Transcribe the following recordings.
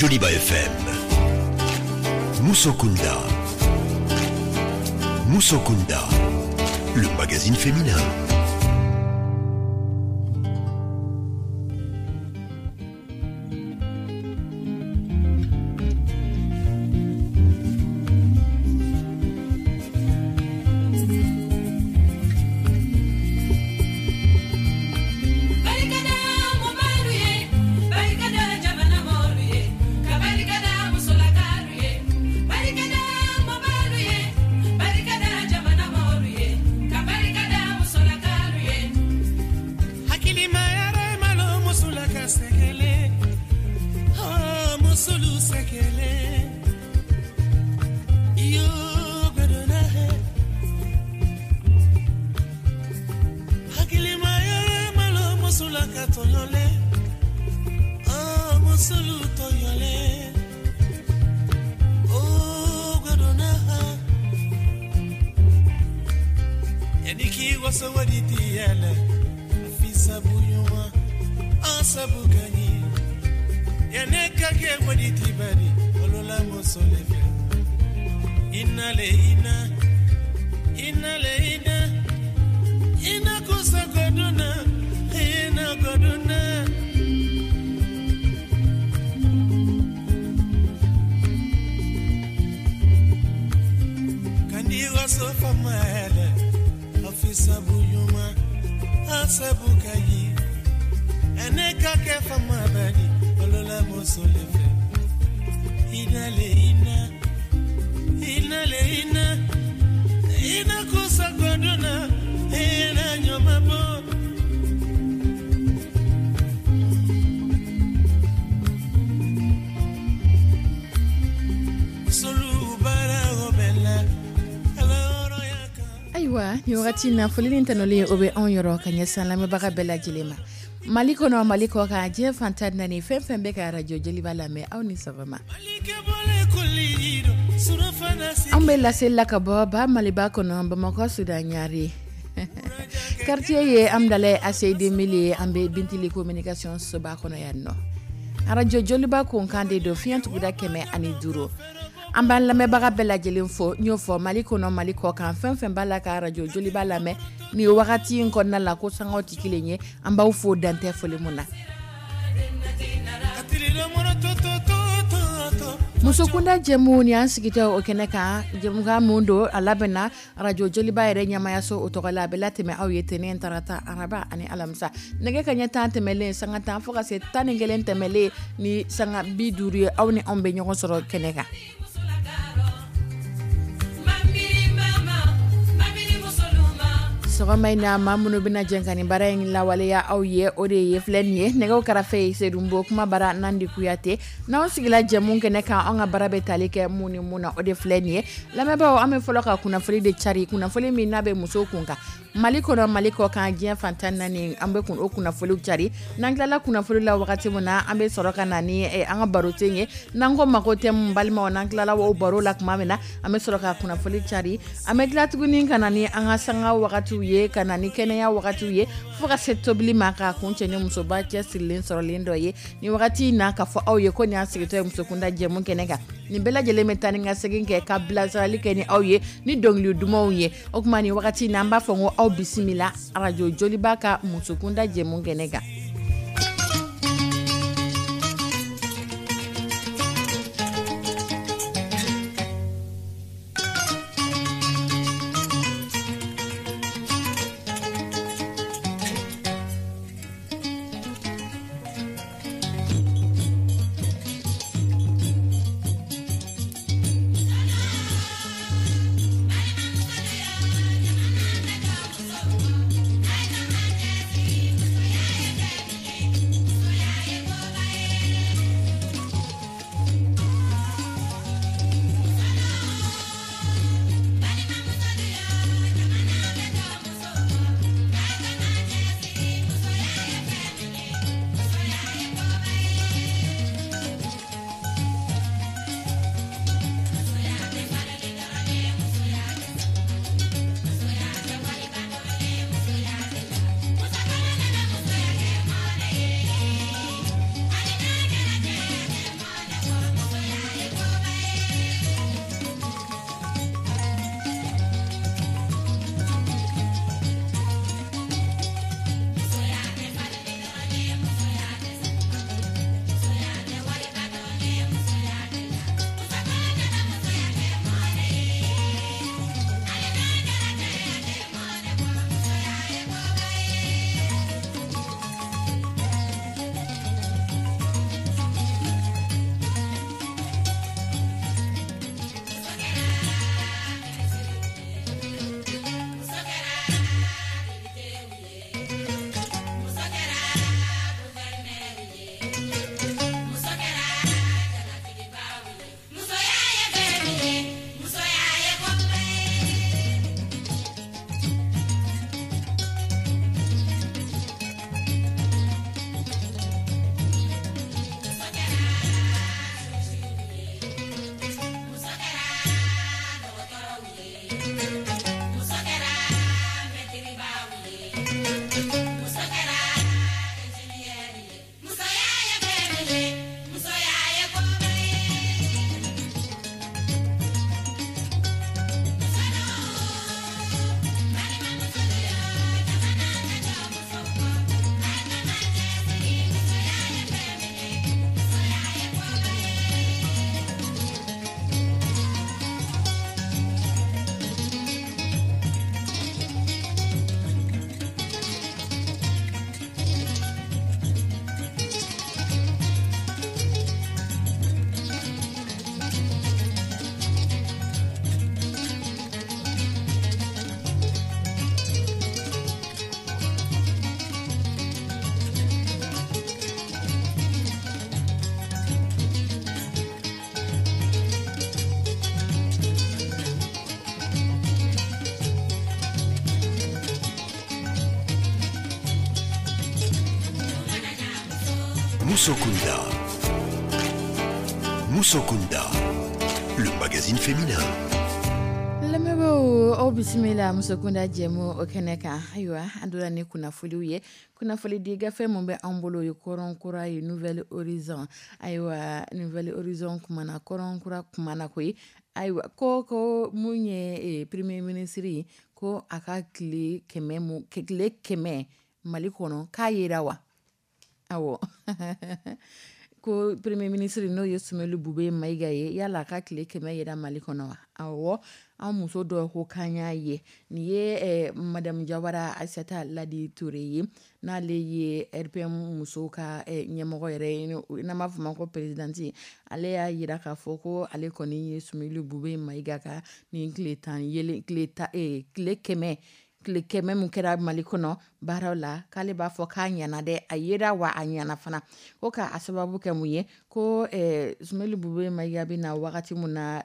Joliba FM. Musokunda. Musokunda, le magazine féminin. Ayiwa, ni wagati in na, foli ni tanuli, o bɛ anw yɔrɔ ka ɲɛsin lamɛnbaga bɛɛ lajɛlen ma, Mali kɔnɔ, Mali kɔ kan, diɲɛ fan 14, fɛn fɛn bɛ ka arajo Joliba lamɛn, aw ni sɔgɔma. An bɛ laseli la ka bɔ ba Maliba kɔnɔ, Bamakɔ Sudan Ɲare quartier ye Amdalaye ACI 2000 ye. An bɛ Bintili Communication soba kɔnɔ yan nɔ. Arajo Joliba kunkan de don, fiɲɛ tuguda 105. An b'an lamɛnbaga bɛɛ lajɛlen fo. N y'o fɔ, Mali kɔnɔ, Mali kɔ kan, fɛn fɛn b'a la ka arajo Joliba lamɛn nin wagati in kɔnɔna la, ko sangaw tɛ kelen ye, an b'aw fo dantɛ foli mun na. Musokunda jɛmu ni an sigitɔ o kɛnɛ kan, jɛmukan mun don, a labɛnna arajo Joliba yɛrɛ ɲɛmayaso o tɔgɔ la. A bɛ latɛmɛ aw ye tɛnɛn, tarata, araba ani alamisa, nɛgɛ ka ɲɛ 10 tɛmɛlen sanga 10 fo ka se 11 tɛmɛlen ni sanga 50 ye. Aw ni anw bɛ ɲɔgɔn sɔrɔ kɛnɛ kan. Sɔgɔma in na, maa minnu bɛna jɛn ka nin baara in lawaleya aw ye, o de ye filɛ nin ye: nɛgɛw karafe ye Sedunbo, kuma bara Nandi Kuyate. N'anw sigila jɛmu kɛnɛ kan, anw ka baara bɛ tali kɛ mun ni mun na, o de filɛ nin ye. Lamɛnbaaw, an bɛ fɔlɔ ka kunnafoni de cari, kunnafoni min n'a bɛ musow kun kan, Mali kɔnɔ, Mali kɔ kan, diɲɛ fan 14, an bɛ kun o kunnafoniw cari. N'an tilala kunnafoni la wagati min na, an bɛ sɔrɔ ka na ni an ka barosen ye, n'an ko ma ko thème. Balimaw, n'an tilala o baro la tuma min na, an bɛ sɔrɔ ka kunnafoni cari. An bɛ tila tuguni ka na ni an ka sanga wagatiw ye, ka na ni kɛnɛya wagatiw ye, fo ka se tobili ma, ka kun cɛ ni musoba cɛsirilen sɔrɔlen dɔ ye ni wagati in na, k'a fɔ aw ye ko nin y'an sigitɔ ye musokunda jɛmu kɛnɛ kan. Nin bɛɛ lajɛlen bɛ taa ni ka segin kɛ, ka bilasirali kɛ ni aw ye ni dɔnkili dumanw ye. O tuma, nin wagati in na, an b'a fɔ ko aw bisimila arajo Joliba ka musokunda jɛmu kɛnɛ kan. Musokunda. Musokunda, le magazine féminin. Lamɛnbaaw, aw bisimila Musokunda jɛmu o kɛnɛ kan. Ayiwa, an donna ni kunnafoniw ye. Kunnafoni di gafe mun bɛ an bolo, o ye Kɔrɔn Kura ye, Nouvel Horizon. Ayiwa, Nouvel Horizon kumana, Kɔrɔn Kura kumana koyi. Ayiwa, ko mun ye premier ministre ye, ko a ka tile 100, mu tile 100 Mali kɔnɔ, k'a yera wa? Awɔ, ko premier ministre, n'o ye Soumeylou Boubèye Maïga ye, yala a ka tile 100 yera Mali kɔnɔ wa? Awɔ, an muso dɔ ko k'an y'a ye. Nin ye madame Jawara Aissata Ladi Touré ye, n'ale ye RPM musow ka ɲɛmɔgɔ yɛrɛ ye, n'an b'a fɔ ma ko présidente. Ale y'a yira k'a fɔ ko ale kɔni ye Soumeylou Boubèye Maïga ka nin tile 10 yelen, tile 10, tile 100, tile 100 mun kɛra Mali kɔnɔ baaraw la, k'ale b'a fɔ k'a ɲana dɛ, a yera wa, a ɲana fana. Ko k'a sababu kɛ mun ye? Ko Soumeylou Boubèye Maïga bɛ na wagati mun na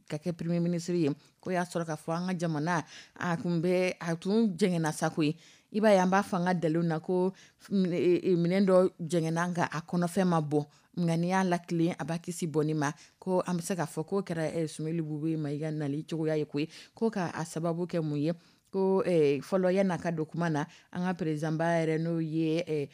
ka kɛ premier ministre ye, ko y'a sɔrɔ k'a fɔ an ka jamana a tun bɛ, a tun jɛngɛnna sa koyi. I b'a ye, an b'a fɔ an ka dalilu na ko minɛn dɔ jɛngɛnna, nka a kɔnɔfɛn ma bɔ, nka n'i y'a latilen, a b'a kisi bɔnni ma. Ko an bɛ se k'a fɔ k'o kɛra Soumeylou Boubèye Maïga nali cogoya ye koyi. Ko k'a sababu kɛ mun ye? Ko fɔlɔ, yan'a ka don kuma na, an ka président ba yɛrɛ, n'o ye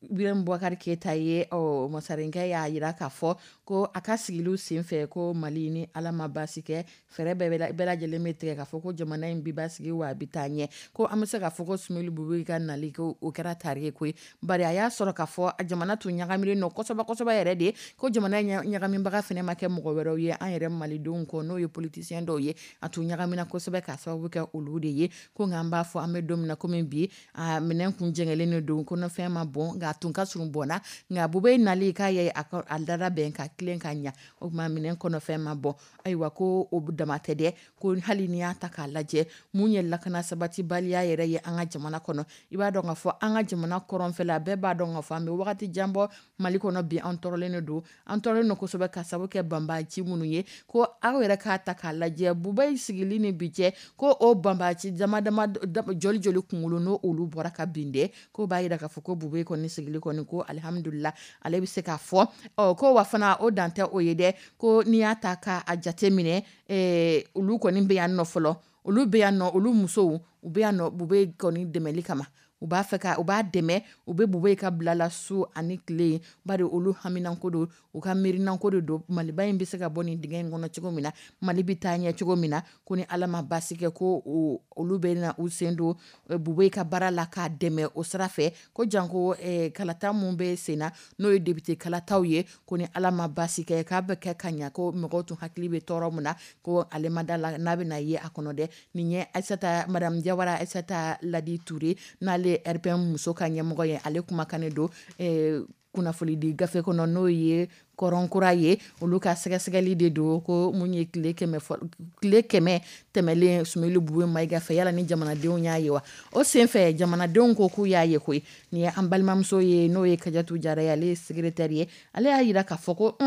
Ibrahim Boubacar Keita ye, ɔ masarinkɛ y'a yira k'a fɔ ko a ka sigiliw senfɛ, ko Mali, ni Ala ma baasi kɛ, fɛɛrɛ bɛɛ lajɛlen bɛ tigɛ k'a fɔ ko jamana in bi basigi wa, a bɛ taa ɲɛ. Ko an bɛ se k'a fɔ ko Soumeylou Boubèye ka nali, ko o kɛra tari ye koyi, bari a y'a sɔrɔ k'a fɔ jamana tun ɲagaminen don kosɛbɛ kosɛbɛ yɛrɛ de. Ko jamana ɲagamibaga fɛnɛ ma kɛ mɔgɔ wɛrɛw ye an yɛrɛ malidenw kɔ, n'o ye politicien dɔw ye. A tun ɲagamina kosɛbɛ k'a sababu kɛ olu de ye. Ko nka an b'a fɔ an bɛ don min na komi bi, a minɛn kun jɛngɛlen de don, kɔnɔfɛn ma bɔn, nka a tun ka surun bɔnna. Nka Boubèye nali, k'a ye a dara bɛn ka tilen ka ɲa, o tuma minɛn kɔnɔfɛn ma bɔn. Ayiwa, ko o dama tɛ dɛ, ko hali n'i y'a ta k'a lajɛ, mun ye lakana sabatibaliya yɛrɛ ye an ka jamana kɔnɔ, i b'a dɔn k'a fɔ an ka jamana kɔrɔnfɛla, bɛɛ b'a dɔn k'a fɔ an bɛ wagati jan bɔ Mali kɔnɔ bi, an tɔɔrɔlen de don, an tɔɔrɔlen don kosɛbɛ ka sababu kɛ banbaanci minnu ye. Ko aw yɛrɛ k'a ta k'a lajɛ, Boubèye sigili ni bi cɛ, ko o banbaanci dama dama joli joli kunkolo n'o olu bɔra ka bin dɛ. Ko b'a yira k'a fɔ ko Boubèye kɔni sigili kɔni, ko alihamudulila, ale bɛ se k'a fɔ. Ɔ, ko wa fana, o dan tɛ o ye dɛ, ko n'i y'a ta k'a jate minɛ, olu kɔni bɛ yan nɔ fɔlɔ, olu bɛ yan nɔ, olu musow, u bɛ yan nɔ Boubèye kɔni dɛmɛli kama. U b'a fɛ ka u b'a dɛmɛ, u bɛ Boubèye ka bila la su ani tile, bari olu haminanko don, u ka miirinanko de don, Maliba in bɛ se ka bɔ nin dingɛ in kɔnɔ cogo min na, Mali bɛ taa ɲɛ cogo min na. Ko ni Ala ma baasi kɛ, ko olu bɛ na u sen don Boubèye ka baara la k'a dɛmɛ o sira fɛ. Ko janko kalata mun bɛ sen na, n'o ye député kalataw ye, ko ni Ala ma baasi kɛ, k'a bɛ kɛ ka ɲa. Ko mɔgɔw tun hakili bɛ tɔɔrɔ mun na, ko ale ma da la n'a bɛna ye a kɔnɔ dɛ. Nin ye Aissata, madame Jawara Aissata Ladi Touré, n'ale RPM muso ka ɲɛmɔgɔ ye, ale kumakan de don kunnafoni di gafe kɔnɔ, n'o ye Kɔrɔn Kura ye. Olu ka sɛgɛsɛgɛli de don, ko mun ye tile 100, tile 100 tɛmɛlen Soumeylou Boubèye Maïga fɛ, yala ni jamanadenw y'a ye wa? O senfɛ, jamanadenw ko k'u y'a ye koyi. Nin ye an balimamuso ye, n'o ye Kadiatou Jara ye, ale ye secrétaire ye. Ale y'a yira k'a fɔ ko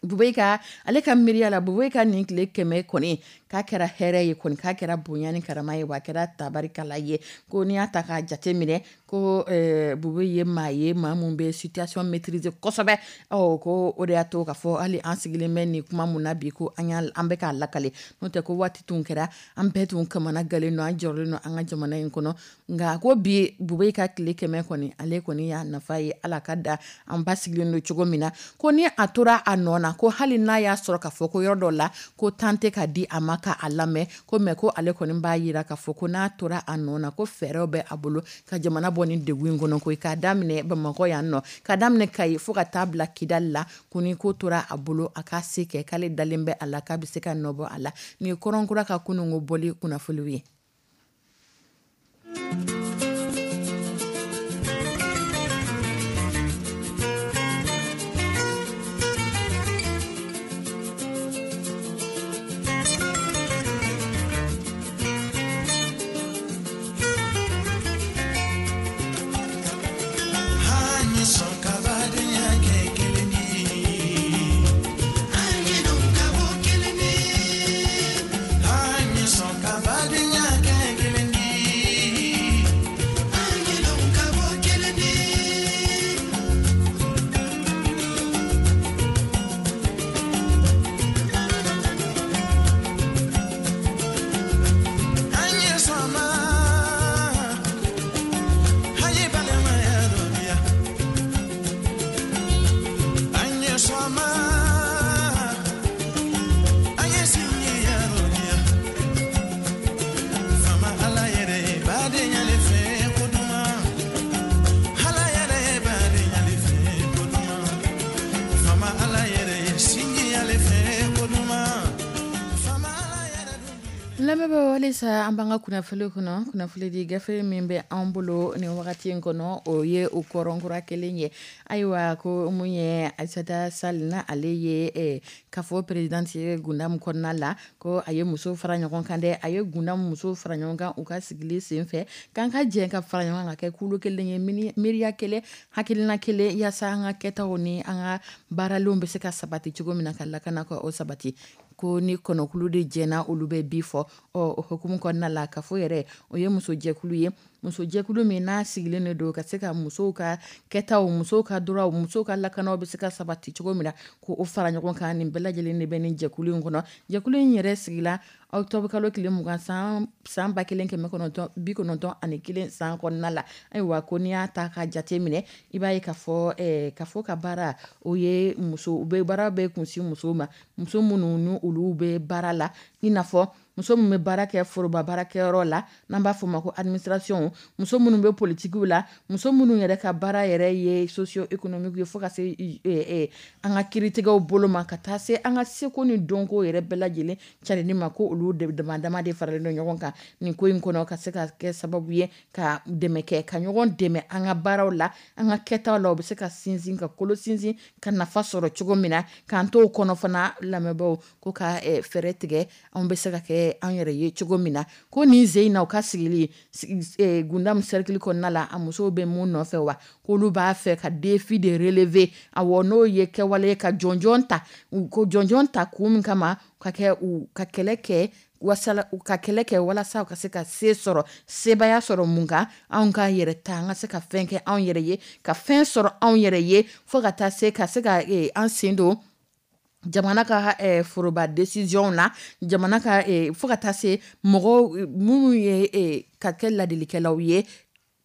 Boubèye ka, ale ka miiriya la, Boubèye ka nin tile 100 kɔni, k'a kɛra hɛrɛ ye kɔni, k'a kɛra bonya ni karama ye, wa a kɛra tabarikala ye. Ko n'i y'a ta k'a jate minɛ, ko Boubèye ye maa ye, maa mun bɛ situation maîtriser kosɛbɛ. Ɔ, ko o de y'a to k'a fɔ hali an sigilen bɛ nin kuma mun na bi, ko an y'a, an bɛ k'a lakale. N'o tɛ, ko waati tun kɛra, an bɛɛ tun kamana galen don, an jɔrɔlen don an ka jamana in kɔnɔ. Nka ko bi, Boubèye ka tile 100 kɔni, ale kɔni y'a nafa ye, Ala ka da an basigilen don cogo min na. Ko ni a tora a nɔ na, ko hali n'a y'a sɔrɔ k'a fɔ ko yɔrɔ dɔ la, ko tan tɛ ka di a ma ka a lamɛn, ko mɛ, ko ale kɔni b'a yira k'a fɔ ko n'a tora a nɔ na, ko fɛɛrɛw bɛ a bolo ka jamana bɔ ni degun in kɔnɔ koyi, k'a daminɛ Bamakɔ yan nɔ, k'a daminɛ Kayi fo ka taa bila Kidali la. Ko ni ko tora a bolo, a k'a se kɛ, k'ale dalen bɛ a la k'a bɛ se ka nɔ bɔ a la. Nin ye Kɔrɔn Kura ka kununko bɔli kunnafoniw ye. An ye sɔn ka badenya. Lamɛnbaaw, halisa an b'an ka kunnafoni kɔnɔ. Kunnafoni di gafe min bɛ an bolo nin wagati in kɔnɔ, o ye o kɔrɔnkura kelen ye. Ayiwa, ko mun ye Aïssata Sall na, ale ye CAFO présidente ye Gundam kɔnɔna la, ko a ye muso fara ɲɔgɔn kan dɛ. A ye Gundam muso fara ɲɔgɔn kan u ka sigili senfɛ, k'an ka jɛ ka fara ɲɔgɔn kan ka kɛ kulu kelen ye, miiriya kelen, hakilina kelen, yaasa an ka kɛtaw ni an ka baaralenw bɛ se ka sabati cogo min na, ka lakana ka o sabati. Ko ni kɔnɔkulu de jɛna, olu bɛ bi fɔ. Ɔ, o hukumu kɔnɔna la, CAFO yɛrɛ, o ye musojɛkulu ye, musojɛkulu min n'a sigilen de don ka se ka musow ka kɛtaw, musow ka droitw, musow ka lakanaw bɛ se ka sabati cogo min na, ko o fara ɲɔgɔn kan. Nin bɛɛ lajɛlen de bɛ nin jɛkulu in kɔnɔ. Jɛkulu in yɛrɛ sigila octobre kalo tile 20, san 1991 san kɔnɔna la. Ayiwa, ko n'i y'a ta ka jate minɛ, i b'a ye k'a fɔ CAFO ka baara, o ye muso u bɛ baara bɛ kunsin musow ma, muso minnu ni olu bɛ baara la, i n'a fɔ muso min bɛ baara kɛ foroba baarakɛyɔrɔ la, n'an b'a fɔ o ma ko administration, muso minnu bɛ politikiw la, muso minnu yɛrɛ ka baara yɛrɛ ye socio économique ye, fo ka se an ka kiiritigɛw bolo ma, ka taa se an ka seko ni dɔnko yɛrɛ bɛɛ lajɛlen carinni ma, ko olu de dama dama de faralen don ɲɔgɔn kan nin ko in kɔnɔ, ka se ka kɛ sababu ye ka dɛmɛ kɛ, ka ɲɔgɔn dɛmɛ an ka baaraw la, an ka kɛtaw la, u bɛ se ka sinsin, ka kolo sinsin, ka nafa sɔrɔ cogo min na, k'an t'o kɔnɔ fana. Lamɛnbaaw, ko ka fɛɛrɛ tigɛ, anw bɛ se ka kɛ an yɛrɛ ye cogo min na. Ko nin sen in na, u ka sigili Gundam cercle kɔnɔna la, a musow bɛ mun nɔfɛ wa? K'olu b'a fɛ ka défi de relever. Awɔ, n'o ye kɛwale ka jɔnjɔn ta, ko jɔnjɔn ta kun min kama, ka kɛ u ka kɛlɛ kɛ wasala, u ka kɛlɛ kɛ walasa u ka se ka se sɔrɔ, sebaaya sɔrɔ mun kan? Anw ka yɛrɛ ta, an ka se ka fɛn kɛ anw yɛrɛ ye, ka fɛn sɔrɔ anw yɛrɛ ye, fo ka taa se ka se ka an sen don jamana ka foroba décision na, jamana ka fo ka taa se mɔgɔw minnu ye ka kɛ ladilikɛlaw ye,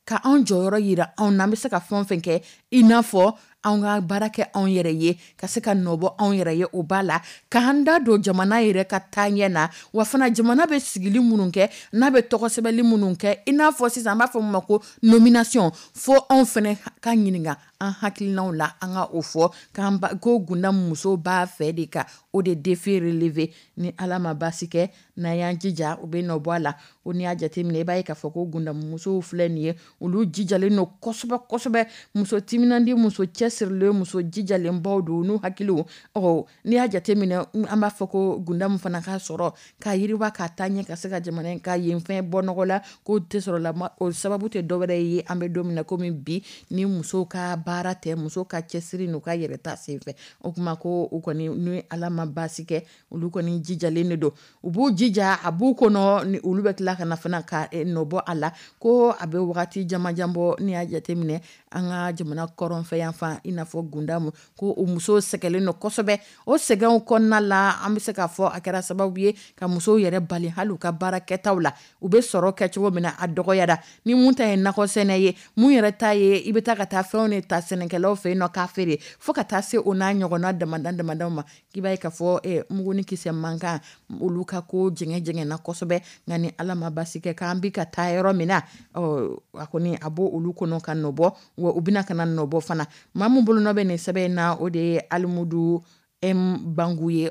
ka anw jɔyɔrɔ yira anw na, an bɛ se ka fɛn o fɛn kɛ, i n'a fɔ anw ka baara kɛ anw yɛrɛ ye, ka se ka nɔbɔ anw yɛrɛ ye, o b'a la k'an da don jamana yɛrɛ ka taaɲɛ na. Wa fana, jamana bɛ sigili minnu kɛ, n'a bɛ tɔgɔ sɛbɛnli minnu kɛ, i n'a fɔ sisan an b'a fɔ min ma ko nomination, fo anw fana ka ɲininka an hakilinaw la, an ka o fɔ k'an ko Gundam musow b'a fɛ de ka o de défi relever. Ni Ala ma baasi kɛ, n'an y'an jija, u bɛ nɔ bɔ a la. O n'i y'a jateminɛ, i b'a ye k'a fɔ ko Gundam musow filɛ nin ye, olu jijalen don kosɛbɛ kosɛbɛ, muso timinandi, muso cɛsirilen, muso jijalenbaw don n'u hakiliw. Ɔ, n'i y'a jateminɛ, an b'a fɔ ko Gundam fana ka sɔrɔ ka yiriwa, ka taa ɲɛ, ka se ka jamana in ka yen fɛn bɔ nɔgɔ la, k'o tɛ sɔrɔ la, o sababu tɛ dɔwɛrɛ ye an bɛ don min na komi bi, ni musow ka baara tɛ, musow ka cɛsiri n'u ka yɛrɛ ta senfɛ. O kuma ko u kɔni, ni Ala ma baasi kɛ, olu kɔni jijalen de don, u b'u jija, a b'u kɔnɔ ni olu bɛ tila ka na fana ka nɔbɔ a la. Ko a bɛ wagati jamajan bɔ, n'i y'a jateminɛ an ka jamana kɔrɔnfɛ yan fan, i n'a fɔ Gundamu, ko o musow sɛgɛnlen don kosɛbɛ. O sɛgɛnw kɔnɔna la, an bɛ se k'a fɔ a kɛra sababu ye ka musow yɛrɛ bali hali u ka baara kɛtaw la. U bɛ sɔrɔ kɛ cogo min na, a dɔgɔyara. Ni mun ta ye nakɔ sɛnɛ ye, mun yɛrɛ ta ye i bɛ taa ka taa fɛnw de ta sɛnɛkɛlaw fɛ yen nɔ k'a feere, fo ka taa se o n'a ɲɔgɔnna damada damadaw ma, k'i b'a ye k'a fɔ mugu ni kisɛ man kan, olu ka ko jɛngɛ jɛngɛnna kosɛbɛ. Nka ni Ala ma baasi kɛ, k'an bi ka taa yɔrɔ min na, a kɔni a b'o olu kɔnɔ ka nɔbɔ, wa u bɛna ka na nɔbɔ fana. Maa min bolonɔ bɛ nin sɛbɛn in na, o de ye Alimudu M Bangu ye,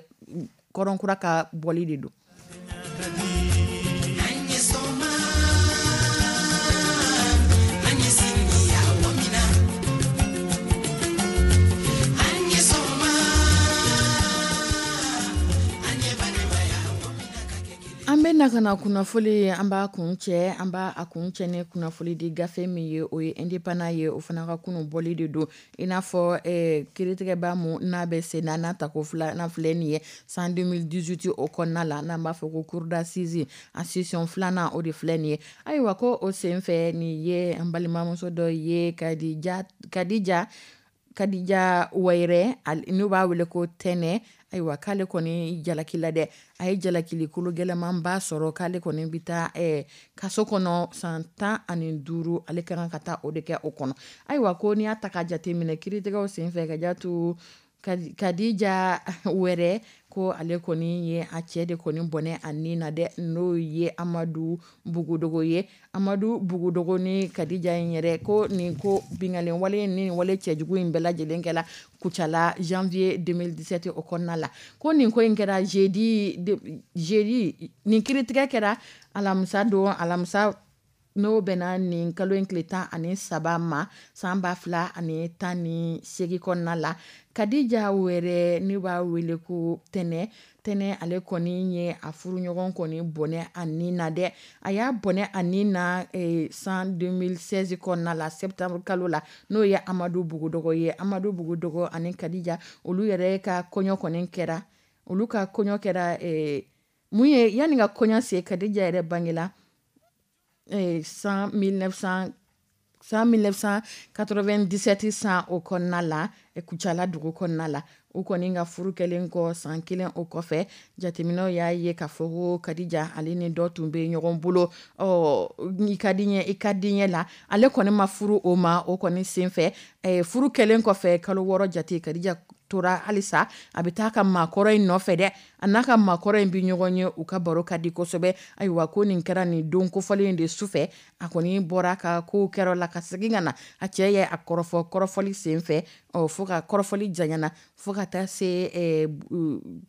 kɔrɔnkura ka bɔli de don. An bɛ na ka na kunnafoni, an b'a kun cɛ, an b'a a kun cɛ ni kunnafoni di gafe min ye, o ye Indépendant ye, o fana ka kunun bɔli de don. I n'a fɔ kiiritigɛba mun n'a bɛ sen na, n'a tako filanan filɛ nin ye san 2018 o kɔnɔna la, n'an b'a fɔ ko cour d'assises, a session filanan, o de filɛ nin ye. Ayiwa, ko o senfɛ, nin ye an balimamuso dɔ ye, Kadija Wayɛrɛ, n'u b'a wele ko Tɛnɛ. Ayiwa, k'ale kɔni jalaki la dɛ, a ye jalakili kolo gɛlɛnmanba sɔrɔ, k'ale kɔni bɛ taa kaso kɔnɔ san 15, ale ka kan ka taa o de kɛ o kɔnɔ. Ayiwa, ko n'i y'a ta ka jateminɛ kiiritigɛw senfɛ, ka jatu Kadija Wɛrɛ ko ale kɔni ye a cɛ de kɔni bɔnɛ a ni na dɛ, n'o ye Amadu Bugudogo ye. Amadu Bugudogo ni Kadija in yɛrɛ ko nin ko binkanni wale ni wale cɛjugu in bɛɛ lajɛlen kɛla Kucala janvier 2017 o kɔnɔna la. Ko nin ko in kɛra jeudi, nin kiiritigɛ kɛra alamisa don, alamisa n'o bɛnna nin kalo in tile 13 ma san 2018 kɔnɔna la. Kadija Wɛrɛ ne b'a wele ko Tɛnɛ. Tɛnɛ ale kɔni ye a furuɲɔgɔn kɔni bɔnɛ a ni na dɛ. A y'a bɔnɛ a ni na san 2016 kɔnɔna la, septembre kalo la, n'o ye Amadu Bugudogo ye. Amadu Bugudogo ani Kadija olu yɛrɛ ka kɔɲɔ kɔni kɛra, olu ka kɔɲɔ kɛra mun ye yanni ka kɔɲɔ se, Kadija yɛrɛ bangela san 1997 san o kɔnɔna la, Kucala dugu kɔnɔna la. U kɔni ka furu kɛlen kɔ san kelen o kɔfɛ, jateminɛw y'a ye k'a fɔ ko Kadija ale ni dɔ tun bɛ ɲɔgɔn bolo. I ka di ɲɛ, i ka di ɲɛ la, ale kɔni ma furu o ma. O kɔni senfɛ, furu kɛlen kɔfɛ kalo 6 jate, Kadija tora halisa a bɛ taa ka maakɔrɔ in nɔfɛ dɛ. A n'a ka maakɔrɔ in bɛ ɲɔgɔn ye, u ka baro ka di kosɛbɛ. Ayiwa, ko nin kɛra nin don kofɔlen in de sufɛ, a kɔni bɔra ka kow kɛra la ka segin ka na. A cɛ ye a kɔrɔfɔ, kɔrɔfɔli senfɛ, fo ka kɔrɔfɔli janyana fo ka taa se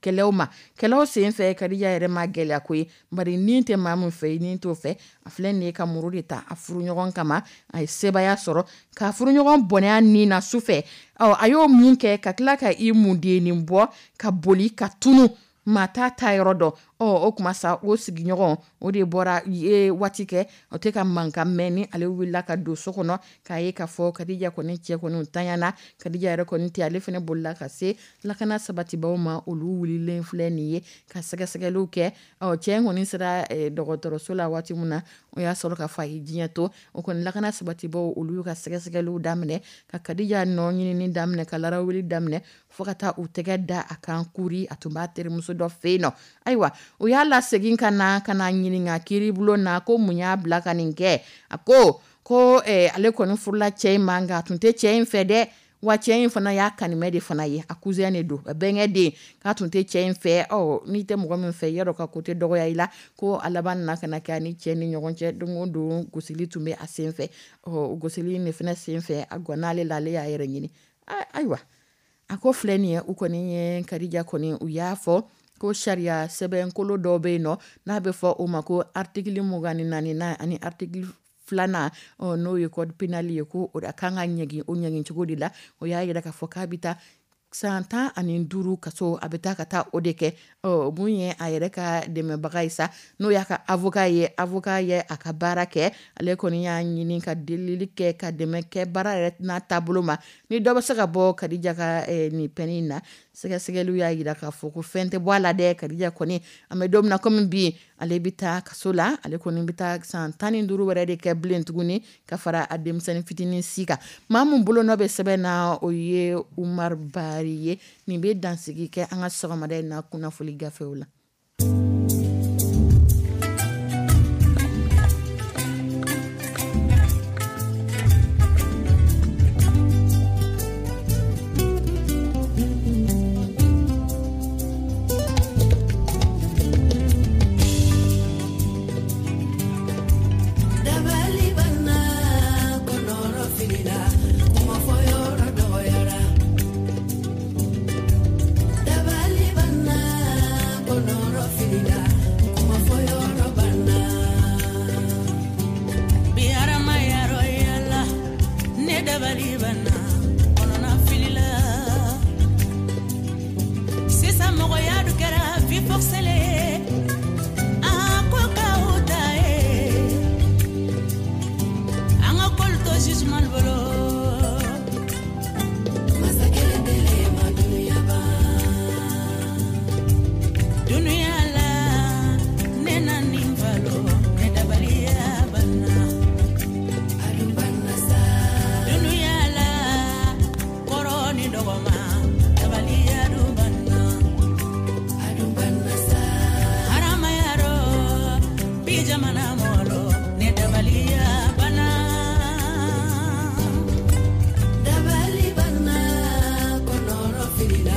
kɛlɛw ma. Kɛlɛw senfɛ, Kadija yɛrɛ ma gɛlɛya ko ye, bari nin tɛ maa min fɛ, nin t'o fɛ. A filɛ nin ye ka muru de ta a furuɲɔgɔn kama. A ye sebaaya sɔrɔ ka furuɲɔgɔn bɔnɛ nin na sufɛ. A y'o mun kɛ ka tila ka i mundennin bɔ ka boli ka tunu, maa t'a ta yɔrɔ dɔn. O kuma sa, o sigiɲɔgɔn o de bɔra ye waati kɛ o tɛ ka mankan mɛn ni ale wulila ka don so kɔnɔ k'a ye k'a fɔ Kadija kɔni cɛ kɔni tanyana. Kadija yɛrɛ kɔni tɛ, ale fana bolila ka se lakana sabatibaw ma. Olu wulilen filɛ nin ye ka sɛgɛsɛgɛliw kɛ. Cɛ in kɔni sera dɔgɔtɔrɔso la waati min na, o y'a sɔrɔ k'a fɔ a ye diɲɛ to. O kɔni lakana sabatibaw olu y'u ka sɛgɛsɛgɛliw daminɛ ka Kadija nɔ ɲinini daminɛ, ka larawuli daminɛ fo ka taa u tɛgɛ da a kan kuri. A tun b'a terimuso dɔ fɛ yen nɔ. Ayiwa, o y'a lasegin ka na ɲininka kiiribulon na ko mun y'a bila ka nin kɛ. A ko ale kɔni furula cɛ in ma, nka a tun tɛ cɛ in fɛ dɛ. Wa cɛ in fana y'a kanimɛ de fana ye, a cousin de don, a bɛnkɛ den, k'a tun tɛ cɛ in fɛ. N'i tɛ mɔgɔ min fɛ, yɔrɔ ka ko tɛ dɔgɔya i la. Ko a laban nana ka na kɛ a ni cɛ ni ɲɔgɔn cɛ, don o don gosili tun bɛ a sen fɛ. Gosili in de fana sen fɛ, a gwanna ale la, ale y'a yɛrɛ ɲini. Ayiwa, a ko filɛ nin ye, u kɔni ye Kadija kɔni, u y'a fɔ ko sariya sɛbɛnkolo dɔw bɛ yen nɔ n'a bɛ fɔ o ma ko article 24 ani article 2, n'o ye code pénal ye, ko o kan ka ɲɛgin o ɲɛgin cogo de la. O y'a yira k'a fɔ k'a bɛ taa san 15 kaso, a bɛ taa ka taa o de kɛ. Mun ye a yɛrɛ ka dɛmɛbaga ye sa, n'o y'a ka avocat ye, avocat ye a ka baara kɛ. Ale kɔni y'a ɲini ka delili kɛ ka dɛmɛ kɛ baara yɛrɛ n'a taabolo ma, ni dɔ bɛ se ka bɔ Kadija ka nin peine in na. Sɛgɛsɛgɛliw y'a yira k'a fɔ ko fɛn tɛ bɔ a la dɛ. Kadija kɔni, an bɛ don min na komi bi, ale bɛ taa kaso la. Ale kɔni bɛ taa san 15 wɛrɛ de kɛ bilen tuguni ka fara a denmisɛnnin fitinin si kan. Maa min bolonɔ bɛ sɛbɛn na, o ye Umar Bari ye. Nin bɛ dansigi kɛ an ka sɔgɔmada in na kunnafoli gafew la. Dabali banna, kɔnɔrɔ filila.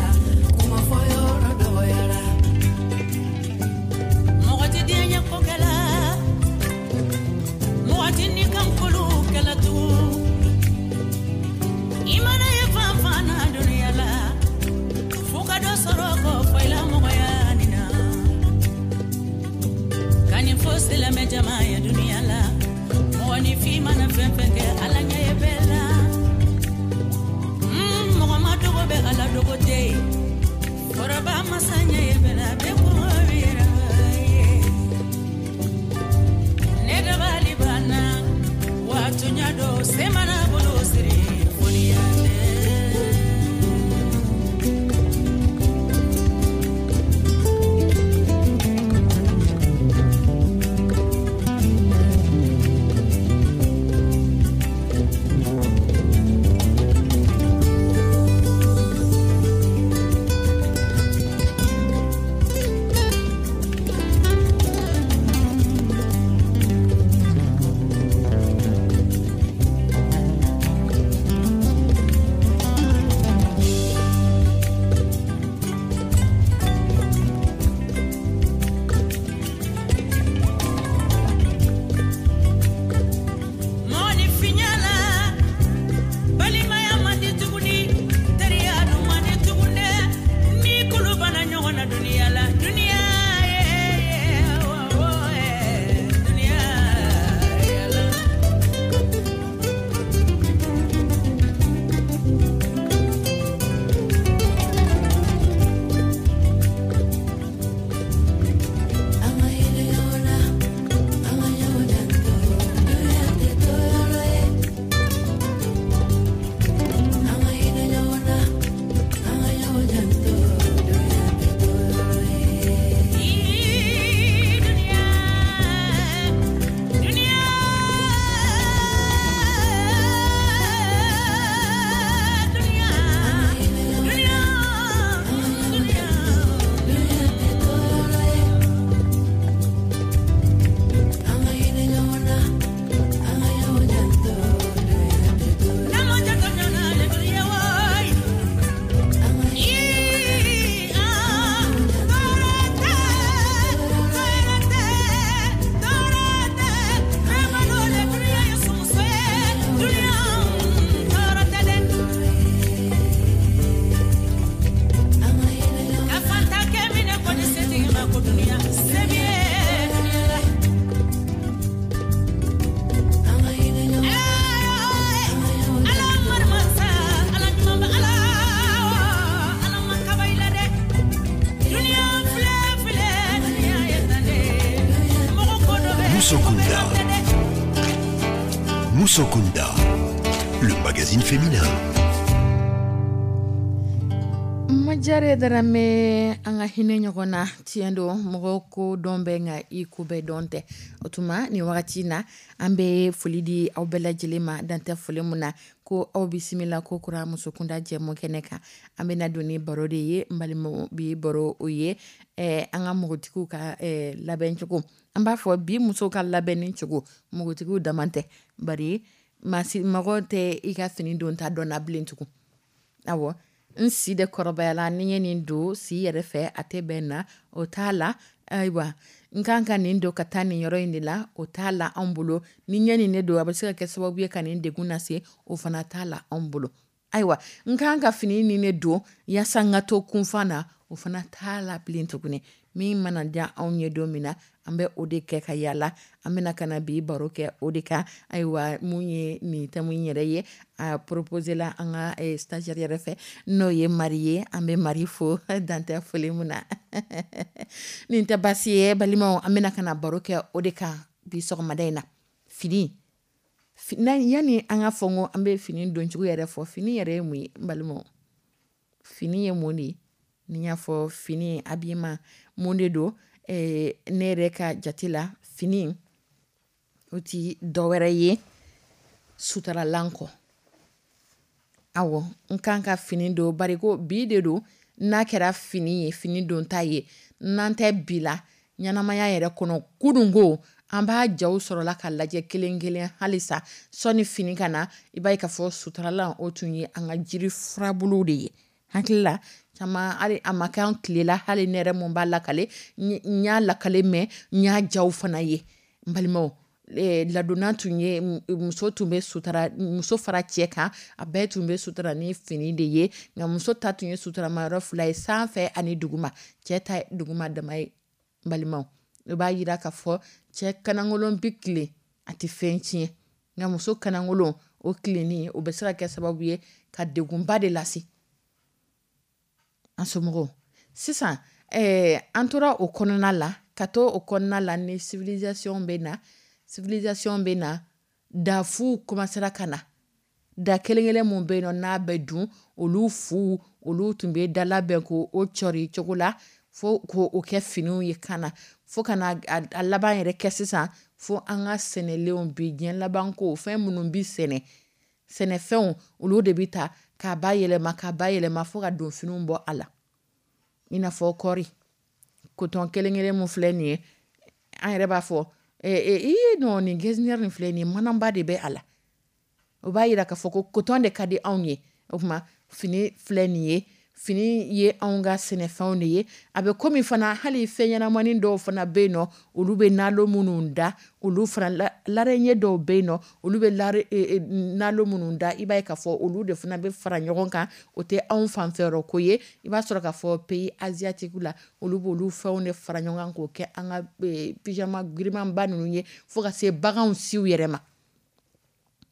Musokunda. Musokunda, le magazine féminin. Majare Darame, an ka hinɛ ɲɔgɔn na. Tiɲɛ don, mɔgɔ ko dɔn bɛ, nka i ko bɛɛ dɔn tɛ. O tuma nin wagati na, an bɛ foli di aw bɛɛ lajɛlen ma, dantɛ foli min na, ko aw bisimila ko kura Musokunda jɛmu kɛnɛ kan. An bɛna don ni baro de ye, n balimaw. Bi baro, o ye an ka npogotigiw ka labɛncogo. An b'a fɔ bi muso ka labɛnni cogo, npogotigiw dama tɛ, bari mɔgɔ tɛ i ka fini don ta dɔn na bilen tugun. Awɔ, n si de kɔrɔbayala, ni ye nin don si yɛrɛ fɛ, a tɛ bɛn na, o t'a la. Ayiwa, n kan ka nin don ka taa nin yɔrɔ in de la, o t'a la anw bolo. Ni ɲɛ nin ne don, a bɛ se ka kɛ sababu ye ka nin degun lase, o fana t'a la anw bolo. Ayiwa, n kan ka fini nin ne don yaasa n ka to kunfa na, o fana t'a la bilen tuguni. Min mana diya anw ye don min na, an bɛ o de kɛ ka yala. An bɛna ka na bi baro kɛ o de kan. Ayiwa, mun ye nin thème in yɛrɛ ye, a proposé la an ka stagiaire yɛrɛ fɛ, n'o ye Mari ye. An bɛ Mari fo, dantɛ foli min na. Nin tɛ basi ye, balimaw. An bɛna ka na baro kɛ o de kan bi sɔgɔmada in na. Fini, yani an ka fɔ ko an bɛ fini doncogo yɛrɛ fɔ, fini yɛrɛ ye mun ye, n balimaw? Fini ye mun de ye? Ni y'a fɔ fini, habillement, mun de don? Ne yɛrɛ ka jate la, fini o ti dɔwɛrɛ ye sutaralan kɔ. Awɔ, n kan ka fini don bari ko bi de don. N'a kɛra fini ye, fini don ta ye, n'an tɛ bi la ɲɛnamaya yɛrɛ kɔnɔ, kununko an b'a jaw sɔrɔla ka lajɛ kelen kelen halisa sɔni fini ka na, i b'a ye k'a fɔ sutaralan, o tun ye an ka jiri furabulu de ye. Hakili la caman, hali a ma kɛ an tile la, hali ne yɛrɛ mun b'a lakale, n y'a lakale mɛn, n y'a jaw fana ye. N balimaw, ladonna tun ye muso tun bɛ sutura, muso fara cɛ kan, a bɛɛ tun bɛ sutura ni fini de ye. Nka muso ta tun ye suturama yɔrɔ fila ye, sanfɛ ani duguma. Cɛ ta duguma dama ye. N balimaw, o b'a yira k'a fɔ cɛ kanangolon bɛ tilen, a tɛ fɛn tiɲɛ, nka muso kanangolon, o tilenni, o bɛ se ka kɛ sababu ye ka degunba de lase an somɔgɔw. Sisan an tora o kɔnɔna la, ka to o kɔnɔna la ni civilisation bɛ na, civilisation bɛ na, dafuw commencera ka na. Da kelen kelen mun bɛ yen nɔ, n'a bɛ dun, olu fu, olu tun bɛ da labɛn ko o cɔri cogo la fo ko o kɛ finiw ye ka na, fo ka na a laban yɛrɛ kɛ sisan fo an ka sɛnɛlenw bi diɲɛ laban ko fɛn minnu bi sɛnɛ, sɛnɛfɛnw, olu de bɛ ta k'a ba yɛlɛma, k'a ba yɛlɛma fo ka don finiw bɔ a la, i n'a fɔ kɔɔri coton kelen kelen mun filɛ nin ye. An yɛrɛ b'a fɔ ee non, nin getzner nin filɛ nin ye, manaba de bɛ a la. O b'a yira k'a fɔ ko coton de ka di anw ye. O tuma fini filɛ nin ye, fini ye anw ka sɛnɛfɛnw de ye. A bɛ komi fana hali fɛn ɲɛnamanin dɔw fana bɛ yen nɔ, olu bɛ nalo minnu da, olu fana l'araignée dɔw bɛ yen nɔ, olu bɛ nalo minnu da, i b'a ye k'a fɔ olu de fana bɛ fara ɲɔgɔn kan. O tɛ anw fanfɛyɔrɔ ko ye. I b'a sɔrɔ k'a fɔ pays asiatique la, olu b'olu fɛnw de fara ɲɔgɔn kan k'o kɛ an ka pyjama girimanba ninnu ye, fo ka se baganw siw yɛrɛ ma.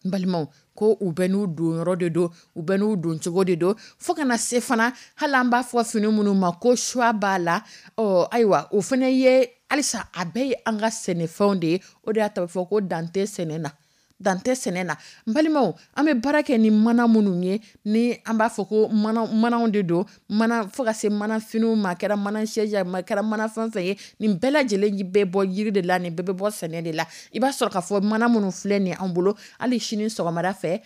N balimaw, ko u bɛ n'u don yɔrɔ de don, u bɛ n'u don cogo de don, fo kana se fana hali an b'a fɔ fini minnu ma ko soie b'a la. Ɔ ayiwa, o fana ye halisa a bɛɛ ye an ka sɛnɛfɛnw de ye. O de y'a to a bɛ fɔ ko dan tɛ sɛnɛ na, dan tɛ sɛnɛ na. N balimaw, an bɛ baara kɛ ni mana minnu ye, ni an b'a fɔ ko manaw de don, mana fo ka se mana finiw ma, a kɛra mana siège a kɛra mana fɛn fɛn ye, nin bɛɛ lajɛlen bɛ bɔ yiri de la, nin bɛɛ bɛ bɔ sɛnɛ de la. I b'a sɔrɔ k'a fɔ mana minnu filɛ nin an bolo hali sini sɔgɔmada fɛ,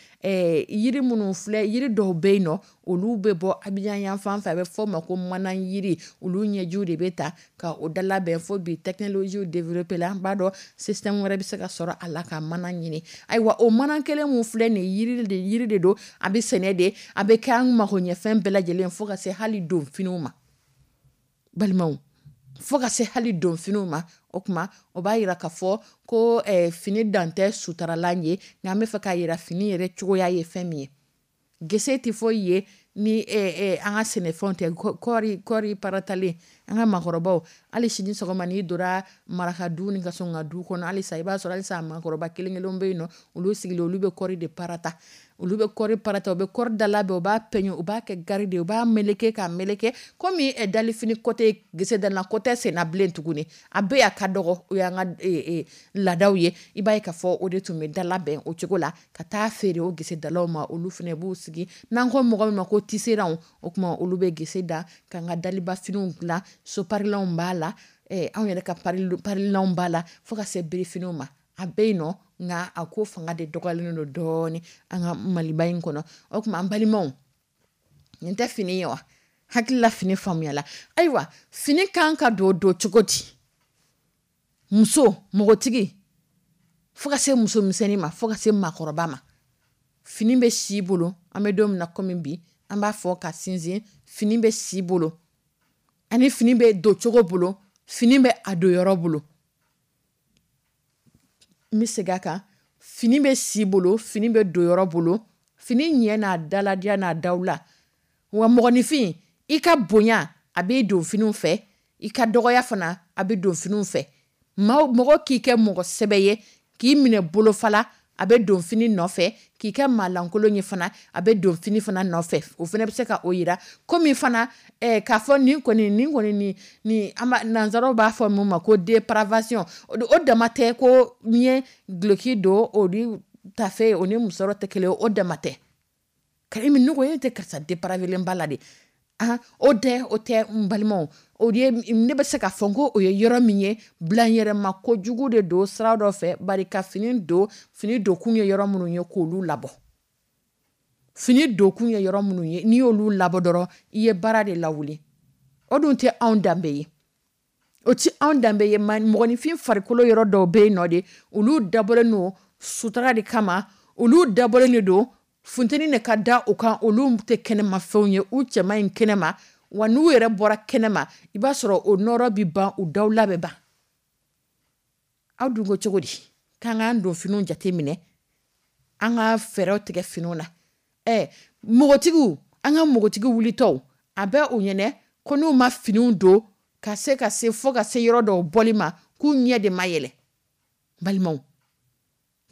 yiri minnu filɛ, yiri dɔw bɛ yen nɔ, olu bɛ bɔ Abidjan yan fan fɛ, a bɛ fɔ o ma ko mana yiri. Olu ɲɛjiw de bɛ ta ka o dalabɛn, fo bi technologie développé la, an b'a dɔn système wɛrɛ bɛ se ka sɔrɔ a la ka mana ɲini. Ayiwa, o mana kelen mun filɛ nin ye, yiri de don, a bɛ sɛnɛ de, a bɛ kɛ an magoɲɛfɛn bɛɛ lajɛlen, fo ka se hali don finiw ma. Balimaw, fo ka se hali don finiw ma. O tuma o b'a yira k'a fɔ ko fini dan tɛ sutaralan ye, nka an bɛ fɛ k'a yira fini yɛrɛ cogoya ye fɛn min ye. Gese tɛ foyi ye ni an ka sɛnɛfɛnw tɛ. Kɔɔri paratalen, an ka maakɔrɔbaw, hali sini sɔgɔma n'i donna maraka du ni ka sɔn ka du kɔnɔ, halisa i b'a sɔrɔ halisa maakɔrɔba kelen kelen bɛ yen nɔ, olu sigilen, olu bɛ kɔɔri de parata. Olu bɛ kɔɔri parata, u bɛ kɔɔri da labɛn, u b'a pɛɲɛ, u b'a kɛ gari de, u b'a meleke k'a meleke komi dalifini kɔtɛ, gesedala kɔtɛ senna bilen tuguni. A bɛ a ka dɔgɔ, o y'an ka laadaw ye. I b'a ye k'a fɔ o de tun bɛ da labɛn o cogo la ka taa feere o gesedalaw ma. Olu fana b'u sigi, n'an ko mɔgɔ min ma ko tisserand, o tuma olu bɛ gese da k'an ka dalibafiniw dilan. Soparilanw b'a la, anw yɛrɛ ka parilanw b'a la, fo ka se birifiniw ma. A bɛ yen nɔ, nka a ko fanga de dɔgɔyalen don dɔɔnin an ka Maliba in kɔnɔ. O tuma an balimaw, nin tɛ fini ye wa? Hakilila fini faamuyala. Ayiwa, fini kan ka don don cogo di? Muso, npogotigi, fo ka se musomisɛnnin ma, fo ka se maakɔrɔba ma, fini bɛ si bolo. An bɛ don min na komi bi, an b'a fɔ ka sinsin, fini bɛ si bolo, ani fini bɛ don cogo bolo, fini bɛ a don yɔrɔ bolo. N bɛ segin a kan: fini bɛ si bolo, fini bɛ don yɔrɔ bolo, fini ɲɛ n'a daladiya n'a dawula. Wa mɔgɔninfin, i ka bonya a b'i don finiw fɛ, i ka dɔgɔya fana a bɛ don finiw fɛ. Maa mɔgɔ k'i kɛ mɔgɔ sɛbɛ ye, k'i minɛ bolofala, a bɛ don fini nɔfɛ. K'i kɛ maalankolon ye fana, a bɛ don fini fana nɔfɛ. O fana bɛ se ka o yira komi fana k'a fɔ nin kɔni, nin kɔni, nin nin, an b'a nanzaraw b'a fɔ mun ma ko dépravation. O dama tɛ ko n ye duloki don, o ni tafe, o ni musɔrɔ tɛ kelen, o dama tɛ. Karimi, ne ko e tɛ karisa dépravélen ba la de. Ah, o tɛ, o tɛ. N balimaw, o ye ne bɛ se k'a fɔ ko o ye yɔrɔ min ye, bilanyɛrɛma kojugu de don sira dɔ fɛ. Bari ka fini don, fini donkun ye yɔrɔ minnu ye, k'olu labɔ. Fini donkun ye yɔrɔ minnu ye, n'i y'olu labɔ dɔrɔn, i ye baara de lawuli. O dun tɛ anw danbe ye, o ti anw danbe ye. Mɔgɔninfin farikolo yɔrɔ dɔw bɛ yen nɔ de, olu dabɔlen don sutura de kama, olu dabɔlen de don funteni de ka da u kan. Olu tɛ kɛnɛmafɛnw ye, u cɛman in kɛnɛma. Wa n'u yɛrɛ bɔra kɛnɛma, i b'a sɔrɔ o nɔrɔ bɛ ban, u dawula bɛ ban. Aw dun ko cogo di k'an k'an don finiw jate minɛ, an ka fɛɛrɛw tigɛ finiw na? Npogotigiw, an ka npogotigi wulitɔw, a bɛ u ɲɛnɛ ko n'u ma finiw don ka se ka se fo ka se yɔrɔ dɔw bɔli ma, k'u ɲɛ de ma yɛlɛ. Balimaw,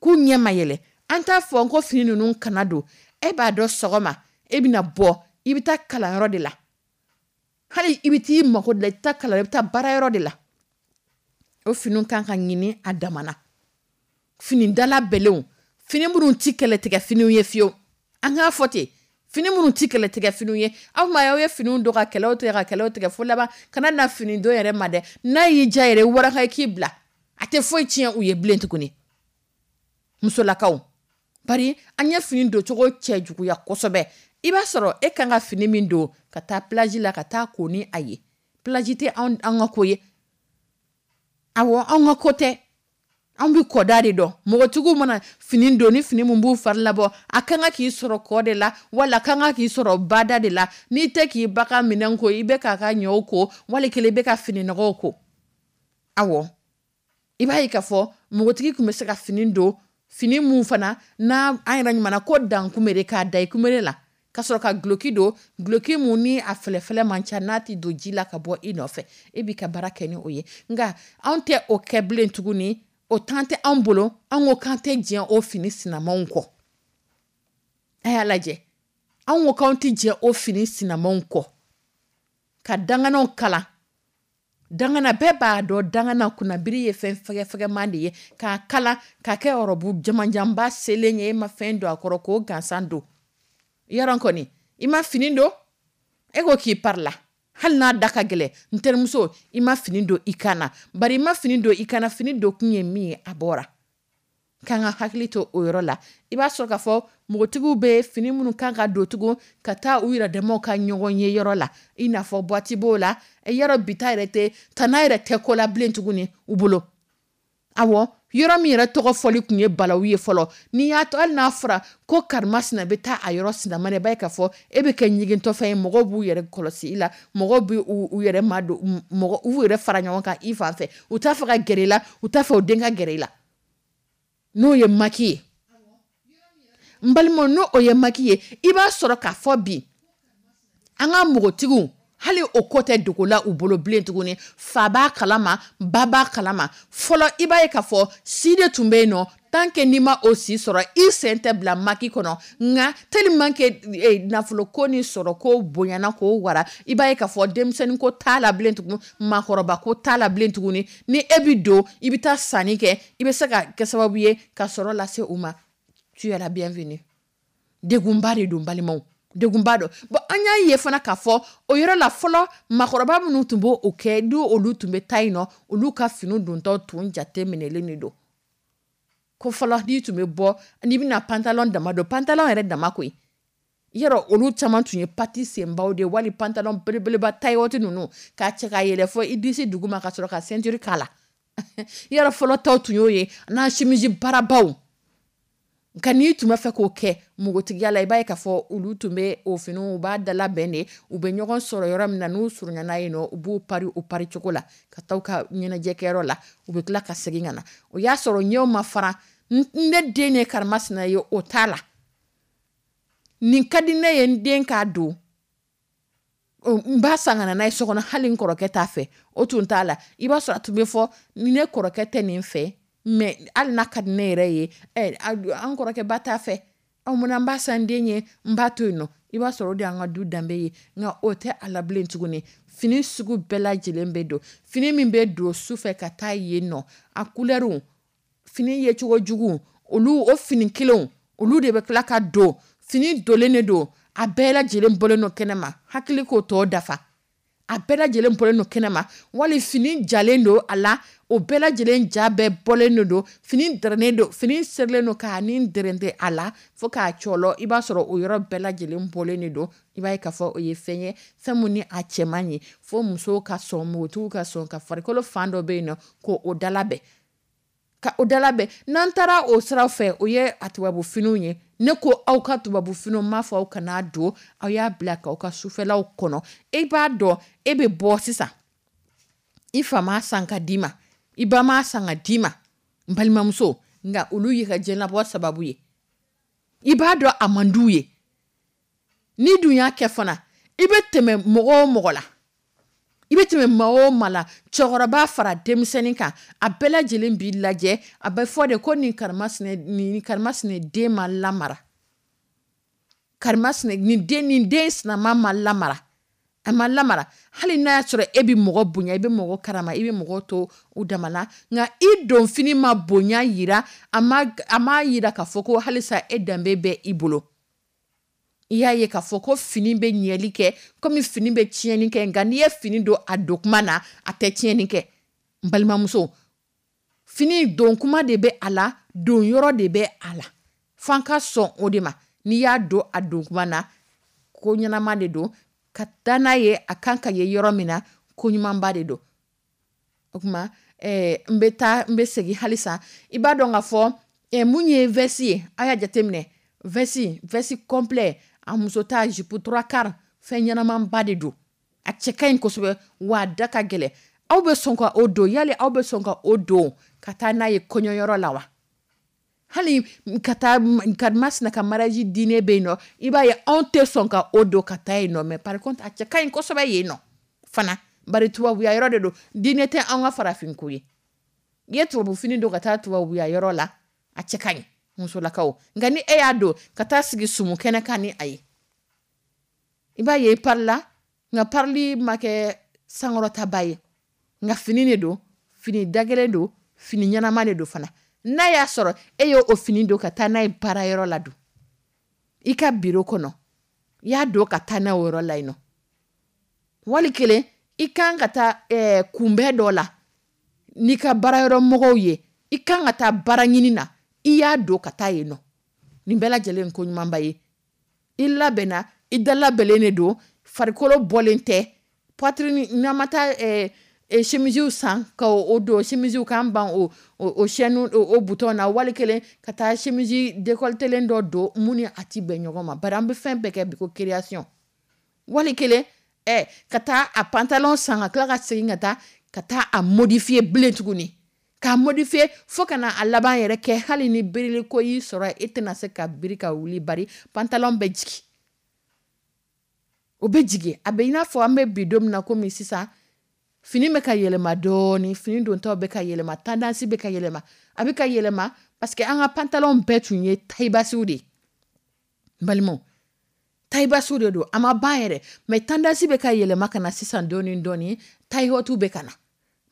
k'u ɲɛ ma yɛlɛ. An t'a fɔ ko fini ninnu kana don. E b'a dɔn, sɔgɔma e bɛna bɔ, i bɛ taa kalanyɔrɔ de la, hali i bɛ t'i mako de la, i bɛ taa kalan, i bɛ taa baarayɔrɔ de la. O finiw kan ka ɲini a damana, fini dala bɛlenw, fini minnu ti kɛlɛtigɛ finiw ye fiyewu. An k'a fɔ ten, fini minnu ti kɛlɛtigɛ finiw ye. Aw ma aw ye finiw don ka kɛlɛw tigɛ, ka kɛlɛw tigɛ fo laban kana na fini don yɛrɛ ma dɛ. N'a y'i diya yɛrɛ, waraka k'i bila, a tɛ foyi tiɲɛ u ye bilen tuguni. Musolakaw, bari an ye fini doncogo cɛ juguya kosɛbɛ. I b'a sɔrɔ e kan ka fini min don ka taa plage la, ka taa ko ni a ye, plage tɛ an ka ko ye. Awɔ, anw ka ko tɛ, anw bɛ kɔda de dɔn. Mɔgɔtigiw mana fini don, ni fini min b'u fari labɔ, a kan ka k'i sɔrɔ kɔ de la, wala a kan ka k'i sɔrɔ bada de la. N'i tɛ k'i ba ka minɛn ko, i bɛ k'a ka ɲɔw ko, wali kelen i bɛ ka fini nɔgɔw ko. Awɔ, i b'a ye k'a fɔ npogotigi tun bɛ se ka fini don, fini mun fana n'a an yɛrɛ ɲuman ko dan kunbere, k'a da i kunbere la, ka sɔrɔ ka duloki don, duloki mun ni a fɛlɛfɛlɛ man ca, n'a tɛ don ji la ka bɔ i nɔfɛ, e b'i ka baara kɛ ni o ye. Nka anw tɛ o kɛ bilen tuguni, o temps tɛ anw bolo. An ko k'an tɛ jɛn o fini sinamanw kɔ. A y'a lajɛ, anw ko k'anw tɛ jɛn o fini sinamanw kɔ ka danganaw kalan. Dangana, bɛɛ b'a dɔn, dangana kunnabiri ye fɛn fɛgɛfɛgɛman de ye, k'a kala k'a kɛ ɔrɔbu jamanjanba selen ye. E ma fɛn don a kɔrɔ k'o gansan don yɔrɔ kɔni, i ma fini don, e ko k'i parila, hali n'a da ka gɛlɛn. N terimuso, i ma fini don i kan na, bari i ma fini don i kan na, fini don kun ye min ye, a bɔra. K'an ka hakili to o yɔrɔ la. I b'a sɔrɔ k'a fɔ npogotigiw bɛ fini minnu kan ka don tugun ka taa u yɛrɛ damaw ka ɲɔgɔn ye yɔrɔ la, i n'a fɔ boîte b'o la yɔrɔ bi ta yɛrɛ tɛ, tana yɛrɛ tɛ ko la bilen tuguni u bolo. Awɔ, yɔrɔ min yɛrɛ tɔgɔ fɔli tun ye balawu ye fɔlɔ, n'i y'a to, hali n'a fɔra ko karimasina bɛ taa a yɔrɔ sinama na, i b'a ye k'a fɔ e bɛ kɛ ɲigintɔfɛn ye. Mɔgɔw b'u yɛrɛ kɔlɔsi i la, mɔgɔw bɛ u yɛrɛ ma don, mɔgɔ u yɛrɛ fara ɲɔgɔn kan i fan fɛ. U t'a fɛ ka gɛrɛ i la, u t'a fɛ u den ka gɛrɛ i la. N'o ye maki ye, n balimaw, n'o o ye maki ye, i b'a sɔrɔ k'a fɔ bi an ka npogotigiw, hali Hali o ko tɛ dogo la u bolo bilen tuguni. Fa b'a kalama, ba b'a kalama. Fɔlɔ, i b'a ye k'a fɔ si de tun bɛ yen nɔ, tant que n'i ma o si sɔrɔ, i sen tɛ bila maquis kɔnɔ. Nka tellement que nafolo ko ni sɔrɔ ko bonyana k'o wara, i b'a ye k'a fɔ denmisɛnnin ko t'a la bilen tuguni, maakɔrɔba ko t'a la bilen tuguni. Ni e bi don, i bɛ taa sanni kɛ, i bɛ se ka kɛ sababu ye ka sɔrɔ lase u ma, tu es la bienvenue. Degunba de don, balimaw, degunba don. Bon, an y'a ye fana k'a fɔ o yɔrɔ la, fɔlɔ maakɔrɔba minnu tun b'o o kɛ, ni olu tun bɛ taa yen nɔ, olu ka fini dontɔ tun jate minɛlen de don. Ko fɔlɔ, n'i tun bɛ bɔ, n'i bɛna pantalon dama don, pantalon yɛrɛ dama koyi, yɔrɔ olu caman tun ye pati senbaw de ye, wali pantalon belebeleba taille haute ninnu k'a cɛ ka yɛlɛ fɔ i disi duguma, ka sɔrɔ ka ceinture k'a la. Yɔrɔ fɔlɔ taw tun y'o ye, n'a chemise barabaw. Nka n'i tun b'a fɛ k'o kɛ npogotigiya la, i b'a ye k'a fɔ olu tun bɛ o finiw, u b'a dalabɛn de. U bɛ ɲɔgɔn sɔrɔ yɔrɔ min na, n'u surunyana yen nɔ, u b'u pari o pari cogo la ka taa u ka ɲɛnajɛkɛyɔrɔ la. U bɛ tila ka segin ka na, o y'a sɔrɔ ɲɛw ma fara. Ne den ye karimasina ye, o t'a la. Nin ka di ne ye, n den k'a don, n b'a san ka na n'a ye so kɔnɔ, hali n kɔrɔkɛ t'a fɛ, o tun t'a la. I b'a sɔrɔ a tun bɛ fɔ ni ne kɔrɔkɛ tɛ nin fɛ, mais hali n'a ka di ne yɛrɛ ye, an kɔrɔkɛ ba t'a fɛ, munna n b'a san den ye, n b'a to yen nɔ. I b'a sɔrɔ o de y'an ka du danbe ye. Nka o tɛ a la bilen tuguni. Fini sugu bɛɛ lajɛlen bɛ don. Fini min bɛ don su fɛ ka taa yen nɔ, a couleurw, fini yecogo jugu, olu o fini kelenw, olu de bɛ tila ka don. Fini donlen de don, a bɛɛ lajɛlen bɔlen don kɛnɛma, hakili k'o tɔ dafa. A bɛɛ lajɛlen bɔlen don kɛnɛma, wali fini jalen don a la, o bɛɛ lajɛlen ja bɛɛ bɔlen de don. Fini dɛrɛnnen don, fini serilen don k'a ni dɛrɛnte a la fo k'a cɔlɔ, i b'a sɔrɔ o yɔrɔ bɛɛ lajɛlen bɔlen de don. I b'a ye k'a fɔ o ye fɛn ye, fɛn mun ni a cɛ man ɲi, fo musow ka sɔn, npogotigiw ka sɔn ka farikolo fan dɔ bɛ yen nɔ k'o dalabɛn, ka o dalabɛn. N'an taara o sira fɛ, o ye a tubabu finiw ye. Ne ko aw ka tubabu finiw, m'a fɔ aw kana don, aw y'a bila k'aw ka sufɛlaw kɔnɔ. E b'a dɔn, e bɛ bɔ sisan, i fa m'a san ka d'i ma, i ba m'a san ka d'i ma, n balimamuso, nka olu y'i ka diɲɛlabɔ sababu ye. I b'a dɔn a man d'u ye. N'i dun y'a kɛ fana, i bɛ tɛmɛ mɔgɔ o mɔgɔ la, i bɛ tɛmɛ maa o maa la, cɛkɔrɔba fara denmisɛnnin kan, a bɛɛ lajɛlen b'i lajɛ. A bɛ fɔ de ko nin karimasina, nin karimasina den ma lamara, karimasina nin den sinama ma lamara, a ma lamara. Hali n'a y'a sɔrɔ e bɛ mɔgɔ bonya, i bɛ mɔgɔ karama, i bɛ mɔgɔ to u dama na, nka i don fini ma bonya yira, a ma yira k'a fɔ ko halisa e danbe bɛ i bolo. I y'a ye k'a fɔ ko fini bɛ ɲɛli kɛ komi fini bɛ tiɲɛni kɛ, nka n'i ye fini don a don kuma na, a tɛ tiɲɛni kɛ. N balimamuso, fini don kuma de bɛ a la, don yɔrɔ de bɛ a la, f'an ka sɔn o de ma. N'i y'a don a don kuma na, ko ɲɛnama de don ka taa n'a ye, a kan ka ye yɔrɔ min na, ko ɲumanba de don. O tuma n bɛ taa, n bɛ segin halisa. I b'a dɔn k'a fɔ mun ye veste ye, a y'a jateminɛ, veste complet, a muso ta jupe trois quarts, fɛn ɲɛnamaba de don, a cɛ ka ɲi kosɛbɛ, wa a da ka gɛlɛn. Aw bɛ sɔn ka o don? Yali aw bɛ sɔn ka o don ka taa n'a ye kɔɲɔyɔrɔ la wa? Hali ka taa karimasina ka mariage dîner bɛ yen nɔ, i b'a ye anw tɛ sɔn ka o don ka taa yen nɔ. Mais par contre, a cɛ ka ɲi kosɛbɛ yen nɔ fana, bari tubabuya yɔrɔ de don, dîner tɛ an ka farafin ko ye. I ye tubabu fini don ka taa tubabuya yɔrɔ la, a cɛ ka ɲi musolakaw. Nka ni e y'a don ka taa sigi sumu kɛnɛ kan ni a ye, i b'a ye i parila, nka parili ma kɛ sankɔrɔtaba ye. Nka fini de don, fini dagɛlɛn don, fini ɲɛnama de don fana. N'a y'a sɔrɔ e y'o o fini don ka taa n'a ye baarayɔrɔ la dun, i ka biro kɔnɔ, i y'a don ka taa n'a o yɔrɔ la yen nɔ, wali kelen i kan ka taa kunbɛn dɔ la n'i ka baarayɔrɔ mɔgɔw ye, i kan ka taa baara ɲini na, i y'a don ka taa yen nɔ, nin bɛɛ lajɛlen ko ɲumanba ye. I labɛnna, i da labɛnlen de don, farikolo bɔlen tɛ, poitrine. N'an ma taa chemisew san ka o don, chemisew k'an ban o chaîne, o bouton na, wali kelen ka taa chemise décolletelen dɔ don mun ni a ti bɛn ɲɔgɔn ma, bari an bɛ fɛn bɛɛ kɛ bi ko création, wali kelen ka taa a pantalon san ka tila ka segin ka taa a modifier bilen tuguni, k'a modifier fo ka na a laban yɛrɛ kɛ hali ni birili ko y'i sɔrɔ, e tɛna se ka biri ka wuli, bari pantalon bɛ jigin. O bɛ jigin. A bɛ i n'a fɔ an bɛ bi don min na, komi sisan fini bɛ ka yɛlɛma dɔɔni, fini dontaw bɛ ka yɛlɛma, tendance bɛ ka yɛlɛma. A bɛ ka yɛlɛma parce que an ka pantalon bɛɛ tun ye taille basse de ye. N balimaw, taille basse de don, a ma ban yɛrɛ, mais tendance bɛ ka yɛlɛma ka na sisan dɔɔni dɔɔni, taille haute bɛ ka na.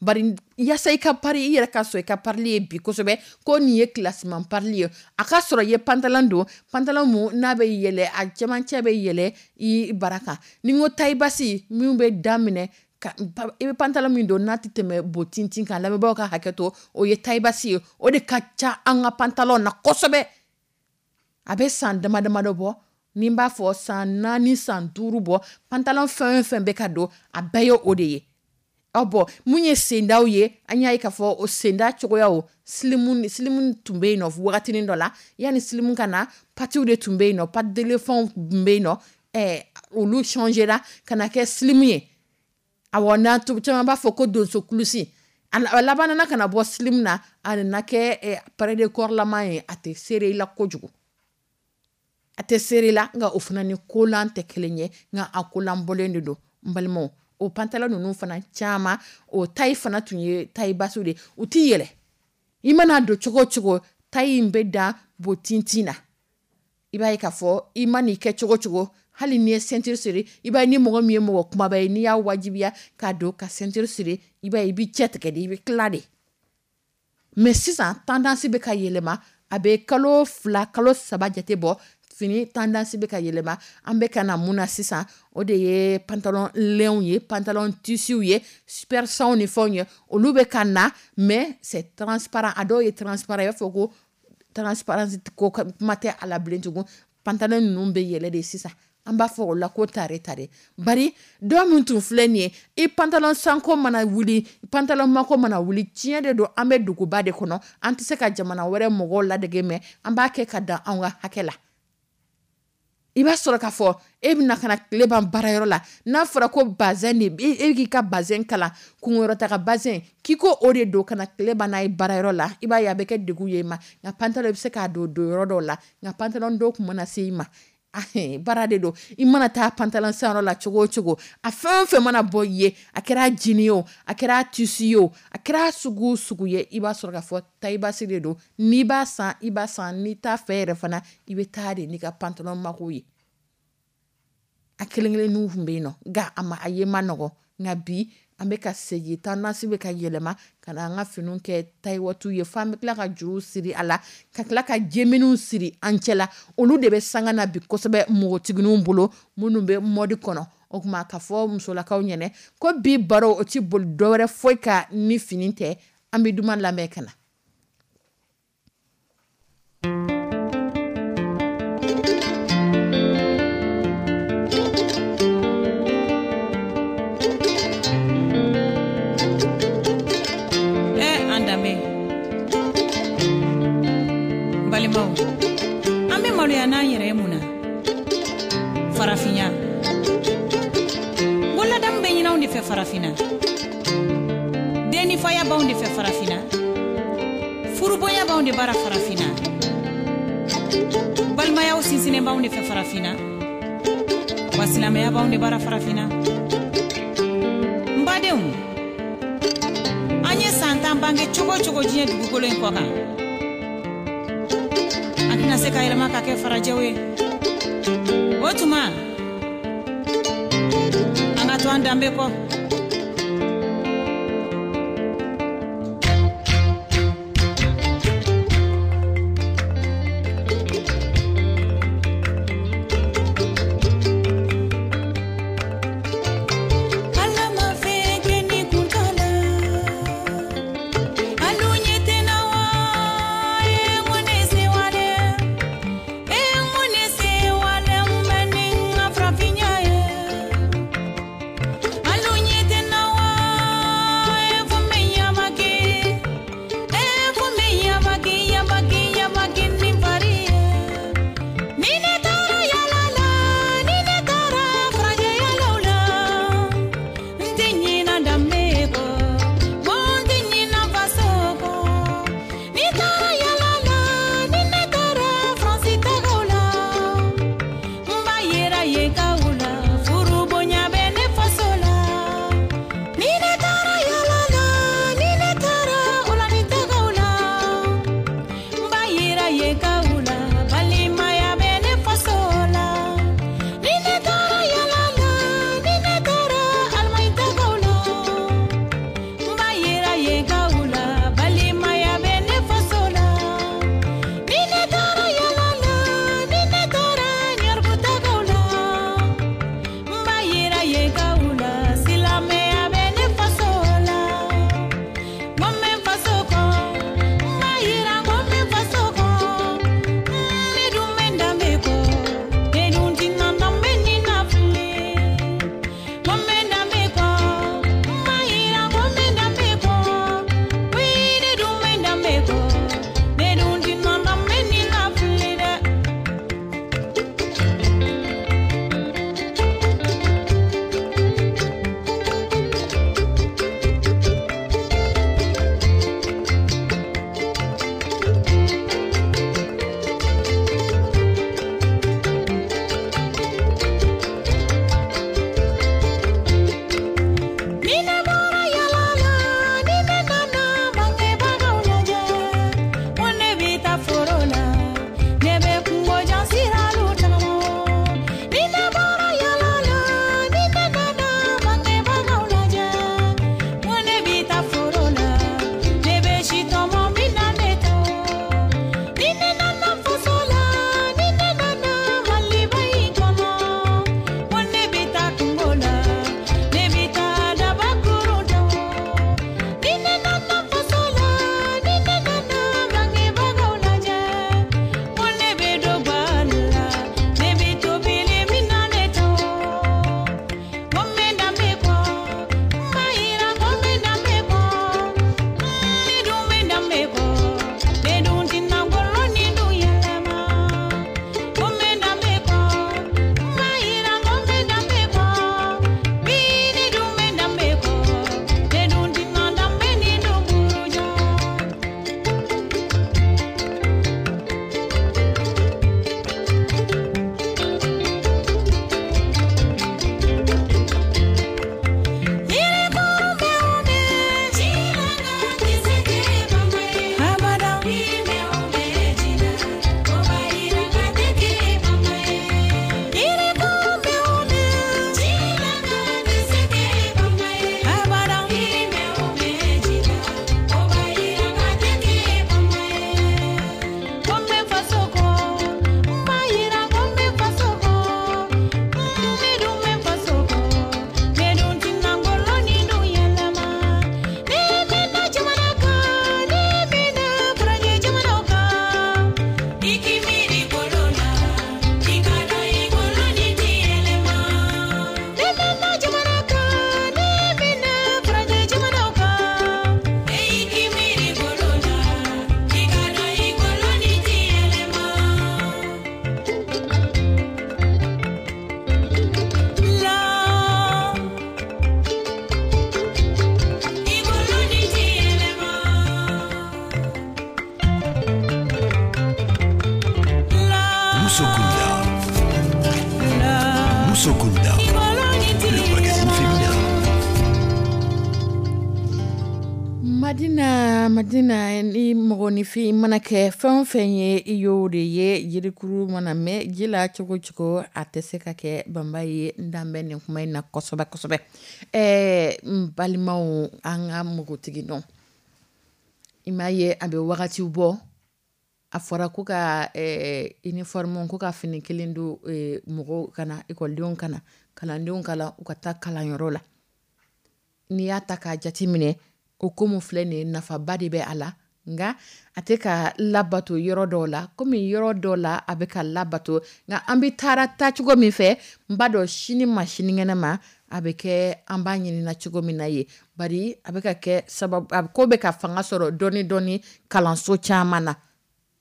Bari yaasa i ka pari, i yɛrɛ ka sɔn i ka parili ye bi kosɛbɛ ko nin ye classement parili ye, a ka sɔrɔ i ye pantalon don, pantalon mun n'a bɛ yɛlɛ, a cɛmancɛ bɛ yɛlɛ i bara kan. Ni n ko taille basse, min bɛ daminɛ ka, i bɛ pantalon min don n'a tɛ tɛmɛ botintin kan, lamɛnbaaw ka hakɛ to, o ye taille basse ye. O de ka ca an ka pantalon na kosɛbɛ. A bɛ san dama damadɔ bɔ, ni n b'a fɔ san 4, san 5 bɔ, pantalon fɛn o fɛn bɛ ka don, a bɛɛ ye o de ye. Aw bɔ mun ye sendaw ye, an y'a ye k'a fɔ o senda cogoyaw, slimu tun bɛ yen nɔ wagatinin dɔ la. Yanni slimu ka na, patiw de tun bɛ yen nɔ, pattes d'éléphant tun bɛ yen nɔ. Olu changera ka na kɛ slimu ye. Awɔ, n'a caman b'a fɔ ko donso kulusi. A laban nana ka na bɔ slimu na, a nana kɛ près de corps lama ye. A tɛ serrer i la kojugu, a tɛ serrer i la, nka o fana ni kolan tɛ kelen ye, nka a kolan bɔlen de don. N balimaw, o pantalon ninnu fana caman, o taille fana tun ye taille basse de ye. U ti yɛlɛ, i mana don cogo o cogo, taille in bɛ dan botintin na. I b'a ye k'a fɔ i ma n'i kɛ cogo o cogo, hali n'i ye ceinture siri, i b'a ye ni mɔgɔ min ye mɔgɔ kumaba ye, n'i y'a wajibiya k'a don ka ceinture siri, i b'a ye i b'i cɛ tigɛ de, i bɛ tila de. Mais sisan tendance bɛ ka yɛlɛma. A bɛ kalo 2, kalo 3 jate bɔ, fini tendance bɛ ka yɛlɛma. An bɛ ka na mun na sisan, o de ye pantalon lɛnw ye, pantalon tissuw ye, super sanw ni fɛnw ye, olu bɛ ka na, mais c'est transparent. A dɔw ye transparent, i b'a fɔ ko transparence ko kuma tɛ a la bilen tugun. Pantalon ninnu bɛ yɛlɛ de sisan, an b'a fɔ o la ko tare tare. Bari dɔw min tun filɛ nin ye, i pantalon sanko mana wuli, pantalon mako mana wuli, tiɲɛ de don, an bɛ duguba de kɔnɔ, an tɛ se ka jamana wɛrɛ mɔgɔw ladege, mais an b'a kɛ ka dan anw ka hakɛ la. I b'a sɔrɔ k'a fɔ e bɛna ka na tile ban baarayɔrɔ la, n'a fɔra ko bazɛn de, e k'i ka bazɛn kalan kunkɔrɔta ka bazɛn, k'i ko o de don ka na tile ban n'a ye baarayɔrɔ la, i b'a ye a bɛ kɛ degun ye i ma. Nka pantalon i bɛ se k'a don yɔrɔ dɔw la, nka pantalon dɔw kun mana se i ma, baara de don. I mana taa pantalon sanyɔrɔ la cogo o cogo, a fɛn o fɛn mana bɔ i ye, a kɛra jini ye o, a kɛra tissu ye o, a kɛra sugu o sugu ye, i b'a sɔrɔ k'a fɔ taille basse de don. N'i b'a san, i b'a san, n'i t'a fɛ yɛrɛ fana, i bɛ taa de n'i ka pantalon mako ye. A kelen kelenninw tun bɛ yen nɔ, nka a ma, a ye ma nɔgɔ. Nka bi an bɛ ka segin, tendance bɛ ka yɛlɛma ka na an ka finiw kɛ taille haute ye, fo an bɛ tila ka juruw siri a la, ka tila ka jɛminiw siri an cɛ la. Olu de bɛ sanga na bi kosɛbɛ npogotigininw bolo minnu bɛ mode kɔnɔ. O tuma k'a fɔ musolakaw ɲɛnɛ ko bi baro o ti boli dɔwɛrɛ foyi kan ni fini tɛ. An bɛ duman lamɛn ka na. An danbe, balimaw, an bɛ maloya n'an yɛrɛ ye mun na? Farafinya ko ladamu bɛ ɲini anw de fɛ farafinna, dennifaya b'anw de fɛ farafinna, furubonya b'anw de bara farafinna, balimayaw sinsinnen b'anw de fɛ farafinna, wa silamɛya b'anw de bara farafinna. N badenw, an ye san 10 bange cogo o cogo diɲɛ dugukolo in kɔ kan, an tɛna se ka yɛlɛma ka kɛ farajɛw ye. O tuma an ka to an danbe kɔ. Madina, Madina, ni mɔgɔninfin mana kɛ fɛn o fɛn ye, i y'o de ye. Jirikuru mana mɛn ji la cogo cogo, a tɛ se ka kɛ banba ye. N dan bɛ nin kuma in na kosɛbɛ kosɛbɛ. N balimaw, an ka npogotigi dɔn, i m'a ye, a bɛ wagati bɔ, a fɔra ko ka uniforme, ko ka fini kelen don mɔgɔw kana, ekɔlidenw kana, kalandenw kala u ka taa kalanyɔrɔ la. N'i y'a ta k'a jate minɛ, o ko min filɛ nin ye, nafaba de bɛ a la, nka a tɛ ka labato yɔrɔ dɔw la, komi yɔrɔ dɔw la a bɛ ka labato. Nka an bɛ taara taacogo min fɛ, n b'a dɔn sini ma sinikɛnɛ ma, a bɛ kɛ an b'a ɲinina cogo min na ye. Bari a bɛ ka kɛ sababu, a ko bɛ ka fanga sɔrɔ dɔɔni dɔɔni kalanso caman na.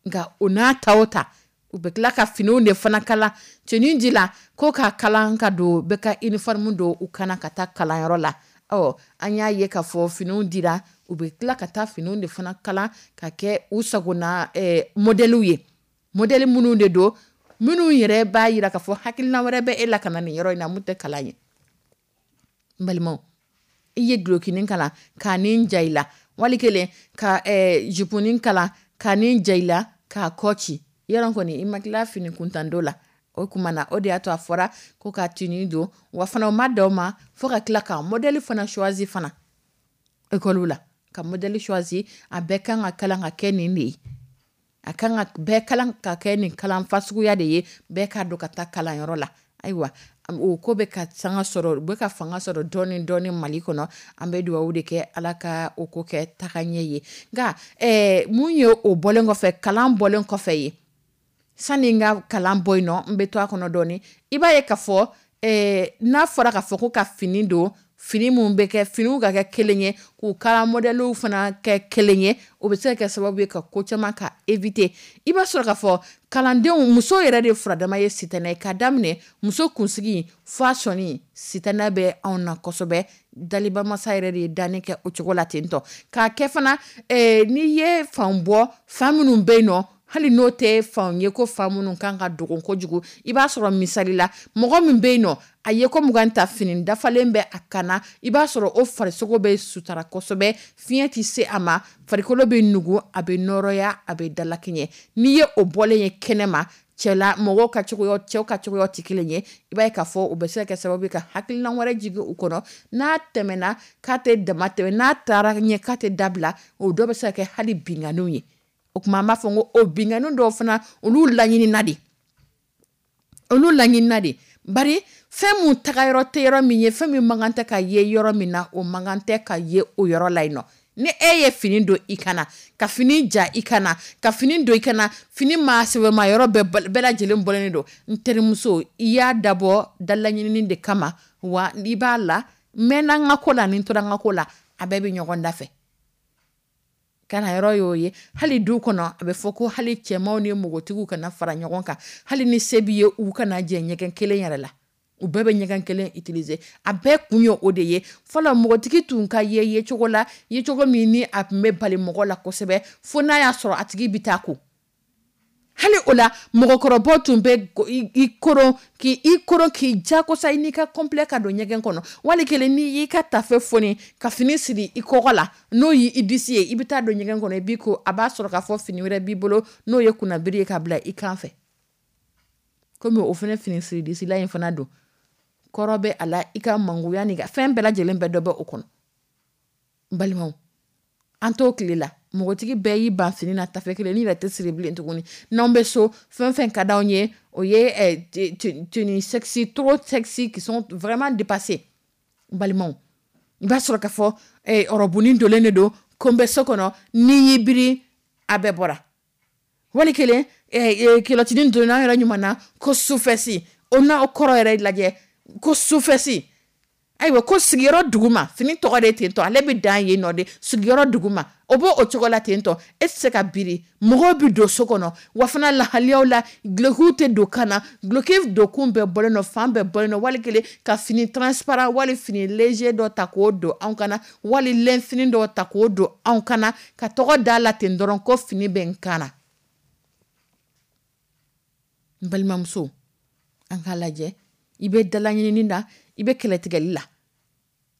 Nka o n'a ta o ta, u bɛ tila ka finiw de fana kala tenue di la ko ka kalan ka don bɛɛ ka uniforme don u kana ka taa kalanyɔrɔ la. Ɔ, an y'a ye k'a fɔ finiw dira, u bɛ tila ka taa finiw de fana kala ka kɛ u sagona modèlew ye, modèle minnu de don, minnu yɛrɛ b'a jira k'a fɔ hakilina wɛrɛ bɛ e la ka na nin yɔrɔ in na mun tɛ kalan ye. N balimaw, i ye dulɔkinin kalan k'a ni ja i la, wali kelen ka juponin kalan k'a ni ja i la k'a kɔ ci, yɔrɔ kɔni i ma tila fini kuntando la. O kuma na, o de y'a to a fɔra ko ka tenue don. Wa fana o ma dan o ma, fo ka tila ka modèle fana choisi fana école la, ka modèle choisi. A bɛɛ kan ka kalan ka kɛ nin de ye, a kan ka bɛɛ kalan ka kɛ nin kalan fasuguya de ye, bɛɛ k'a don ka taa kalanyɔrɔ la. Ayiwa, o ko bɛ ka sanga sɔrɔ, u bɛ ka fanga sɔrɔ dɔɔni dɔɔni Mali kɔnɔ. An bɛ dugawu de kɛ, Ala ka o ko kɛ taga ɲɛ ye. Nka mun ye, o bɔlen kɔfɛ, kalan bɔlen kɔfɛ ye, sani n ka kalan bɔ yen nɔ, n bɛ to a kɔnɔ dɔɔni. I b'a ye k'a fɔ n'a fɔra k'a fɔ ko ka fini don, fini mun bɛ kɛ, finiw ka kɛ kelen ye, k'u kala modèlew fana kɛ kelen ye, o bɛ se ka kɛ sababu ye ka ko caman ka éviter. I b'a sɔrɔ k'a fɔ kalandenw, muso yɛrɛ de furadama ye sitanɛ ye. Ka daminɛ muso kunsigi fo a sɔnni, sitanɛ bɛ anw na kosɛbɛ. Dalibamasa yɛrɛ de ye danni kɛ o cogo la ten tɔ k'a kɛ fana. N'i ye fan bɔ, fan minnu bɛ yen nɔ, hali n'o tɛ fanw ye ko fan minnu kan ka dogo kojugu, i b'a sɔrɔ misali la, mɔgɔ min bɛ yen nɔ, a ye ko 20 ta, fini dafalen bɛ a kan na, i b'a sɔrɔ o farisogo bɛ sutara kosɛbɛ, fiɲɛ tɛ se a ma, farikolo bɛ nugu, a bɛ nɔrɔya, a bɛ dalakɛɲɛ. N'i ye o bɔlen ye kɛnɛ ma, cɛla mɔgɔw ka cogoya, cɛw ka cogoya tɛ kelen ye. I b'a ye k'a fɔ o bɛ se ka kɛ sababu ye ka hakilina wɛrɛ jigin u kɔnɔ. N'a tɛmɛna k'a tɛ dama tɛmɛ, n'a taara ɲɛ k'a tɛ dabila, o dɔ bɛ se ka kɛ hali binkanniw ye. O tuma an b'a fɔ ko o binkanni dɔw fana, olu laɲinina de, olu laɲinina de. Bari fɛn mun tagayɔrɔ tɛ yɔrɔ min ye, fɛn min man kan tɛ ka ye yɔrɔ min na, o man kan tɛ ka ye o yɔrɔ la yen nɔ. Ni e ye fini don i kana, ka fini ja i kana, ka fini don i kana, fini maa sɛbɛma yɔrɔ bɛɛ lajɛlen bɔlen don. N terimuso, i y'a dabɔ dalaɲinini de kama wa? I b'a la n mɛnna n ka ko la, ni n tora n ka ko la, a bɛɛ bɛ ɲɔgɔn da fɛ. Kalanyɔrɔ y'o ye. Hali du kɔnɔ, a bɛ fɔ ko hali cɛmanw ni npogotigiw kana fara ɲɔgɔn kan, hali ni se b'i ye, u kana jɛ ɲɛgɛn kelen yɛrɛ la, u bɛɛ bɛ ɲɛgɛn kelen utiliser. A bɛɛ kun ye o de ye. Fɔlɔ, npogotigi tun ka ye yecogo la, yecogo min ni a tun bɛ bali mɔgɔ la kosɛbɛ, fo n'a y'a sɔrɔ a tigi bɛ taa ko. Hali o la, mɔgɔkɔrɔbaw tun bɛ i koron, k'i i koron, k'i jagosa i n'i ka complet ka don ɲɛgɛn kɔnɔ. Wali kelen, n'i y'i ka tafe foni ka fini siri i kɔgɔ la, n'o y'i disi ye, i bɛ taa don ɲɛgɛn kɔnɔ, i b'i ko, a b'a sɔrɔ k'a fɔ fini wɛrɛ b'i bolo, n'o ye kunnabiri ye ka bila i kan fɛ. Komi o fana fini siri disila in fana don, kɔrɔ bɛ a la, i ka mangoya n'i ka fɛn bɛɛ lajɛlen bɛɛ dɔ bɛ o kɔnɔ. N balimaw, an t'o tile la, npogotigi bɛɛ y'i ban fini na, tafe kelen ni yɛrɛ tɛ siri bilen tuguni. N'anw bɛ so, fɛn fɛn ka d'anw ye, o ye tenue sexy, trop sexy, qui sont vraiment dépassées. N balimaw, i b'a sɔrɔ k'a fɔ ɔrɔbunin donlen de don ko n bɛ so kɔnɔ, n'i y'i biri, a bɛɛ bɔra. Wali kelen, culottinin donna an yɛrɛ ɲuman na ko sous-fesses, o n'a o kɔrɔ yɛrɛ lajɛ, ko sous-fesses. Ayiwa, ko sigiyɔrɔ duguma, fini tɔgɔ de ten tɔ, ale bɛ dan yen nɔ de, sigiyɔrɔ duguma. O b'o o cogo la ten tɔ, e tɛ se ka biri, mɔgɔw bɛ don so kɔnɔ. Wa fana lahaliyaw la, dulokiw tɛ don kan na, duloki donkun bɛɛ bɔlen don, fan bɛɛ bɔlen don. Wali kelen, ka fini transparent wali fini léger dɔ ta k'o don anw kana, wali lɛn fini dɔ ta k'o don anw kana, ka tɔgɔ da la ten dɔrɔn ko fini bɛ n kan na. N balimamuso, an k'a lajɛ, i bɛ dalaɲinini na, i bɛ kɛlɛtigɛli la.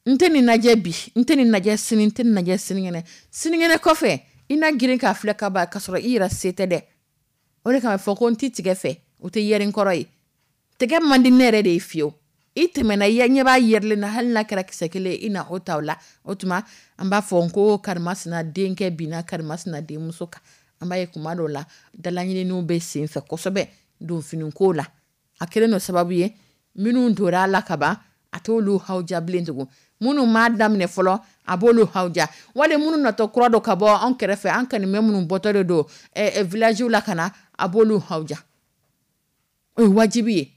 N tɛ nin lajɛ bi, n tɛ nin lajɛ sini, n tɛ nin lajɛ sinikɛnɛ. Sinikɛnɛ kɔfɛ, i na girin k'a filɛ ka ban k'a sɔrɔ i yɛrɛ se tɛ dɛ. O de kama a bɛ fɔ ko n ti tigɛ fɛ, o tɛ yɛri n kɔrɔ ye. Tɛgɛ man di ne yɛrɛ de ye fiyewu. I tɛmɛna, i ɲɛ b'a yɛrilen na, hali n'a kɛra kisɛ kelen ye, i na o ta o la. O tuma an b'a fɔ ko karimasina denkɛ binna karimasina denmuso kan. An b'a ye kuma dɔw la, dalaɲininiw bɛ sen fɛ kosɛbɛ donfiniko la. A kɛlen don sababu ye, minnu tora a la kaban, a t'olu hawuja bilen tugun. Minnu m'a daminɛ fɔlɔ, a b'olu hawuja. Wali minnu natɔ kura don ka bɔ an kɛrɛfɛ, an kanimɛ minnu bɔtɔ de don village la ka na, a b'olu hawuja. O ye wajibi ye.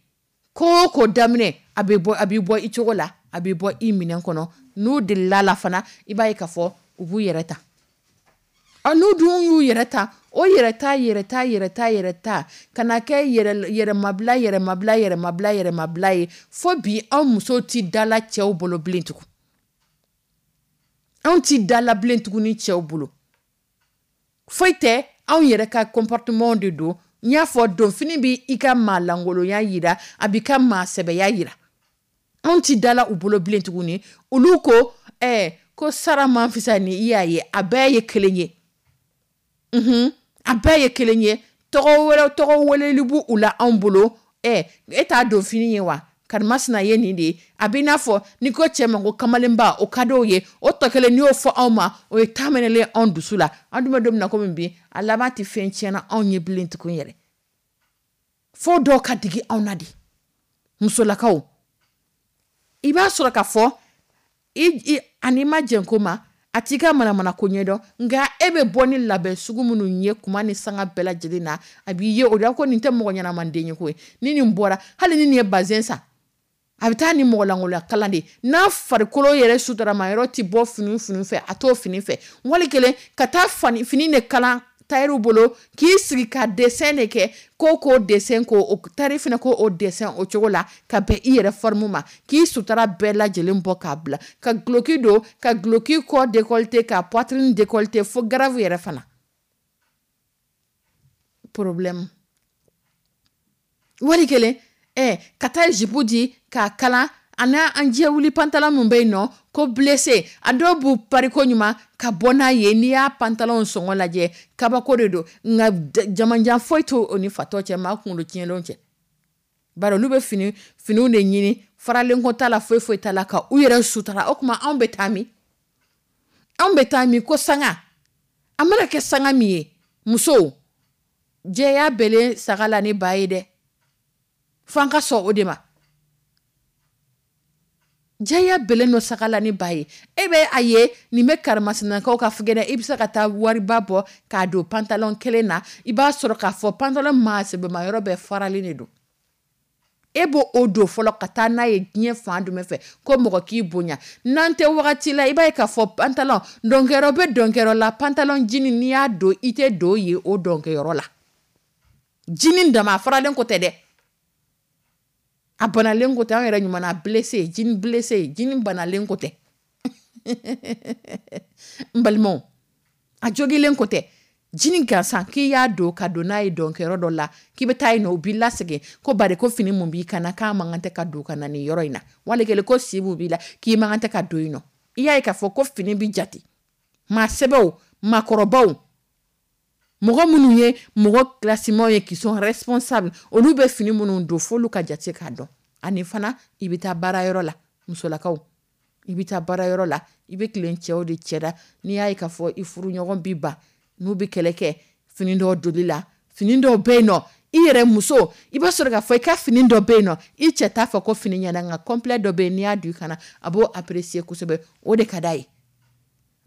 Ko o ko daminɛ, a bɛ bɔ, a b'i bɔ i cogo la, a bɛ bɔ i minɛn kɔnɔ. N'u delila la fana, i b'a ye k'a fɔ u b'u yɛrɛ ta. Ɔ, n'u dun y'u yɛrɛ ta, o yɛrɛ ta, yɛrɛ ta, yɛrɛ ta, yɛrɛ ta, ka na kɛ yɛrɛmabila, yɛrɛmabila, yɛrɛmabila, yɛrɛmabila ye. Fo bi, anw musow ti dala cɛw bolo bilen tugun. Anw ti dala bilen tugun ni cɛw bolo. Foyi tɛ, anw yɛrɛ ka comportement de don. N y'a fɔ, donfini bɛ i ka maa lankolonya yira, a b'i ka maa sɛbɛya yira. Anw ti dala u bolo bilen tuguni. Olu ko, ko sara man fisa ni i y'a ye, a bɛɛ ye kelen ye. A bɛɛ ye kelen ye. Tɔgɔ wɛrɛ, tɔgɔ weleli b'u u la anw bolo. E t'a don fini ye wa? Karimasina ye nin de ye. A b'i n'a fɔ n'i ko cɛ ma ko kamalenba, o ka d'o ye. O tɔ kelen n'i y'o fɔ anw ma, o ye ta minɛlen anw dusu la. An dun bɛ don min na komi bi, a laban tɛ fɛn tiɲɛna anw ye bilen tugun yɛrɛ. Fo dɔw ka digi anw na de. Musolakaw, i b'a sɔrɔ k'a fɔ ani ma jɛn ko ma, a t'i ka manamana ko ɲɛdɔn, nka e bɛ bɔ ni labɛn sugu minnu ye kuma ni sanga bɛɛ lajɛlen na, a b'i ye o de la ko nin tɛ mɔgɔ ɲɛnamanden ye koyi. Ni nin bɔra, hali ni nin ye bazɛn san, a bɛ taa ni mɔgɔ lankolonya kalan de. N'a farikolo yɛrɛ sutarama yɔrɔ tɛ bɔ fini fini fɛ, a t'o fini fɛ. Wali kelen ka taa fini de kalan tayɛriw bolo, k'i sigi ka dessin de kɛ, ko k'o dessin, ko o tari fana ko o dessin o cogo la, ka bɛn i yɛrɛ forme ma, k'i sutara bɛɛ lajɛlen bɔ k'a bila, ka guloki don, ka guloki kɔ décolleté, ka poitrine décolleté, fo grave yɛrɛ fana. Problème. Wali kelen, ka taa jupe di k'a kalan, a n'a an jɛ wuli pantalon min bɛ yen nɔ, ko blessé, a dɔw b'u pari ko ɲuman ka bɔ n'a ye. N'i y'a pantalon sɔngɔ lajɛ, kabako de don. Nka jamanjan foyi t'o o ni fatɔ cɛ, maa kunkolo tiɲɛlenw cɛ. Bari olu bɛ finiw de ɲini, faralen ko t'a la, foyi foyi t'a la, ka u yɛrɛ sutara. O tuma anw bɛ taa min? Anw bɛ taa min ko sanga? A mana kɛ sanga min ye, musow, jɛya bɛlen saga la ni ba ye dɛ. F'an ka sɔn o de ma. Jɛya bɛlen don saga la ni ba ye. E bɛ a ye nin bɛ karimasinakaw ka fugɛnɛ, i bɛ se ka taa wariba bɔ k'a don pantalon kelen na, i b'a sɔrɔ k'a fɔ pantalon maa sɛbɛma yɔrɔ bɛɛ faralen de don. E b'o o don fɔlɔ ka taa n'a ye diɲɛ fan jumɛn fɛ ko mɔgɔ k'i bonya. N'an tɛ wagati la, i b'a ye k'a fɔ pantalon dɔnkɛyɔrɔ bɛ dɔnkɛyɔrɔ la, pantalon jini n'i y'a don, i tɛ don yen o dɔnkɛyɔrɔ la. Jini dama a faralen ko tɛ dɛ. A banalen ko tɛ, an yɛrɛ ɲuman na blessé, jini blessé, jini banalen ko tɛ. N balimaw, a jogilen ko tɛ. Jini gansan k'i y'a don ka don n'a ye dɔnkɛyɔrɔ dɔ la, k'i bɛ taa yen nɔ, u b'i lasegin ko bari ko fini mun b'i kan na k'a man kan tɛ ka don ka na nin yɔrɔ in na. Wali kelen ko si mun b'i la k'i man kan tɛ ka don yen nɔ. I y'a ye k'a fɔ ko fini bi jate. Maa sɛbɛw, maakɔrɔbaw, mɔgɔ minnu ye mɔgɔ kilasimaw ye qui sont responsables, olu bɛ fini minnu don f'olu ka jate k'a dɔn. Ani fana i bɛ taa baarayɔrɔ la, musolakaw, i bɛ taa baarayɔrɔ la, i bɛ tilen cɛw de cɛ la. N'i y'a ye k'a fɔ i furuɲɔgɔn b'i ban, n'u bɛ kɛlɛ kɛ fini dɔw doli la, fini dɔw bɛ yen nɔ, i yɛrɛ muso, i b'a sɔrɔ k'a fɔ i ka fini dɔ bɛ yen nɔ, i cɛ t'a fɔ ko fini ɲɛna, nka complet dɔ bɛ yen, n'i y'a don i kana, a b'o apprécier kosɛbɛ. O de ka d'a ye.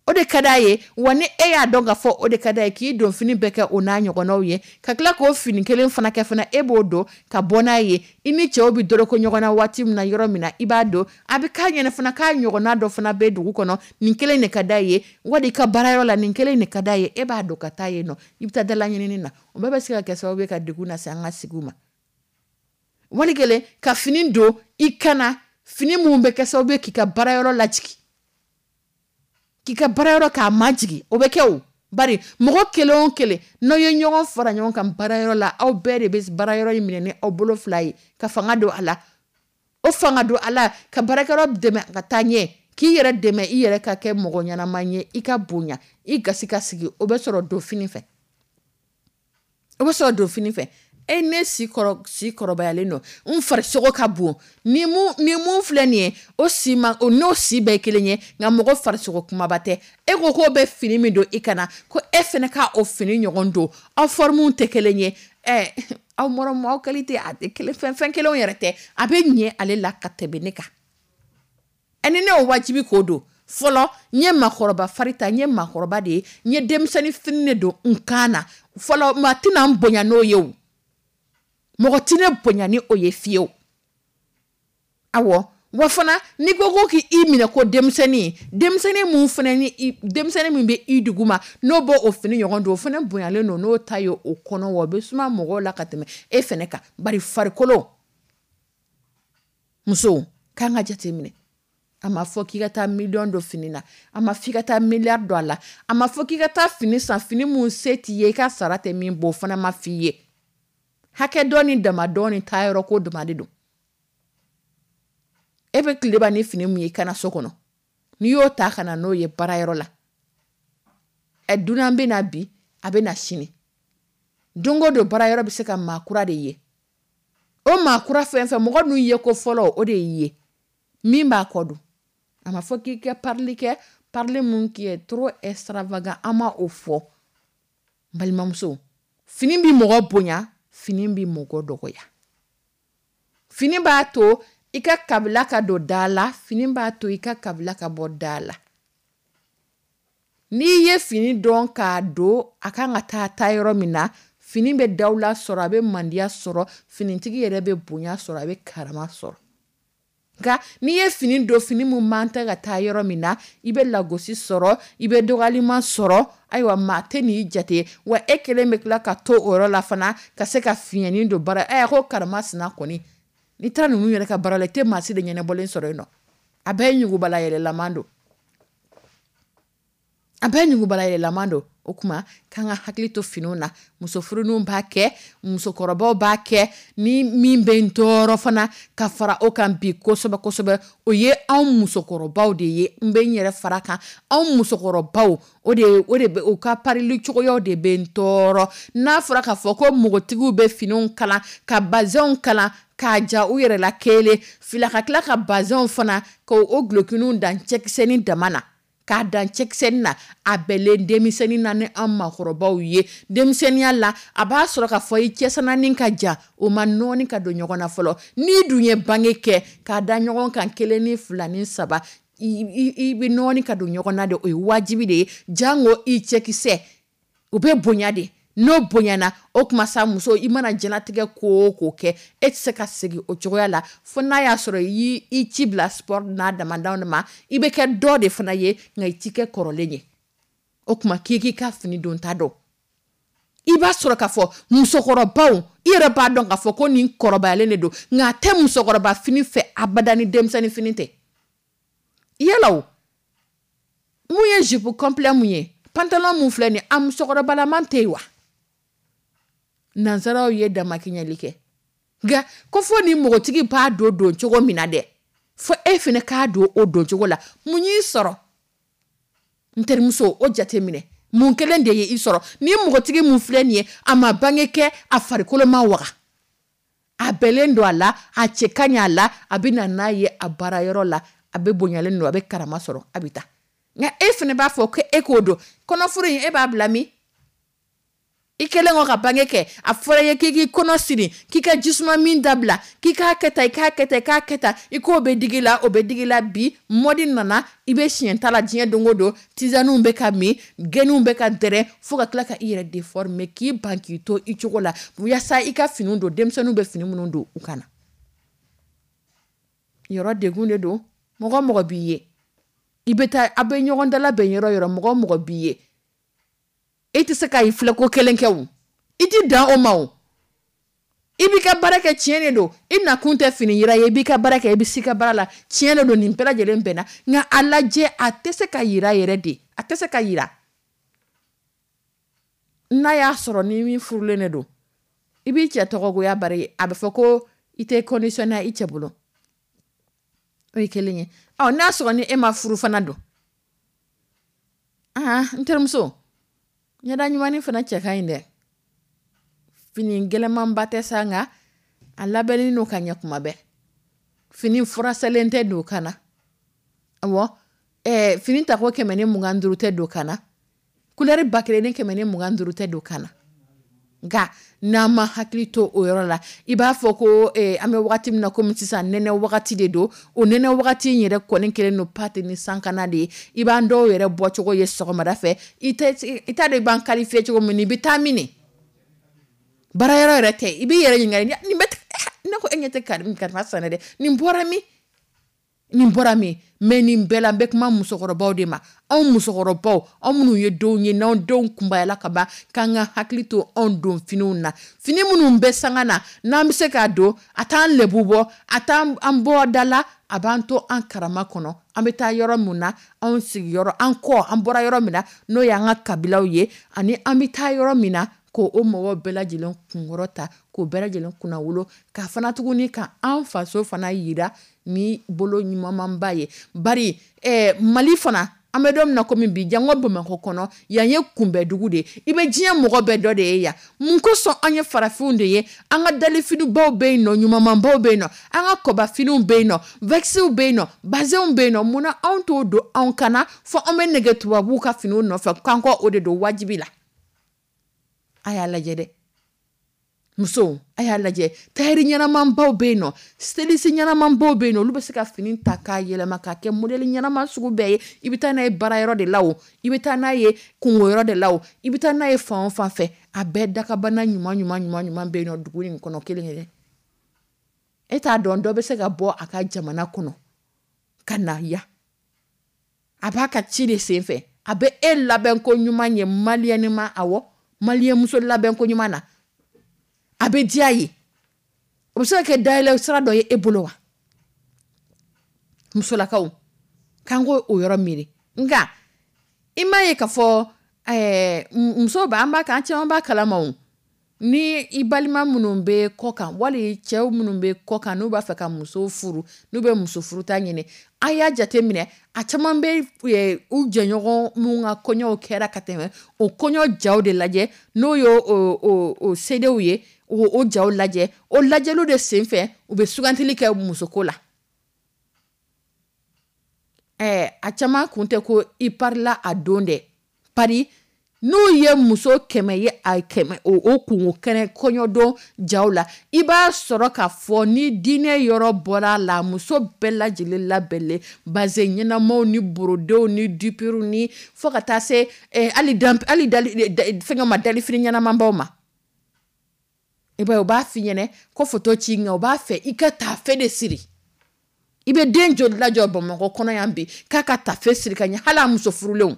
O de ka d'a ye. Wa ni e y'a dɔn k'a fɔ o de ka d'a ye, k'i don fini bɛɛ kɛ o n'a ɲɔgɔnnaw ye, ka tila k'o fini kelen fana kɛ fana, e b'o don ka bɔ n'a ye, i ni cɛw bɛ dɔrɔko ɲɔgɔn na waati min na, yɔrɔ min na, i b'a don, a bɛ k'a ɲɛna fana k'a ɲɔgɔnna dɔ fana bɛ dugu kɔnɔ, nin kelen de ka d'a ye, wali i ka baarayɔrɔ la, nin kelen de ka d'a ye, e b'a don ka taa yen nɔ, i bɛ taa dala ɲinini na. O bɛɛ bɛ se ka kɛ sababu ye ka degun lase an ka sigiw ma. Wali kelen ka fini don i kana, fini mun bɛ kɛ sababu ye k'i ka baarayɔrɔ lajigin, k'i ka baarayɔrɔ k'a majigin, o bɛ kɛ o. Bari mɔgɔ kelen o kelen n'aw ye ɲɔgɔn fara ɲɔgɔn kan baarayɔrɔ la, aw bɛɛ de bɛ baarayɔrɔ in minɛ ni aw bolo fila ye ka fanga don a la. O fanga don a la ka baarakɛyɔrɔ dɛmɛ ka taa ɲɛ, K'i yɛrɛ dɛmɛ, i yɛrɛ ka kɛ mɔgɔ ɲɛnama ye, i ka bonya, i gasi ka sigi, o bɛ sɔrɔ don fini fɛ, o bɛ sɔrɔ don fini fɛ. E ne si kɔrɔ, si kɔrɔbayalen don, n farisogo ka bon ni mun filɛ nin ye, o si ma, o n'o si bɛɛ kelen ye, nka mɔgɔ farisogo kumaba tɛ. E ko k'o bɛ fini min don i kana, ko e fana ka o fini ɲɔgɔn don, aw formes tɛ kelen ye. Aw mɔrɔ aw qualité a tɛ kelen, fɛn kelenw yɛrɛ tɛ. A bɛ ɲɛ ale la ka tɛmɛ ne kan. Ni ne y'o wajibi k'o don, fɔlɔ n ye maakɔrɔba fari ta, n ye maakɔrɔba de ye, n ye denmisɛnnin fini de don n kan na fɔlɔ. Maa tɛna n bonya n'o ye o, mɔgɔ tɛ ne bonya ni o ye fiyewu. Awɔ, wa fana n'i ko ko k'i minɛ ko denmisɛnnin, denmisɛnnin mun fana ni denmisɛnnin min bɛ i duguma, n'o b'o o fini ɲɔgɔn don, o fana bonyalen don n'o ta ye o kɔnɔ, wa o bɛ suma mɔgɔw la ka tɛmɛ e fana kan. Bari farikolo, musow k'an ka jateminɛ. A ma fɔ k'i ka taa miliyɔn don fini na, a ma fɔ i ka taa miliyari don a la, a ma fɔ k'i ka taa fini san, fini mun se t'i ye, i ka sara tɛ min bɔ, o fana ma f'i ye. Hakɛ dɔ ni dama dɔ ni taayɔrɔ ko dama de don. E bɛ tileba ni fini mun ye i kana so kɔnɔ, n'i y'o ta ka na n'o ye baarayɔrɔ la, dunan bɛ na bi, a bɛ na sini, don o don baarayɔrɔ bɛ se ka maa kura de ye. O maa kura fɛn fɛn, mɔgɔ ninnu ye ko fɔlɔ, o de y'i ye min b'a kɔ don. A ma fɔ k'i ka parili kɛ, parili mun qui est trop extravagant, an ma o fɔ. N balimamuso, fini bɛ mɔgɔ bonya, fini bɛ mɔgɔ dɔgɔya. Fini b'a to i ka kabila ka don da la, fini b'a to i ka kabila ka bɔ da la. N'i ye fini dɔn k'a don a kan ka taa taa yɔrɔ min na, fini bɛ dawula sɔrɔ, a bɛ mandiya sɔrɔ, finitigi yɛrɛ bɛ bonya sɔrɔ, a bɛ karama sɔrɔ. Nka n'i ye fini don, fini mun man tɛ ka taa yɔrɔ min na, i bɛ lagosi sɔrɔ, i bɛ dɔgɔyalima sɔrɔ. Ayiwa, maa tɛ n'i jate, wa e kelen bɛ tila ka to o yɔrɔ la fana ka se ka fiɲɛni don baara. Ko karama sina kɔni, n'i taara ninnu yɛrɛ ka baara la, i tɛ maa si de ɲɛnabɔlen sɔrɔ yen nɔ. A bɛɛ ye ɲugubala yɛlɛlaman don, a bɛɛ ye ɲugubala yɛlɛlaman don. O tuma k'an ka hakili to finiw na. Muso furuninw b'a kɛ, musokɔrɔbaw b'a kɛ. Ni min bɛ n tɔɔrɔ fana ka fara o kan bi kosɛbɛ kosɛbɛ, o ye anw musokɔrɔbaw de ye. N bɛ n yɛrɛ fara kan, anw musokɔrɔbaw, o de bɛ u ka parili cogoyaw de bɛ n tɔɔrɔ. N'a fɔra k'a fɔ ko npogotigiw bɛ finiw kalan, ka bazɛnw kalan k'a ja u yɛrɛ la kelen fila, ka tila ka bazɛnw fana k'o gulokiniw dan cɛkisɛnin dama na, k'a dan cɛkisɛnin na, a bɛlen denmisɛnnin na ni an maakɔrɔbaw ye. Denmisɛnninya la, a b'a sɔrɔ k'a fɔ i cɛsananin ka jan, o ma nɔɔni ka don ɲɔgɔn na fɔlɔ. N'i dun ye bange kɛ k'a da ɲɔgɔn kan 1 ni 2 ni 3, i bɛ nɔɔni ka don ɲɔgɔn na de, o ye wajibi de ye. Jango i cɛkisɛ, o bɛ bonya de. N'o bonyana, o tuma sa muso, i mana diɲɛlatigɛ ko o ko kɛ, e tɛ se ka segin o cogoya la, fo n'a y'a sɔrɔ i y'i ci bila sport n'a damadama ma, i bɛ kɛ dɔ de fana ye, nka i t'i kɛ kɔrɔlen ye. O tuma k'i k'i ka fini don ta dɔn. I b'a sɔrɔ k'a fɔ musokɔrɔbaw, i yɛrɛ b'a dɔn k'a fɔ ko nin kɔrɔbayalen de don, nka a tɛ musokɔrɔba fini fɛ abada ni denmisɛnnin fini tɛ. Yala o, mun ye jupe complet mun ye, pantalon mun filɛ nin ye, a musokɔrɔbalaman tɛ yen wa? Nansaraw ye damakɛɲɛli kɛ, nka ko fo ni npogotigi b'a don don cogo min na dɛ, fo e fana k'a don o don cogo la. Mun y'i sɔrɔ n terimuso, o jateminɛ, mun kelen de ye i sɔrɔ? Ni npogotigi mun filɛ nin ye, a ma bange kɛ, a farikolo ma waga, a bɛlen don a la, a cɛ ka ɲi a la, a bɛ na n'a ye a baarayɔrɔ la, a bɛ bonyalen don, a bɛ karama sɔrɔ, a bɛ taa. Nka e fana b'a fɔ ko e k'o don kɔnɔfuru in, e b'a bila min? I kɛlen kɔ ka bange kɛ, a fɔra i ye k'i k'i kɔnɔ siri, k'i ka jisuma min dabila, k'i k'a kɛ tan, i k'a kɛ tan, i k'a kɛ tan, i k'o bɛ digi la, o bɛ digi la. Bi mɔdi nana, i bɛ siɲɛ ta la diɲɛ don o don, tizaniw bɛ ka min, gɛniw bɛ ka dɛrɛ, fo ka tila ka i yɛrɛ déformer, k'i ban k'i to i cogo la, yaasa i ka finiw don, denmisɛnninw bɛ fini minnu don u kana. Yɔrɔ degun de don. Mɔgɔ mɔgɔ b'i ye, i bɛ taa, a bɛ ɲɔgɔn dala bɛn yɔrɔ yɔrɔ, mɔgɔ mɔgɔ b'i ye, e tɛ se ka i filɛ ko kelen kɛ o, i ti dan o ma o. I b'i ka baara kɛ, tiɲɛ de don, i nakun tɛ fini yira ye, i b'i ka baara kɛ, i bɛ s'i ka baara la, tiɲɛ de don, nin bɛɛ lajɛlen bɛnna. Nka a lajɛ, a tɛ se ka yira yɛrɛ de, a tɛ se ka yira. N'a y'a sɔrɔ ni min furulen de don, i b'i cɛ tɔgɔgoya bari, a bɛ fɔ ko i tɛ conditionné i cɛ bolo, o ye kelen ye. Ɔ, n'a sɔrɔ ni e ma furu fana don, aa, n terimuso, ɲɛda ɲumanni fana cɛ ka ɲi dɛ. Fini gɛlɛnmanba tɛ sa, nka a labɛnnen don ka ɲɛ kuma bɛɛ. Fini furasɛlen tɛ don kan na. Awɔ, fini tako 125 tɛ don kan na, couleur 1125 tɛ don kan na. Nka n'an ma hakili to o yɔrɔ la, i b'a fɔ ko an bɛ wagati min na komi sisan, nɛnɛ wagati de don. O nɛnɛ wagati in yɛrɛ kɔni kɛlen don pâte ni sankana de ye. I b'an dɔw yɛrɛ bɔcogo ye sɔgɔmada fɛ, i t'a dɔn i b'an qualifié cogo min, i bɛ taa min de baarayɔrɔ yɛrɛ tɛ. I b'i yɛrɛ ɲininka, nin bɛ ne ko e ɲɛ tɛ karisa sanɛ dɛ, nin bɔra min, nin bɔra min? Mais nin bɛɛ la, n bɛ kuma musokɔrɔbaw de ma. Anw musokɔrɔbaw, anw minnu ye denw ye, n'anw denw kunbayala ka ban, k'an ka hakili to anw don finiw na. Fini minnu bɛ sanga na, n'an bɛ se k'a don, a t'an lebu bɔ, a t'an an bɔ da la, a b'an to an karama kɔnɔ. An bɛ taa yɔrɔ min na, anw sigiyɔrɔ, an kɔ, an bɔra yɔrɔ min na, n'o y'an ka kabilaw ye, ani an bɛ taa yɔrɔ min na, k'o o mɔgɔw bɛɛ lajɛlen kunkɔrɔ ta, k'o bɛɛ lajɛlen kunnawolo, ka fana tuguni ka an faso fana yira ni bolo ɲumanba ye. Bari Mali fana, an bɛ don min na komi bi, jango Bamakɔ kɔnɔ yan ye kunbɛdugu de ye. I bɛ diɲɛ mɔgɔ bɛɛ dɔ de ye yan. Mun kosɔn? An ye farafinw de ye. An ka dalifinibaw bɛ yen nɔ, ɲumanbaw bɛ yen nɔ, an ka kɔbafiniw bɛ yen nɔ, vɛkisiw bɛ yen nɔ, bazɛnw bɛ yen nɔ. Munna anw t'o don anw kana fɔ an bɛ nɛgɛ tubabuw ka finiw nɔfɛ, k'an kɔ o de don wajibi la? A y'a lajɛ dɛ, musow, a y'a lajɛ. Tayɛri ɲɛnamanbaw bɛ yen nɔ, styliste ɲɛnamanbaw bɛ yen nɔ, olu bɛ se ka fini ta k'a yɛlɛma k'a kɛ modèle ɲɛnama sugu bɛɛ ye. I bɛ taa n'a ye baarayɔrɔ de la o, i bɛ taa n'a ye kungoyɔrɔ de la o, i bɛ taa n'a ye fan o fan fɛ, a bɛɛ dakabana ɲuman ɲuman ɲuman ɲuman bɛ yen nɔ dugu in kɔnɔ kelen kelen. E t'a dɔn, dɔ bɛ se ka bɔ a ka jamana kɔnɔ ka na yan, a b'a ka ci de sen fɛ, a bɛ e labɛn ko ɲuman ye maliyɛn ma. Awɔ, maliyɛn muso labɛn ko ɲuman na, a bɛ diya ye. O bɛ se ka kɛ dayɛlɛ sira dɔ ye e bolo wa? Musolakaw, k'an k'o o yɔrɔ miiri. Nka i m'a ye k'a fɔ musow b'a, an b'a kan, an caman b'a kalama o. Ni i balima minnu bɛ kɔ kan, wali cɛw minnu bɛ kɔ kan, n'u b'a fɛ ka muso furu, n'u bɛ muso furuta ɲini, a y'a jateminɛ, a caman bɛ u jɛɲɔgɔn minnu ka kɔɲɔw kɛra ka tɛmɛ, o kɔɲɔ jaw de lajɛ, n'o ye o sedew ye, o jaw lajɛ. O lajɛliw de senfɛ, u bɛ sugantili kɛ musoko la. A caman kun tɛ ko i parila a don dɛ. Pari n'u ye muso 100 ye, a 100 o kungo kɛnɛ kɔɲɔdon jaw la, i b'a sɔrɔ k'a fɔ ni diinɛ yɔrɔ bɔra a la, muso bɛɛ lajɛlen labɛnlen, bazɛn ɲɛnamaw ni borodenw ni dupiriw ni fo ka taa se hali fɛngɛ ma, dalifini ɲɛnamanbaw ma. I b'a ye, u b'a f'i ɲɛnɛ ko foto ci, nka u b'a fɛ i ka taafe de siri. I bɛ den joli lajɔ Bamakɔ kɔnɔ yan bi k'a ka taafe siri ka ɲɛ, hali a muso furulenw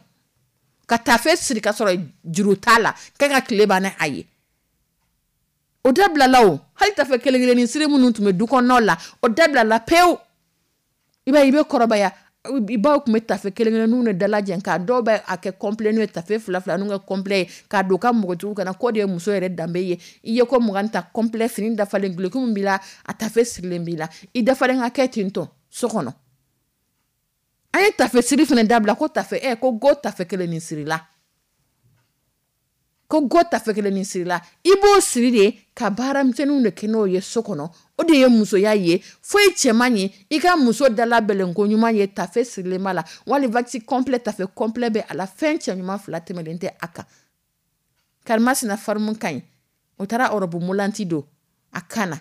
ka taafe siri ka sɔrɔ juru t'a la, k'a ka tile ban a ye. O dabilala o. Hali taafe kelen kelennin siri minnu tun bɛ du kɔnɔnaw la, o dabilala pewu. I b'a ye, i bɛ kɔrɔbaya, i baw tun bɛ taafe kelen kelenninw de dalajɛ, k'a dɔw bɛ a kɛ complet n'o ye, taafe fila fila n'u ka complet ye, k'a don u ka npogotigiw kana, k'o de ye muso yɛrɛ danbe ye. I ye ko 20 ta complet, fini dafalen, duloki min b'i la, a taafe sirilen b'i la, i dafalen ka kɛ ten tɔ so kɔnɔ. An ye taafe siri fana dabila, ko taafe ko go taafe kelen nin sirila, ko go taafe kelen nin sirila. I b'o siri de ka baaramisɛnninw de kɛ n'o ye so kɔnɔ. O de ye musoya ye. Foyi cɛman ye i ka muso dalabɛlɛn ko ɲuman ye, taafe sirilen b'a la, wali waxi complet, taafe complet bɛ a la, fɛn cɛ ɲuman fila tɛmɛlen tɛ a kan. Karimasina farimu ka ɲi, o taara ɔrɔbu molanti don a kan na.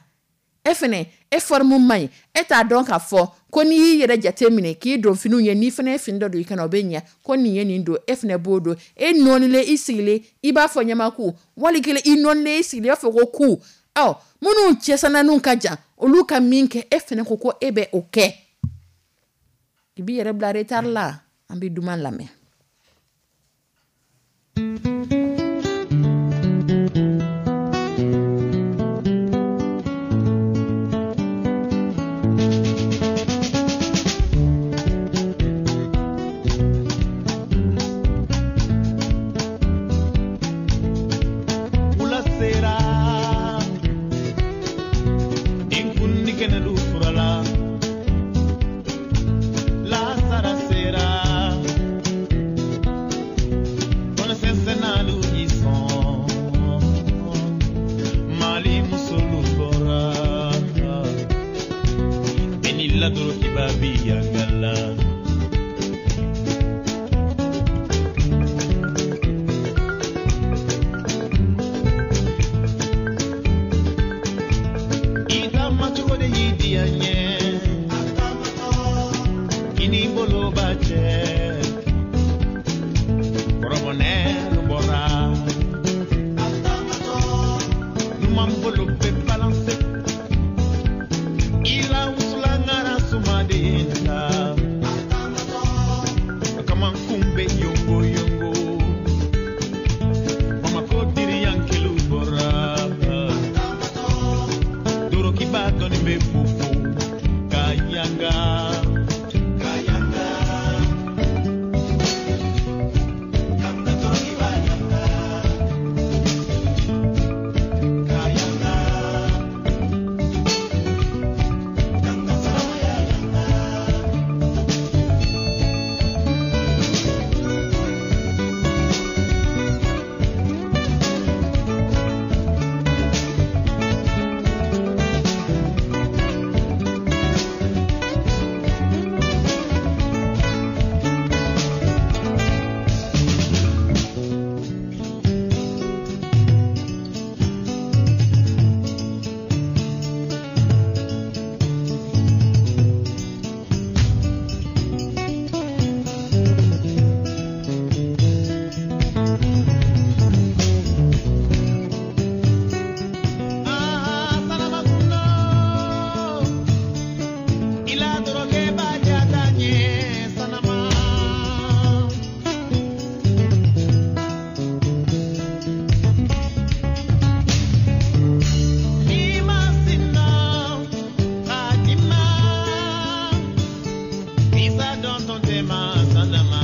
E fɛnɛ, e forme man ɲi, e t'a dɔn k'a fɔ ko n'i y'i yɛrɛ jate minɛ k'i don finiw ye, n'i fɛnɛ ye fini dɔ don i kana, o bɛ ɲɛ. Ko nin ye nin don, e fɛnɛ b'o don. E nɔɔnilen, i sigilen, i b'a fɔ ɲamaku, wali kelen i nɔɔnilen, i sigilen, i b'a fɔ ko ku. Ɔ, minnu cɛsananinw ka jan, olu ka min kɛ, e fɛnɛ ko e bɛ o kɛ. I b'i yɛrɛ bila retard la. An bɛ duman lamɛn. Wula sera, denkundi kɛnɛlu furala, Kamankun bɛ yongo yongo. Bamakɔ diriyankelu bɔra. Dorokiba dɔɔni bɛ fofo ka yanga. Ka yanga. Kanga dorokiba yanga. Ka yanga. Kanga saramaya yanga. Ah, Sanamakundo, ila doroke bajata nye sanama. Nima sina, kadima, isa don ton tema sanama.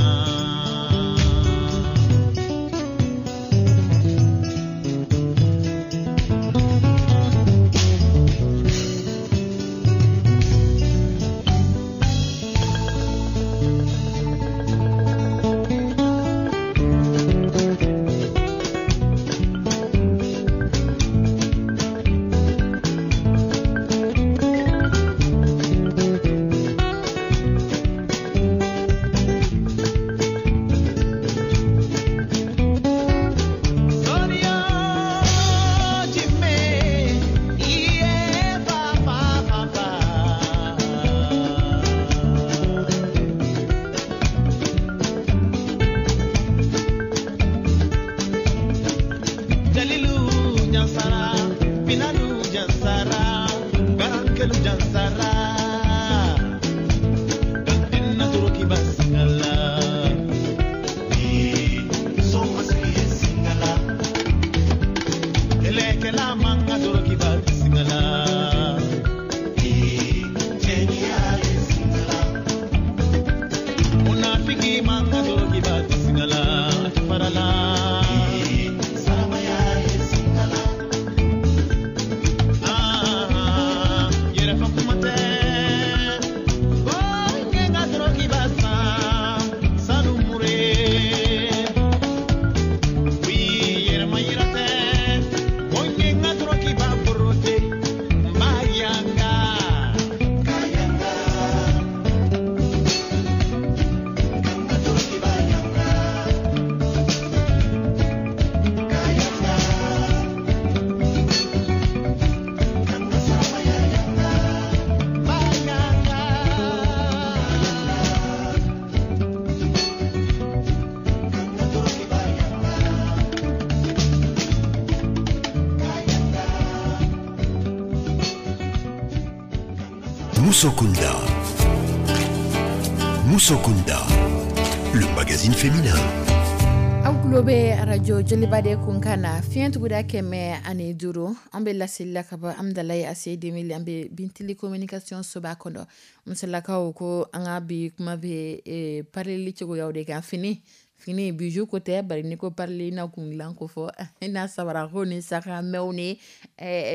Sonia Jimmy, iye pa pa pa pa. Jalilu Jansara, Finalu Jansara, Garankelu Jansara. Gantina Turuki Basingala. Singala. Kɛlɛkɛla man ka dorokiba singala. Munafiki man ka dorokiba singala. A tɛ fara la. Ah, yɛrɛfɛ kuma tɛ. Ko n ye n ka dorokiba san sanu mure. Oui, yɛrɛma yira tɛ. Ko n ye n ka dorokiba borote. N b'a yanga. Ka yanga. Ka dorokiba yanga. Ka yanga. Ka saramaya yanga. Ba yanga. Ka dorokiba yanga. Moussokunda. Moussokunda, le magazine féminin. Aw tulo bɛ arajo Joliba de kunkan na, fiɲɛ tuguda 105. An bɛ laseli la ka bɔ Amdalayi ACI 2000, an bɛ Bintili communication soba kɔnɔ. Musolakaw ko an ka bi kuma bɛ parili cogoyaw de kan. Fini fini, bijou ko tɛ, bari n'i ko parili, i na kungilan ko fɔ, i na sabarako ni sakamɛw ni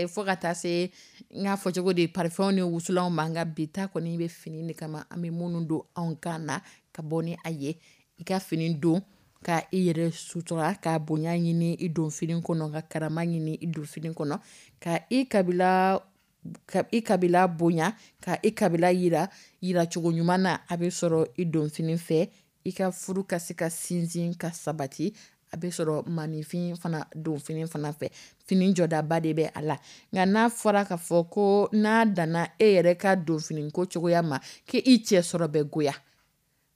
fo ka taa se n k'a fɔ cogo di, parfum ni wusulanw ma. Nka bi ta kɔni bɛ fini de kama, an bɛ minnu don anw kan na ka bɔ ni a ye. I ka fini don ka i yɛrɛ sutura, ka bonya ɲini i don fini kɔnɔ, ka karama ɲini i don fini kɔnɔ, ka i kabila bonya, ka i kabila yira yiracogo ɲuman na, a bɛ sɔrɔ i don fini fɛ. I ka furu ka se ka sinsin ka sabati, a bɛ sɔrɔ maninfin fana don fini fana fɛ. Fini jɔdaba de bɛ a la. Nka n'a fɔra k'a fɔ ko n'a danna e yɛrɛ ka don fini ko cogoya ma, k'i cɛ sɔrɔ bɛ goya,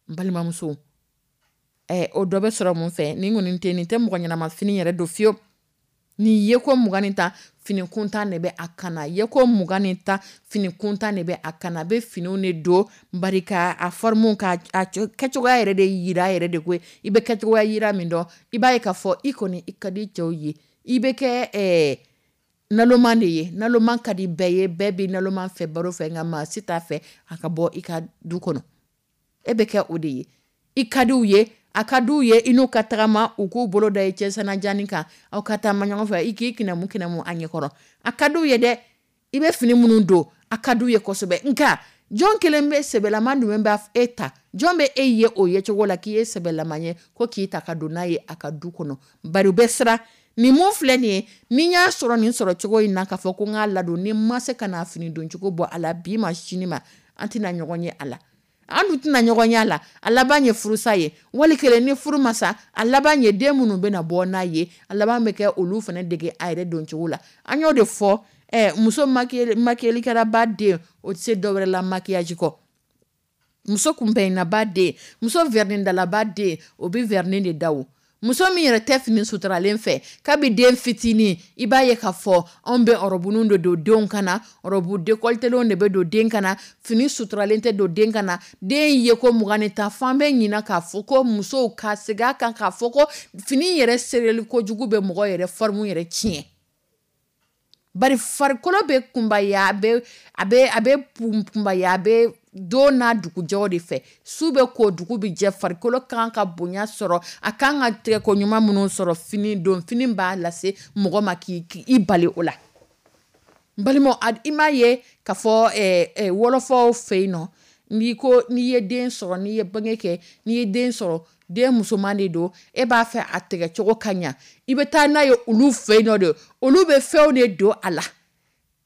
n balimamuso, o dɔ bɛ sɔrɔ mun fɛ? Nin kɔni tɛ, nin tɛ mɔgɔ ɲɛnama fini yɛrɛ don fiyewu. Nin ye ko 20 ni 10, fini kuntan de bɛ a kana ye, ko 20 ni 10, fini kuntan de bɛ a kana. A bɛ finiw de don bari a forme ka kɛcogoya yɛrɛ de yira yɛrɛ de koyi. I bɛ kɛcogoya yira min dɔn, i b'a ye k'a fɔ i kɔni i ka di cɛw ye, i bɛ kɛ naloma de ye. Naloma ka di bɛɛ ye, bɛɛ bɛ naloma fɛ baro fɛ, nka maa si t'a fɛ a ka bɔ i ka du kɔnɔ. E bɛ kɛ o de ye. I ka diw ye, a ka diw ye i n'u ka tagama, u k'u bolo da i cɛ sanajanin kan, aw ka taama ɲɔgɔn fɛ, i k'i kinamu kinamu a ɲɛkɔrɔ. A ka diw ye dɛ. I bɛ fini minnu don, a ka diw ye kosɛbɛ. Nka jɔn kelen bɛ sɛbɛlama jumɛn b'a e ta? Jɔn bɛ e ye o yecogo la k'i ye sɛbɛlama ye, ko k'i ta ka don n'a ye a ka du kɔnɔ? Bari u bɛ siran nin mun filɛ nin ye. Ni y'a sɔrɔ nin sɔrɔ cogo in na, k'a fɔ ko n k'a ladon, ni ma se ka n'a fini don cogo bɔ a la, bi ma sini ma, an tɛna ɲɔgɔn ye a la, an dun tɛna ɲɔgɔn ye a la. A laban ye furusa ye. Wali kelen ni furu ma sa, a laban ye den minnu bɛna bɔ n'a ye, a laban bɛ kɛ olu fana dege a yɛrɛ don cogo la. An y'o de fɔ, muso maquillerlikɛlaba den, o tɛ se dɔwɛrɛ la maquillage kɔ. Muso kunpɛnaba den, muso vernis dalaba den, o bɛ vernis de da. O muso min yɛrɛ tɛ fini suturalen fɛ kabi den fitinin, i b'a ye k'a fɔ anw bɛ ɔrɔbuninw de don denw kana, robe décolletélenw de bɛ don den kana, fini suturalen tɛ don den kana. Den ye ko 20 ni 10 fan bɛ ɲina k'a fɔ ko musow ka segin a kan k'a fɔ ko fini yɛrɛ sereli kojugu bɛ mɔgɔ yɛrɛ forme yɛrɛ tiɲɛ. Bari farikolo bɛ kunbaya, a bɛ kunbaya, a bɛ don n'a dugujɛw de fɛ. Su bɛ ko, dugu bɛ jɛ. Farikolo kan ka bonya sɔrɔ, a kan ka tɛgɛko ɲuman minnu sɔrɔ, fini don fini b'a lase mɔgɔ ma k'i i bali o la. N balimaw, i m'a ye k'a fɔ wɔlɔfɔw fɛ yen nɔ, n'i ko n'i ye den sɔrɔ, n'i ye bange kɛ, n'i ye den sɔrɔ, den musoman de don, e b'a fɛ a tɛgɛcogo ka ɲa, i bɛ taa n'a ye olu fɛ yen nɔ de. Olu bɛ fɛnw de don a la,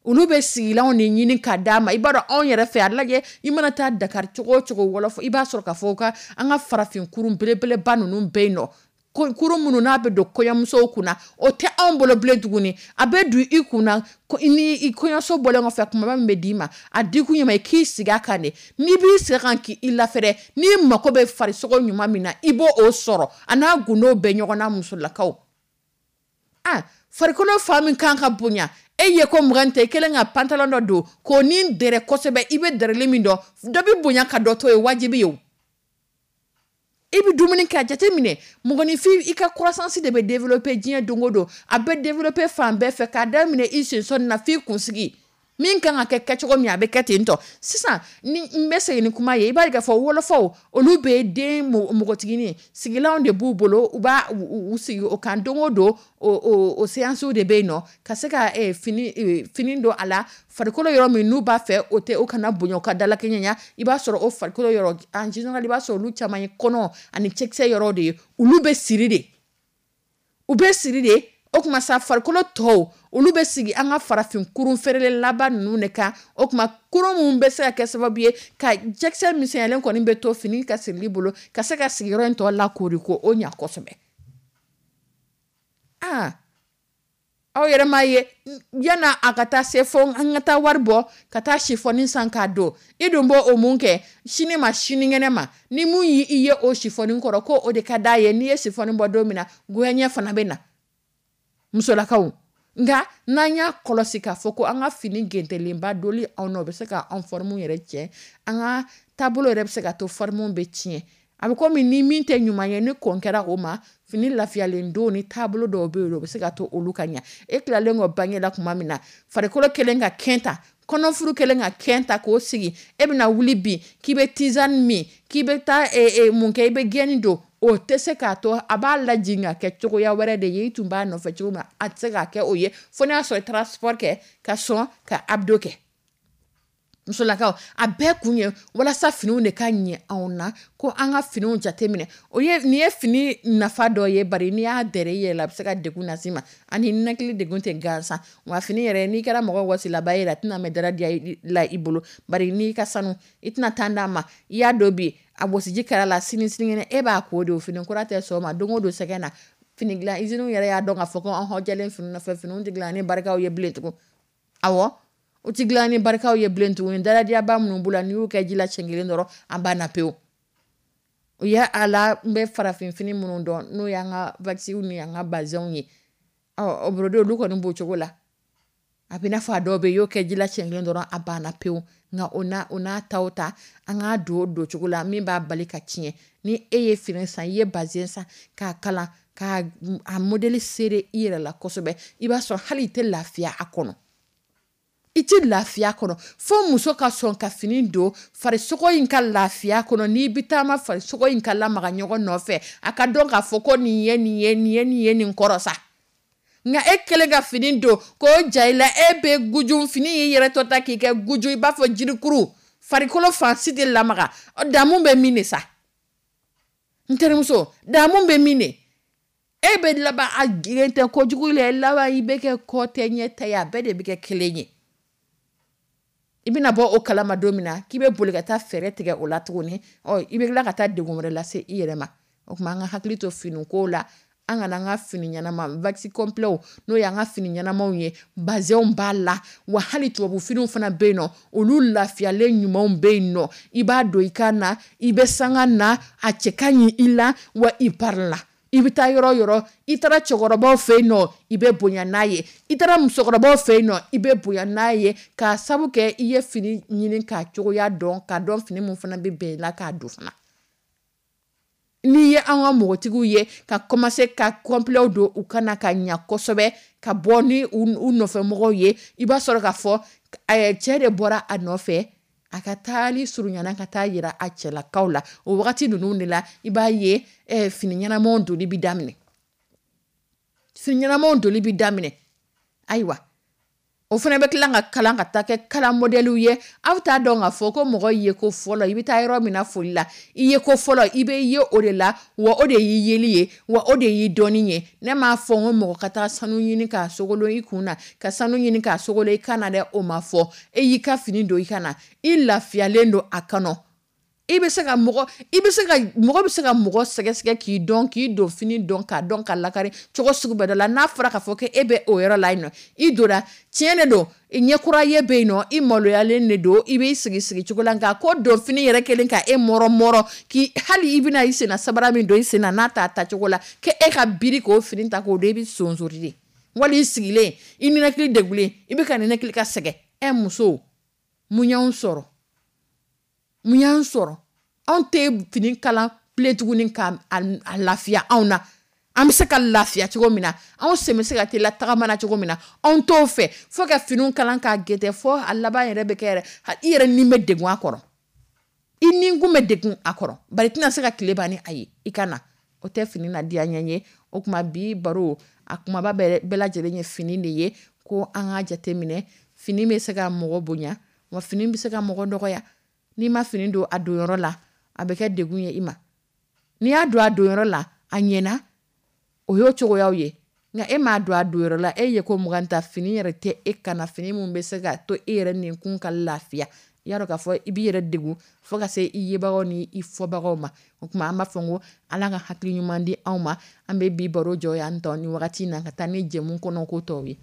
olu bɛ sigilanw de ɲini k'a d'a ma. I b'a dɔn, anw yɛrɛ fɛ, a lajɛ, i mana taa Dakar cogo o cogo, wɔlɔfɔ, i b'a sɔrɔ k'a fɔ ka an ka farafin kurun belebeleba ninnu bɛ yen nɔ, kurun minnu n'a bɛ don kɔɲɔmusow kunna, o tɛ anw bolo bilen tuguni. A bɛ don i kunna ni i kɔɲɔso bɔlen kɔfɛ, kumaba min bɛ d'i ma, a dikun ye ma i k'i sigi a kan de. N'i b'i sigi a kan k'i lafɛrɛ, n'i mako bɛ farisogo ɲuman min na, i b'o o sɔrɔ. A n'a gundo bɛ ɲɔgɔn na. Musolakaw, ah, farikolo fan min kan ka bonya, e ye ko 20 tɛ, i kɛlen ka pantalon dɔ don k'o ni dɛrɛ kosɛbɛ, i bɛ dɛrɛli min dɔn, dɔ bɛ bonya ka dɔ to ye, wajibi ye o. I bɛ dumuni kɛ, a jateminɛ, mɔgɔninfin, i ka croissance de bɛ développer diɲɛ don o don. A bɛ développer fan bɛɛ fɛ, k'a daminɛ i sensɔnni na f'i kunsigi. Min kan ka kɛ kɛcogo min, a bɛ kɛ ten tɔ. Sisan ni n bɛ segin ni kuma ye, i b'a ye k'a fɔ wɔlɔfɔw, olu bɛ den npogotiginin sigilanw de b'u bolo, u b'a u sigi o kan don o don. O séances de bɛ yen nɔ ka se ka fini don a la. Farikolo yɔrɔ min n'u b'a fɛ o tɛ, o kana bonya, o ka dalakɛɲɛ, i b'a sɔrɔ o farikolo yɔrɔ, en général, i b'a sɔrɔ olu caman ye kɔnɔ ani cɛkisɛ yɔrɔ de ye. Olu bɛ siri de, u bɛ siri de. O tuma sa, farikolo tɔw, olu bɛ sigi an ka farafin kurun feerelen laban ninnu de kan. O tuma kurun minnu bɛ se ka kɛ sababu ye ka cɛkisɛ misɛnyalen kɔni bɛ to fini ka sirili bolo, ka se ka sigiyɔrɔ in tɔ lakoori ko o ɲa kosɛbɛ. Aa, aw yɛrɛ m'a ye, yanni a ka taa se fo an ka taa wari bɔ ka taa sifɔni san k'a don, i dun b'o o mun kɛ sini ma sinikɛnɛ ma? Ni mun y'i ye o sifɔni kɔrɔ ko o de ka d'a ye, n'i ye sifɔni bɔ don min na, goyaɲɛ fana bɛ na. Musolakaw, nka n'an y'a kɔlɔsi k'a fɔ ko an ka fini gentelenba doli anw na, o bɛ se ka anw forme yɛrɛ tiɲɛ, an ka taabolo yɛrɛ bɛ se ka to forme bɛ tiɲɛ. A bɛ komi ni min tɛ ɲuman ye, ni kɔn kɛra o ma, fini lafiyalen don ni taabolo dɔw bɛ yen, o bɛ se ka to olu ka ɲɛ. E tilalen kɔ bange la tuma min na, farikolo kɛlen ka kɛn ta, kɔnɔfuru kɛlen ka kɛn ta k'o sigi, e bɛna wuli bi k'i bɛ tisane min, k'i bɛ taa mun kɛ, i bɛ gɛni don, o tɛ se k'a to a b'a lajigin ka kɛ cogoya wɛrɛ de ye. I tun b'a nɔfɛ cogo min, a tɛ se k'a kɛ o ye, fo n'a sɔrɔ i taara sport kɛ ka sɔn ka abdos kɛ. Musolakaw, a bɛɛ kun ye walasa finiw de ka ɲɛ anw na, ko an ka finiw jateminɛ. O ye nin ye fini nafa dɔ ye. Bari n'i y'a dɛrɛ i yɛrɛ la, a bɛ se ka degun las'i ma, ani ninakili degun tɛ gansan wa. Fini yɛrɛ, n'i kɛra mɔgɔ wasilaba ye, a tɛna mɛn dara diya la i bolo. Bari n'i ka sanu, i tɛna taa d'a ma. I y'a dɔn bi, a wɔsiji kɛra la, sini sinikɛnɛ e b'a ko de. O fini kura tɛ sɔn o ma don o don sɛgɛn na. Fini dilan usine yɛrɛ y'a dɔn k'a fɔ ko an hɔjɛlen fini nɔfɛ, finiw tɛ dilan ni barikaw ye bilen tugun. Awɔ, o ti dilan ni barikaw ye bilen tuguni. Daladiyaba minnu b'u la, n'i y'u kɛ ji la siɲɛ kelen dɔrɔn, an banna pewu. O ye a la n bɛ farafinfini minnu dɔn, n'o y'an ka waxiw ni an ka bazɛnw ye. Ɔ o brodé olu kɔni b'o cogo la. A bɛ n'a fɔ a dɔw bɛ yen, i y'o kɛ ji la siɲɛ kelen dɔrɔn, a banna pewu. Nka o n'a ta o ta, an k'a don o don cogo la min b'a bali ka tiɲɛ. Ni e ye fini san, i ye bazin san k'a kalan, k'a a modèle serrer i yɛrɛ la kosɛbɛ, i b'a sɔrɔ hali i tɛ lafiya a kɔnɔ. I tɛ lafiya kɔnɔ fo muso ka sɔn ka fini don farisogo in ka lafiya kɔnɔ. N'i bɛ taama, farisogo in ka lamaga ɲɔgɔn nɔfɛ, a ka dɔn k'a fɔ ko nin ye nin ye, nin ye nin ye, nin kɔrɔ sa. Nka e kɛlen ka fini don k'o ja i la, e bɛ guju fini y'i yɛrɛ tɔ ta k'i kɛ guju, i b'a fɔ jirikuru, farikolo fan si tɛ lamaga. Damu bɛ min de sa, n terimuso, damu bɛ min de? E bɛ laban a girin tɛ kojugu la, laban i bɛ kɛ kɔ tɛ ɲɛ ta ye, a bɛɛ de bɛ kɛ kelen ye. I bɛna bɔ o kalama don min na k'i bɛ boli ka taa fɛɛrɛ tigɛ o la tuguni, ɔ i bɛ tila ka taa degun wɛrɛ lase i yɛrɛ ma. O tuma an ka hakili to finiko la, an kana an ka fini ɲɛnama waxi complet, n'o y'an ka fini ɲɛnamaw ye, bazɛnw b'a la wa, hali tubabu finiw fana bɛ yen nɔ, olu lafiyalen ɲumanw bɛ yen nɔ. I b'a don i kan na, i bɛ sanga na, a cɛ ka ɲi i la wa, i pari la. I bɛ taa yɔrɔ yɔrɔ, i taara cɛkɔrɔbaw fɛ yen nɔ, i bɛ bonya n'a ye, i taara musokɔrɔbaw fɛ yen nɔ, i bɛ bonya n'a ye, k'a sabu kɛ i ye fini ɲini k'a cogoya dɔn, k'a dɔn fini min fana bɛ bɛn i la k'a don fana. N'i ye an ka mɔgɔtigiw ye ka commencer ka complet don u kana ka ɲa kosɛbɛ, ka bɔ ni u nɔfɛmɔgɔw ye, i b'a sɔrɔ k'a fɔ cɛ de bɔra a nɔfɛ, a ka taali surunyana ka taa yira a cɛlakaw la. O wagati ninnu de la, i b'a ye fini ɲɛnamaw doli bɛ daminɛ, fini ɲɛnamaw doli bɛ daminɛ. Ayiwa, o fana bɛ tila ka kalan ka taa kɛ kalan modèle ye. Aw t'a dɔn k'a fɔ ko mɔgɔ ye ko fɔlɔ, i bɛ taa yɔrɔ min na foli la, i ye ko fɔlɔ, i bɛ ye o de la wa, o de y'i yeli ye wa, o de y'i dɔnni ye. Ne m'a fɔ n ko mɔgɔ ka taa sanu ɲini k'a sogolon i kun na, ka sanu ɲini k'a sogolon i kan na dɛ, o ma fɔ. E y'i ka fini don i kan na, i lafiyalen don a kɔnɔ, i bɛ se ka mɔgɔ, i bɛ se ka mɔgɔ bɛ se ka mɔgɔ sɛgɛsɛgɛ k'i dɔn, k'i don fini dɔn, k'a dɔn ka lakari cogo sugu bɛɛ dɔ la. N'a fɔra k'a fɔ ko e bɛ o yɔrɔ la yen nɔ, i donna, tiɲɛ de don, ɲɛkura ye bɛ yen nɔ, i maloyalen de don, i b'i sigi sigi cogo la. Nka ko don fini yɛrɛ kelen ka e mɔrɔ mɔrɔ k'i hali i bɛna i senna sabara min don i senna n'a t'a ta cogo la, k'e ka biri k'o fini ta k'o don, i bɛ sonsori de, wali i sigilen, i ninakili degulen, i bɛ ka ninakili ka sɛgɛn. Ɛ muso, mun y'anw sɔrɔ? Mun y'an sɔrɔ? Anw tɛ fini kalan bilen tuguni ka a lafiya anw na. An bɛ se ka lafiya cogo min na, anw sen bɛ se ka teliya tagama na cogo min na, anw t'o fɛ fo ka finiw kalan k'a gɛtɛ, fo a laban yɛrɛ bɛ kɛ yɛrɛ i yɛrɛ ni bɛ degun a kɔrɔ, i ni kun bɛ degun a kɔrɔ, bari i tɛna se ka tile ban ni a ye i ka na. O tɛ fini na diya ɲɛ ye. O tuma bi baro a kumaba bɛɛ lajɛlen ye fini de ye, ko an k'a jateminɛ, fini bɛ se ka mɔgɔ bonya wa, fini bɛ se ka mɔgɔ dɔgɔya. N'i ma fini don a donyɔrɔ la, a bɛ kɛ degun ye i ma. N'i y'a don a donyɔrɔ la, a ɲɛna, o y'o cogoyaw ye. Nka e m'a don a donyɔrɔ la, e ye ko 20 ta, fini yɛrɛ tɛ e kana fini min bɛ se ka to e yɛrɛ ninkun ka lafiya, i y'a dɔn k'a fɔ i b'i yɛrɛ degun fo ka se i yebagaw ni i fɔbagaw ma. O tuma an b'a fɔ ko Ala ka hakili ɲuman di anw ma. An bɛ bi baro jɔ yan tɔ ni wagati in na, ka taa ni jɛmu kɔnɔ ko tɔw ye.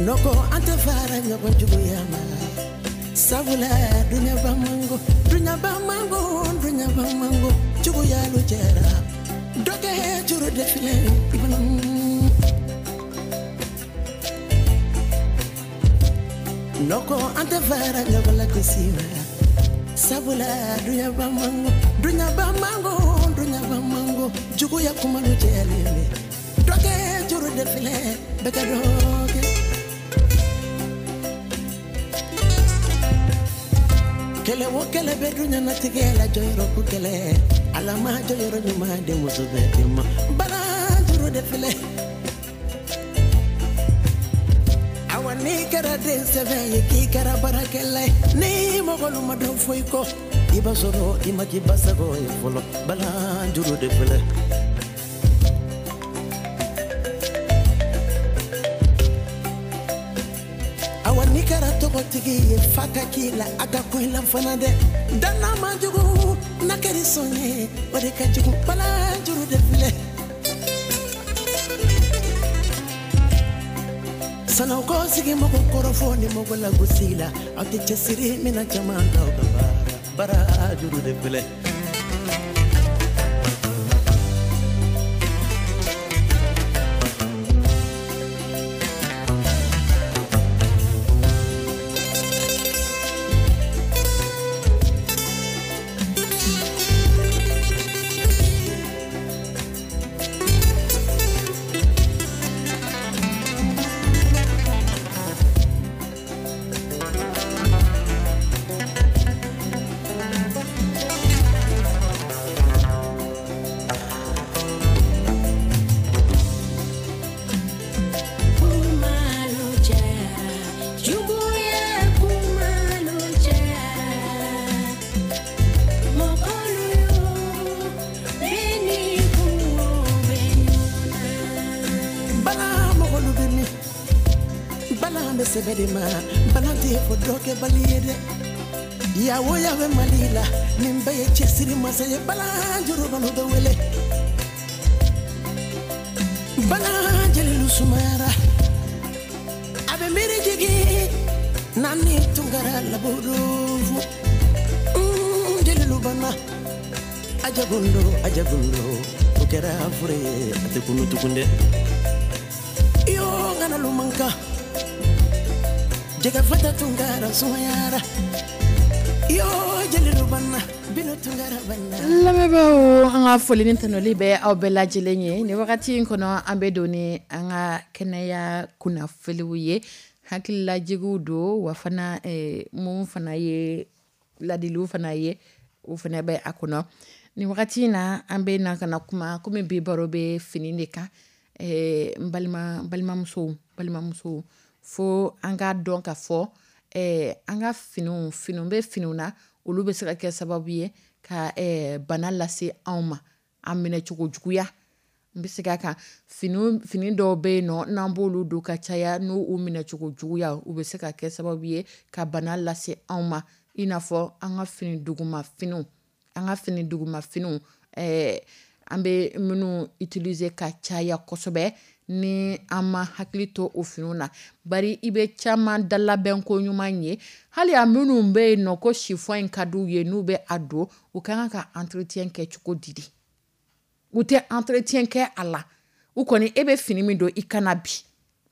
Nɔkɔ an tɛ fara ɲɔgɔn juguya ma, sabula duɲaba mango, duɲaba mango, duɲaba mango, juguya lo cɛra dɔkɛ juru de filɛ ibana. Nɔkɔ an tɛ fara ɲɔgɔn la gosi ma, sabula duɲaba mango, duɲaba mango, duɲaba mango, juguya kuma lo cɛlen bɛ dɔkɛ juru de Bɛɛ ka dɔ kɛ. Kɛlɛ o kɛlɛ bɛ duɲanatigɛ la, jɔyɔrɔ ko kɛlɛ. Ala ma jɔyɔrɔ ɲuman di muso bɛɛ de ma. Balanjuru de filɛ. Awa n'i kɛra den sɛbɛ ye, k'i kɛra baarakɛla ye, ni mɔgɔlu ma dɔn foyi kɔ, i b'a sɔrɔ i ma k'i basago ye fɔlɔ. Balanjuru de filɛ. Awa n'i kɛra tɔgɔtigi ye, fa ka k'i la, a ka kun i la fana dɛ. Danna man jugu n'a kɛra sɔn ye, o de ka jugu. Balanjuru de filɛ. Sanaw ko sigi mɔgɔ kɔrɔfɔ ni mɔgɔ lagosi la, aw tɛ cɛsiri min na caman t'aw ka baara. Barajuru de filɛ. Bala mɔgɔlu bɛ min? Bala bɛ sɛbɛ de ma, bala tɛ fɔ dɔ kɛ bali ye dɛ. Yawo ya bɛ Mali la, nin bɛɛ ye cɛsiri masa ye. Bala jurubalu bɛ wele. Bala jelilu sumayara, a bɛ miiri jigin naani tunkara laburufu. Jelilu banna, ajagundo ajagundo, o kɛra fure ye, a tɛ kunu tugun dɛ. Yo ŋana lumanka, jɛgɛ fata tunkara sumayara. Yo jelilu banna, bino tunkara banna. Lamɛnbaaw, an ka foli ni tanuli bɛ aw bɛɛ lajɛlen ye nin wagati in kɔnɔ. An bɛ don ni an ka kɛnɛya kunnafoniw ye, hakililajigiw don, wa fana mun fana ye ladiliw fana ye, o fana bɛ a kɔnɔ nin wagati in na. An bɛ na ka na kuma komi bi baro bɛ fini de kan. N balima, balimamusow, fo an k'a dɔn ka fɔ an ka finiw, finiw bɛ finiw na, olu bɛ se ka kɛ sababu ye ka bana lase anw ma. An minɛcogo juguya, n bɛ segin a kan, fini dɔw bɛ yen nɔ, n'an b'olu don ka caya, n'u u minɛcogo juguya, u bɛ se ka kɛ sababu ye ka bana lase anw ma. I n'a fɔ an ka fini duguma finiw, an ka fini duguma finiw, an bɛ minnu utiliser ka caya kosɛbɛ, ni an ma hakili to o finiw na. Bari i bɛ caman dalabɛn ko ɲuman ye, hali a minnu bɛ yen nɔ ko chiffon in ka d'u ye, n'u bɛ a don, u ka kan ka entretien kɛ cogo di de? U tɛ entretien kɛ a la. U kɔni, e bɛ fini min don i kana bi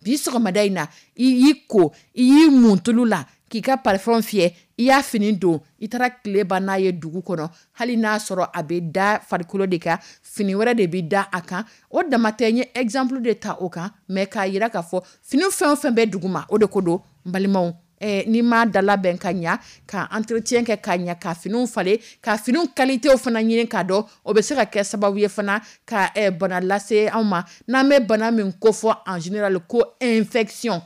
bi sɔgɔmada in na, i y'i ko, i y'i mun tulu la, k'i ka parfum fiyɛ, i y'a fini don, i taara tile ban n'a ye dugu kɔnɔ. Hali n'a sɔrɔ a bɛ da farikolo de kan, fini wɛrɛ de bɛ da a kan. O dama tɛ, n ye exemple de ta o kan, mais k'a yira k'a fɔ fini fɛn o fɛn bɛ dugu ma, o de ko don. N balimaw, n'i m'a dalabɛn ka ɲa, ka entretien kɛ ka ɲa, ka finiw falen, ka finiw qualité fana ɲini k'a dɔn, o bɛ se ka kɛ sababu ye fana ka bana lase anw ma. N'an bɛ bana min kofɔ en général ko infection,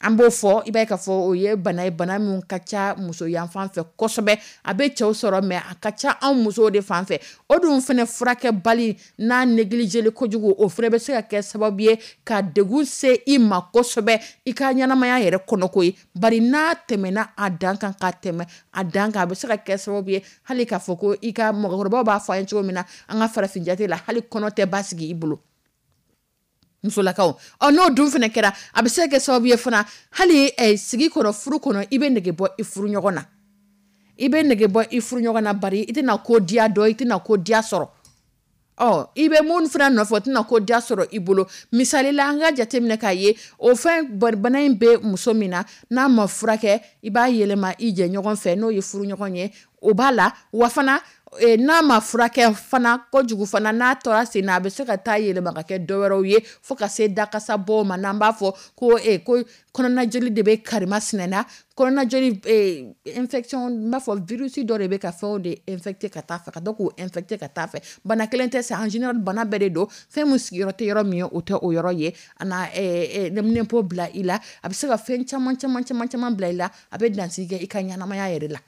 an b'o fɔ, i b'a ye k'a fɔ o ye bana ye, bana min ka ca muso yan fan fɛ kosɛbɛ. A bɛ cɛw sɔrɔ, mais a ka ca anw musow de fan fɛ. O dun fana furakɛbali n'a négligé kojugu, o fana bɛ se ka kɛ sababu ye ka degun se i ma kosɛbɛ i ka ɲɛnamaya yɛrɛ kɔnɔ ko ye. Bari n'a tɛmɛna a dan kan, ka tɛmɛ a dan kan, a bɛ se ka kɛ sababu ye hali k'a fɔ ko i ka mɔgɔkɔrɔbaw b'a fɔ an ye cogo min na an ka farafin jate la, hali kɔnɔ tɛ basigi i bolo, musolakaw. Ɔ n'o dun fana kɛra, a bɛ se ka kɛ sababu ye fana hali sigi kɔnɔ, furu kɔnɔ, i bɛ nege bɔ i furu ɲɔgɔn na, i bɛ nege bɔ i furu ɲɔgɔn na. Bari i tɛna ko diya dɔn, i tɛna ko diya sɔrɔ. Ɔ i bɛ mun fana nɔfɛ, o tɛna ko diya sɔrɔ i bolo. Misali la, an ka jateminɛ k'a ye, o fɛn bana in bɛ muso min na, n'a ma furakɛ, i b'a yɛlɛma i jɛɲɔgɔn fɛ, n'o ye furu ɲɔgɔn ye. O b'a la wa fana, n'a ma furakɛ fana kojugu fana, n'a tora sen na, a bɛ se ka taa yɛlɛma ka kɛ dɔwɛrɛw ye fo ka se dakasa bɔ ma. N'an b'a fɔ ko ko kɔnɔnajoli de bɛ karimasina na, kɔnɔnajoli infection, n b'a fɔ virus dɔ de bɛ ka fɛnw de infecté ka taa fɛ, ka to k'u infecté ka taa fɛ. Bana kelen tɛ, c'est en général bana bɛɛ de don. Fɛn min sigiyɔrɔ tɛ yɔrɔ min ye, o tɛ o yɔrɔ ye. A na nɛminɛnpo bila i la, a bɛ se ka fɛn caman caman caman caman bila i la, a bɛ dansigi kɛ i ka ɲɛnamaya yɛrɛ la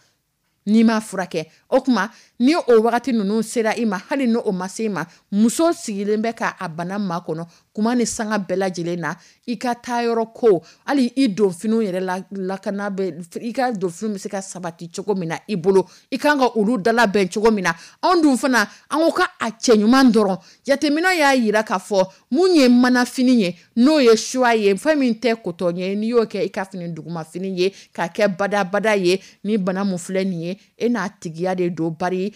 n'i m'a furakɛ. O tuma ni o wagati ninnu sera i ma, hali ni o ma se i ma, muso sigilen bɛ k'a bana makɔnɔ kuma ni sanga bɛɛ lajɛlen na. I ka taa yɔrɔ ko, hali i donfiniw yɛrɛ la, lakana bɛ, i ka donfiniw bɛ se ka sabati cogo min na i bolo, i kan ka olu dalabɛn cogo min na. Anw dun fana, an ko ka a cɛ ɲuman dɔrɔn. Jateminɛ y'a yira k'a fɔ mun ye manafini ye, n'o ye soie ye, fɛn min tɛ coton ye, n'i y'o kɛ i ka fini dugumafini ye k'a kɛ badabada ye, ni bana mun filɛ nin ye, e n'a tigiya de don. Bari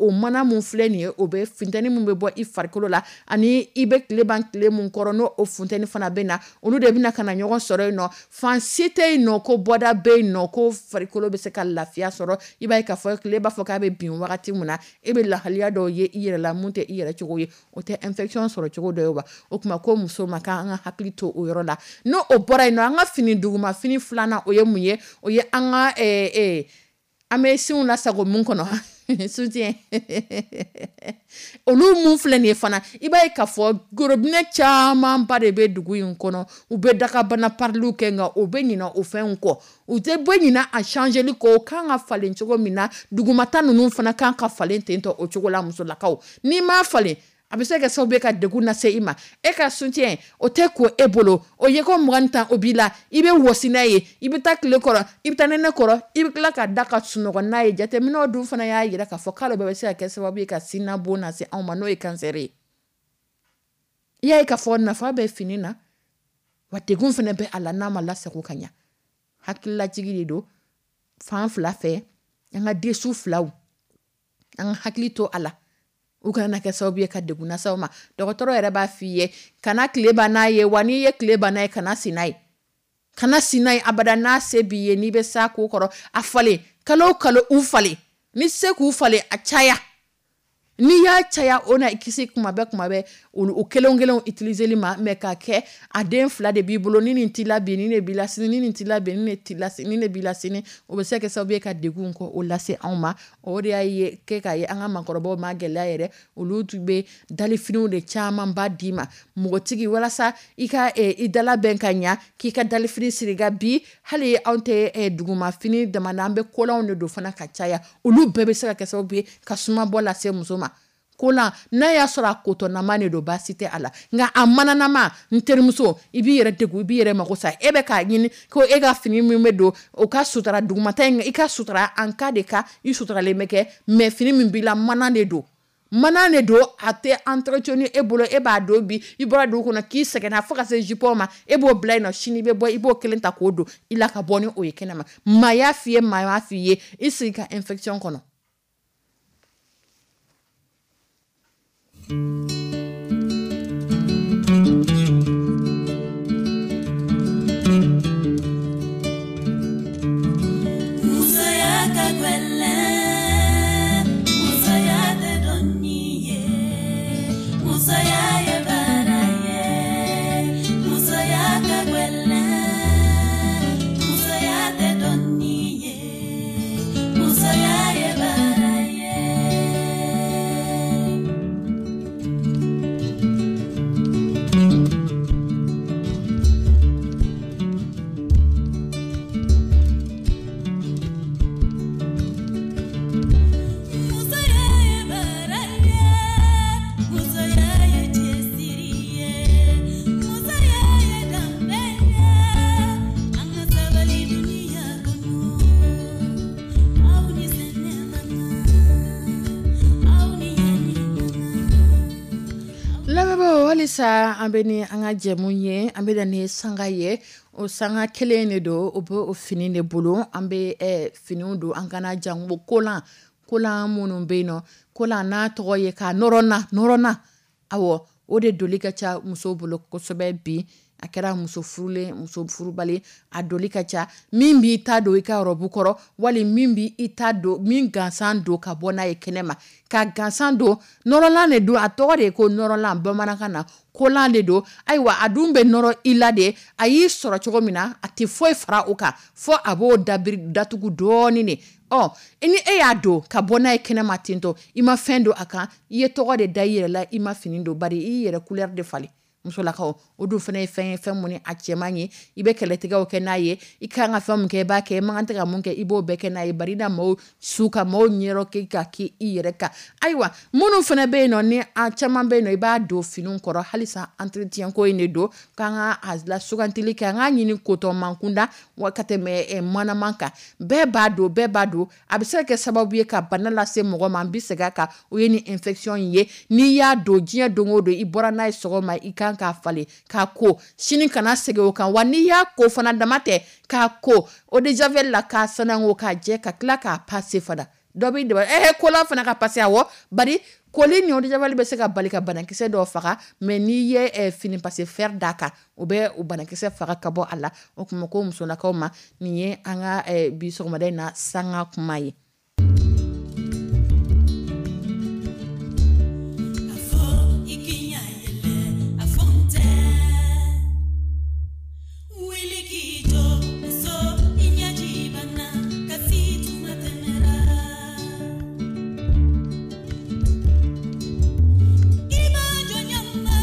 o mana mun filɛ nin ye, o bɛ funteni mun bɛ bɔ i farikolo la, ani i bɛ tile ban tile mun kɔrɔ, n'o o funteni fana bɛ na, olu de bɛna ka na ɲɔgɔn sɔrɔ yen nɔ. Fan si tɛ yen nɔ ko bɔda bɛ yen nɔ ko farikolo bɛ se ka lafiya sɔrɔ. I b'a ye k'a fɔ tile b'a fɔ k'a bɛ bin wagati min na, e bɛ lahaliya dɔw ye i yɛrɛ la mun tɛ i yɛrɛ cogo ye, o tɛ infection sɔrɔ cogo dɔ ye wa. O tuma ko muso ma k'an ka hakili to o yɔrɔ la. N'o o bɔra yen nɔ, an ka fini duguma fini filanan, o ye mun ye? O ye an ka an bɛ sinw lasago mun kɔnɔ, soutien, olu mun filɛ nin ye fana. I b'a ye k'a fɔ gorobinɛ camanba de bɛ dugu in kɔnɔ, u bɛ dakabana pariliw kɛ, nka u bɛ ɲinɛ o fɛnw kɔ, u tɛ bɔ ɲinɛ a changeli kɔ. O kan ka falen cogo min na, dugumata ninnu fana kan ka falen ten tɔ o cogo la. Musolakaw, n'i m'a falen, a bɛ se ka kɛ sababu ye ka degun lase i ma. E ka soutien o tɛ ko e bolo, o ye ko 20 tan o b'i la, i bɛ wɔsi n'a ye, i bɛ taa tile kɔrɔ, i bɛ taa nɛnɛ kɔrɔ, i bɛ tila ka da ka sunɔgɔ n'a ye. Jateminɛw dun fana y'a jira k'a fɔ k'ale bɛɛ bɛ se ka kɛ sababu ye ka sinabon lase anw ma, n'o ye kansɛri ye. I y'a ye k'a fɔ nafa bɛ fini na wa, degun fana bɛ a la n'a ma lasago ka ɲa. Hakililajigi de don fan fila fɛ. An ka dessous filaw, an ka hakili to a la, u kana kɛ sababu ye ka degun lase aw ma. Dɔgɔtɔrɔ yɛrɛ b'a f'i ye kana tile ban n'a ye wa, n'i ye tile ban n'a ye, kana sin n'a ye, kana sin n'a ye abada. N'a se b'i ye, n'i bɛ s'a ko kɔrɔ, a falen kalo o kalo, u falen ni se k'u falen, a caya. N'i y'a caya, o na i kisi kuma bɛɛ kuma bɛɛ olu o kelen kelen utiliseli ma. Mais k'a kɛ a den fila de b'i bolo, ni nin t'i la bi, ni ne b'i la sini, ni nin t'i la bi, ni ne t'i la sini, ni ne b'i la sini, o bɛ se ka kɛ sababu ye ka degun kɔ o lase anw ma. O de y'a ye kɛ k'a ye an ka maakɔrɔbaw ma gɛlɛya yɛrɛ, olu tun bɛ dalifiniw de camanba d'i ma npogotigi, walasa i ka i dala bɛn ka ɲa, k'i ka dalifini siri. Ka bi hali anw tɛ dugumafini dama na, an bɛ kolanw de don fana ka caya. Olu bɛɛ bɛ se ka kɛ sababu ye ka sumabɔ lase muso ma. Kolan, n'a y'a sɔrɔ a kotɔnama de don, baasi tɛ a la, nka a mananama, n terimuso, i b'i yɛrɛ degun, i b'i yɛrɛ mako sa. E bɛ k'a ɲini ko e ka fini min bɛ don, o ka sutura dugumata in, i ka sutura en cas de cas i suturalen bɛ kɛ, mais fini min b'i la, mana de don, mana de don, a tɛ entretenu e bolo. E b'a don bi, i bɔra dugu kɔnɔ k'i sɛgɛnna fo ka se jupon ma, e b'o bila yen nɔ, sini i bɛ bɔ, i b'o kelen ta k'o don i la ka bɔ ni o ye kɛnɛma. Maa y'a f'i ye, maa y'a f'i ye, i sigi ka infection kɔnɔ. Musoya ka gɛlɛn, musoya tɛ dɔnni ye, musoya ye baara ye, musoya ka gɛlɛn, musoya tɛ dɔnni ye, musoya ye baara ye. Musoya ye baara ye, musoya ye cɛsiri ye, musoya ye danbe ye, an ka sabali dunuya kɔnɔ, aw ni sɛnɛ man kan, aw ni ɲani man kan. Lamɛnbaaw, halisa an bɛ ni an ka jɛmu ye, an bɛ na ni sanga ye. O sanga kelen de don, o bɛ o fini de bolo. An bɛ finiw don, an kana jango kolan, kolan minnu bɛ yen nɔ, kolan n'a tɔgɔ ye ka nɔrɔ na, nɔrɔ na, awɔ, o de doli ka ca musow bolo kosɛbɛ bi. A kɛra muso furulen, muso furubali, a doli ka ca. Min b'i ta don i ka robe kɔrɔ, wali min b'i i ta don, min gansan don ka bɔ n'a ye kɛnɛ ma, ka gansan don nɔrɔlan de don. A tɔgɔ de ye ko nɔrɔlan bamanankan na, kolan de don. Ayiwa, a dun bɛ nɔrɔ i la de. A y'i sɔrɔ cogo min na, a tɛ foyi fara o kan, fɔ a b'o dabiri datugu dɔɔnin de. Ɔ ni e y'a don ka bɔ n'a ye kɛnɛma tentɔ, i ma fɛn don a kan, i ye tɔgɔ de da i yɛrɛ la, i ma fini don, bari i yɛrɛ couleur de falen. Musolakaw, o dun fana ye fɛn ye, fɛn mun ni a cɛman ye. I bɛ kɛlɛtigɛw kɛ n'a ye. I kan ka fɛn mun kɛ, i b'a kɛ. I man kan tɛ ka mun kɛ, i b'o bɛɛ kɛ n'a ye, bari i na maaw su ka maaw ɲɛrɔ kɛ ka k'i i yɛrɛ kan. Ayiwa, minnu fana bɛ yen nɔ, ni a caman bɛ yen nɔ, i b'a don finiw kɔrɔ halisa, entretien ko in de don, k'an ka a la sugantili kɛ, an k'a ɲini kotɔman kunda wa ka tɛmɛ manaman kan. Bɛɛ b'a don, bɛɛ b'a don. A bɛ se ka kɛ sababu ye ka bana lase mɔgɔ ma. An bɛ segin a kan, o ye ni infection in ye. N'i y'a don diɲɛ don o don, i bɔra n'a ye sɔgɔma, i kan k'a falen k'a ko, sini kana segin o kan. Wa n'i y'a ko fana, dama tɛ k'a ko eau de javel la, k'a sanango k'a jɛ, ka tila k'a passer fana. Dɔ b'i dɛmɛ kolan fana ka passer. Awɔ, bari koli ni eau de javel bɛ se ka bali ka banakisɛ dɔw faga, mais n'i ye fini passer fer d'a kan, o bɛ o banakisɛ faga ka bɔ a la. O tuma ko musolakaw ma, nin ye an ka bi sɔgɔmada in na sanga kuma ye. A fɔ i k'i ɲɛ yɛlɛ, a fɔ n tɛ wuli k'i jɔ, muso, i ɲɛji banna, kasi tuma tɛmɛra. I b'a jɔ ɲama,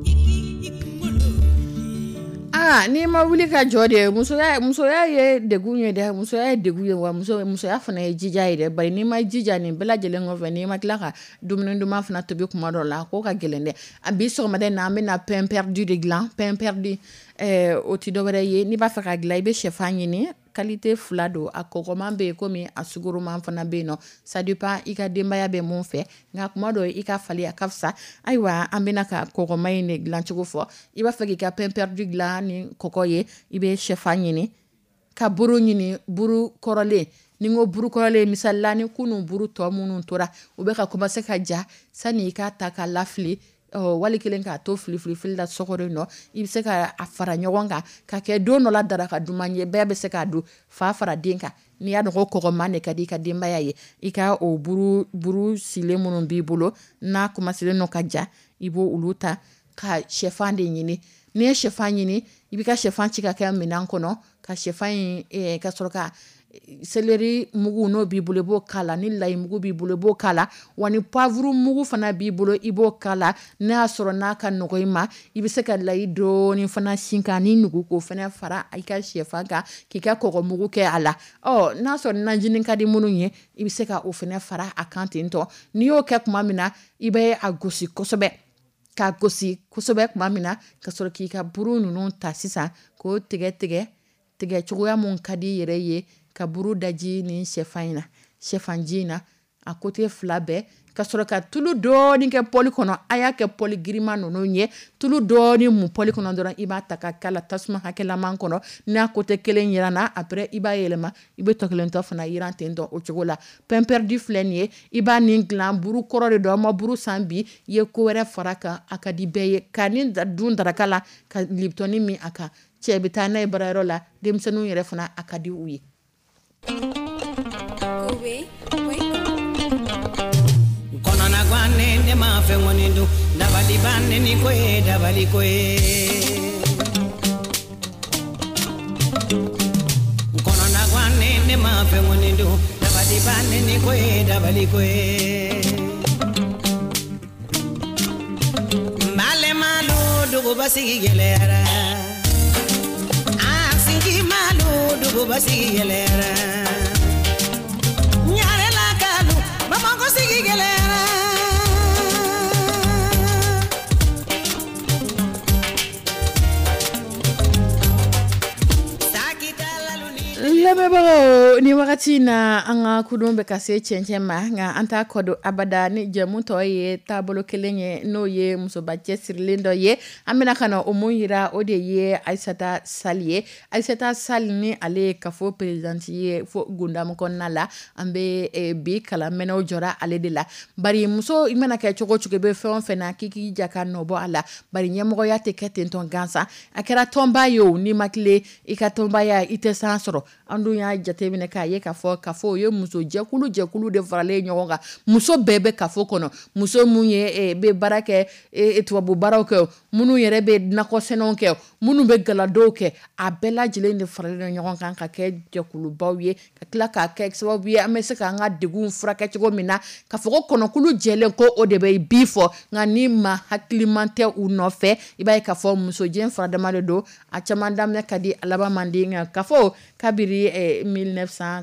i k'i kunkolo wuli. Aa, n'i ma wuli ka jɔ de, musoya, musoya ye degun ye dɛ. Musoya ye degun ye, wa muso, musoya fana ye jija ye dɛ. Bari n'i ma jija nin bɛɛ lajɛlen kɔfɛ, n'i ma tila ka dumuni duman fana tobi kuma dɔ la, ko ka gɛlɛn dɛ. A bi sɔgɔmada in na, an bɛna pain perdu de dilan. Pain perdu, o ti dɔwɛrɛ ye. N'i b'a fɛ ka dilan, i bɛ sɛfan ɲini, qualité fila don: a kɔgɔman bɛ yen, komi a sukoroman fana bɛ yen nɔ. Ça dépend i ka denbaya bɛ mun fɛ, nka kuma dɔ i ka falen, a ka fisa. Ayiwa, an bɛna ka kɔgɔman in de dilancogo fɔ. I b'a fɛ k'i ka pain perdu dilan ni kɔgɔ ye, i bɛ sɛfan ɲini, ka buru ɲini, buru kɔrɔlen. Ni n ko buru kɔrɔlen, misali la, ni kunun buru tɔ minnu tora, u bɛ ka commencer ka ja, sani i k'a ta k'a lafili, wali kelen k'a to fili fili fili la so kɔnɔ nɔ, i bɛ se ka a fara ɲɔgɔn kan ka kɛ don dɔ la daraka duman ye, bɛɛ bɛ se k'a dun, fa fara den kan. N'i y'a dɔn ko kɔgɔman de ka di i ka denbaya ye, i ka o buru buru silen minnu b'i bolo n'a commencé nɔ ka ja, i b'o olu ta ka sɛfan de ɲini. N'i ye sɛfan ɲini, i b'i ka sɛfan ci ka kɛ minɛn kɔnɔ, ka sɛfan in, ka sɔrɔ ka céleri mugu, n'o b'i bolo, i b'o k'a la. Ni layi mugu b'i bolo, i b'o k'a la. Wa ni poivre mugu fana b'i bolo, i b'o k'a la. N'a y'a sɔrɔ n'a ka nɔgɔ i ma, i bɛ se ka layi dɔɔni fana sin kan ni nugu, k'o fana fara i ka sɛfan kan, k'i ka kɔgɔ mugu kɛ a la. Ɔ n'a sɔrɔ najini ka di minnu ye, i bɛ se ka o fana fara a kan ten tɔ. N'i y'o kɛ tuma min na, i bɛ a gosi kosɛbɛ, k'a gosi kosɛbɛ tuma min na, ka sɔrɔ k'i ka buru ninnu ta sisan, k'o tigɛ tigɛ tigɛ cogoya mun ka di i yɛrɛ ye, ka buru daji ni sɛfan in na, sɛfanji in na, a côté fila bɛɛ, ka sɔrɔ ka tulu dɔɔni kɛ poêle kɔnɔ. A y'a kɛ poêle girinman ninnu ye, tulu dɔɔni mun poêle kɔnɔ dɔrɔn, i b'a ta ka k'a la tasuma hakɛlaman kɔnɔ. N'a côté kelen yiranna, après i b'a yɛlɛma, i bɛ tɔ kelen tɔ fana yiran ten tɔ o cogo la. Pain perdu filɛ nin ye, i b'a nin dilan, buru kɔrɔ de don. An ma buru san bi, i ye ko wɛrɛ fara kan, a ka di bɛɛ ye ka nin dun daraka la, ka liptɔni min a kan. Cɛ bɛ taa n'a ye baarayɔrɔ la, denmisɛnninw yɛrɛ fana, a ka di u ye. Kɔnɔnagwannen, ne ma fɛn kɔni dun, dabali bannen, ni ko ye dabali ko ye. Kɔnɔnagwannen, ne ma fɛn kɔni dun, dabali bannen, ni ko ye dabali ko ye. N balemalu, duguba sigi gɛlɛyara. A sigi malu, duguba sigi gɛlɛyara. Ɲarelakalu, Bamakɔ sigi gɛlɛyara. Lamɛnbagaw, ni wagati Wagati na an ka kudon bɛ ka se cɛncɛn ma, nka an t'a kɔdon abada ni jɛmu tɔ ye taabolo kelen ye, n'o ye musoba cɛsirilen dɔ ye. An bɛna ka na o mun yira, o de ye Ayisata Sali ye. Ayisata Sali ni ale ye kafo présidente ye fo Gundamu kɔnɔna la. An bɛ bi kalamɛnɛw jɔra ale de la, bari muso i mana kɛ cogo cogo, i bɛ fɛn o fɛn na, k'i k'i ja ka nɔbɔ a la, bari ɲɛmɔgɔya tɛ kɛ ten tɔn gansan. A kɛra tɔnba ye o, n'i ma tile i ka tɔnbaya, i tɛ san sɔrɔ. An dun y'a jateminɛ k'a ye k'a fɔ kafo o ye muso jɛkulu jɛkulu de faralen ɲɔgɔn kan. Muso bɛɛ bɛ kafo kɔnɔ, muso mun ye bɛ baara kɛ, tubabu baaraw kɛ, minnu yɛrɛ bɛ nakɔ sɛnɛw kɛ, minnu bɛ galadow kɛ, a bɛɛ lajɛlen de faralen ɲɔgɔn kan ka kɛ jɛkulubaw ye, ka tila k'a kɛ sababu ye an bɛ se k'an ka degun furakɛ cogo min na. Ka fɔ ko kɔnɔkulu jɛlen ko o de bɛ bi fɔ, nka ni ma hakiliman tɛ u nɔfɛ, i b'a ye k'a fɔ musojɛ faradama de don. A caman daminɛ ka di, a laban man di. Nka kafo kabiri 1990,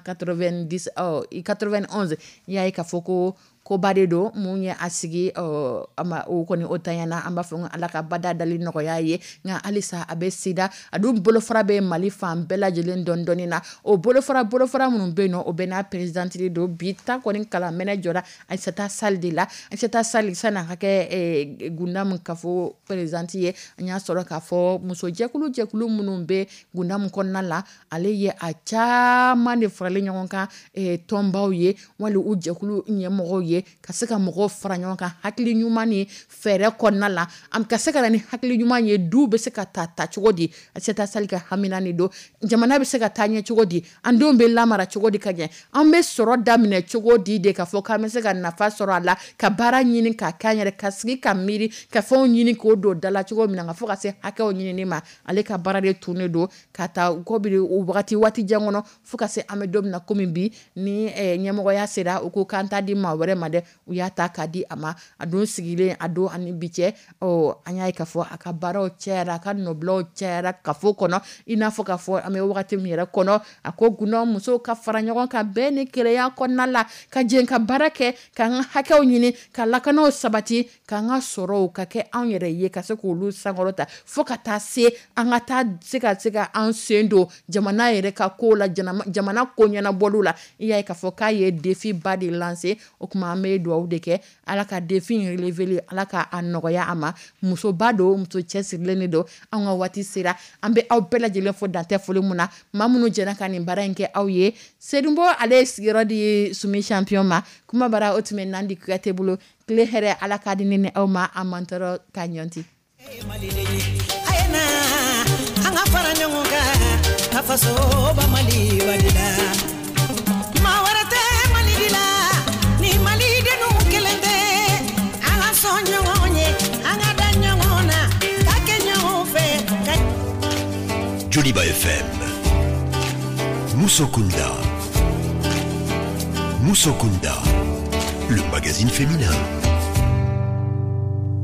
91, i y'a ye k'a fɔ ko koba de don. Mun ye a sigi a ma, o kɔni o tanyana. An b'a fɔ ko Ala ka bada dali nɔgɔya ye. Nka halisa a bɛ sida, a dun bolofara bɛ Mali fan bɛɛ lajɛlen dɔɔni dɔɔni na. O bolofara minnu bɛ yen nɔ, o bɛ n'a présidente don. Bi ta kɔni kalan mɛnɛ jɔra Ayisata Sali de la. Ayisata Sali, sani a ka kɛ Gundamu kafo présidente ye, an y'a sɔrɔ k'a fɔ muso jɛkulu jɛkulu minnu bɛ Gundamu kɔnɔna la, ale ye a caman de faralen ɲɔgɔn kan, tɔnbaw ye wali u jɛkulu ɲɛmɔgɔw ye, ka se ka mɔgɔw fara ɲɔgɔn kan hakili ɲuman ni fɛɛrɛ kɔnɔna la, an ka se ka na ni hakili ɲuman ye. Du bɛ se ka ta ta cogo di? Ayisata Sali ka hamina de don. Jamana bɛ se ka taa ɲɛ cogo di? An denw bɛ lamara cogo di ka ɲɛ? An bɛ sɔrɔ daminɛ cogo di de k'a fɔ k'an bɛ se ka nafa sɔrɔ a la, ka baara ɲini k'a k'an yɛrɛ, ka sigi ka miiri ka fɛnw ɲini k'o don da la cogo min na, ka fɔ ka se hakɛw ɲinini ma? Ale ka baara de tun de don ka taa kɔbiri wagati waati jan kɔnɔ, fo ka se an bɛ don min na komi bi, ni ɲɛmɔgɔya sera, u ko k'an t'a di maa wɛrɛ ma dɛ, u y'a ta k'a di a ma. A don sigilen a don ani bi cɛ, an y'a ye k'a fɔ a ka baaraw cayara, a ka nɔbilaw cayara kafo kɔnɔ. I n'a fɔ k'a fɔ an bɛ wagati min yɛrɛ kɔnɔ, a ko Gundɔ musow ka fara ɲɔgɔn kan bɛɛ ni kelenya kɔnɔna la, ka jɛ ka baara kɛ, k'an ka hakɛw ɲini, ka lakanaw sabati, k'an ka sɔrɔw ka kɛ anw yɛrɛ ye, ka se k'olu sankɔrɔta, fo ka taa se an ka taa se ka an sen don jamana yɛrɛ ka ko la, jamana ko ɲɛnabɔliw la. I y'a ye k'a fɔ k'a ye défi ba de lancer. O tuma an bɛ dugawu de kɛ, Ala ka défi in relever, Ala ka a nɔgɔya a ma. Musoba don, muso cɛsirilen de don. An ka waati sera, an bɛ aw bɛɛ lajɛlen fo dantɛ foli mun na. Maa minnu jɛra ka nin baara in kɛ aw ye, Sedunbo ale ye sigiyɔrɔ di Sumi Champion ma. Kuma bara o tun bɛ Nandi Kuyate bolo. Tile hɛrɛ, Ala k'a di ne ni aw ma. An man tɔɔrɔ ka ɲɔnti. A ye na an ka fara ɲɔgɔn kan ka fasoba Mali la. Maa wɛrɛ tɛ Mali la ni malidenw kelen tɛ. An ka sɔn ɲɔgɔn ye, an ka da ɲɔgɔn na, ka kɛ ɲɔgɔn fɛ ka Joliba FM. Moussokunda. Moussokunda. Le magazine féminin.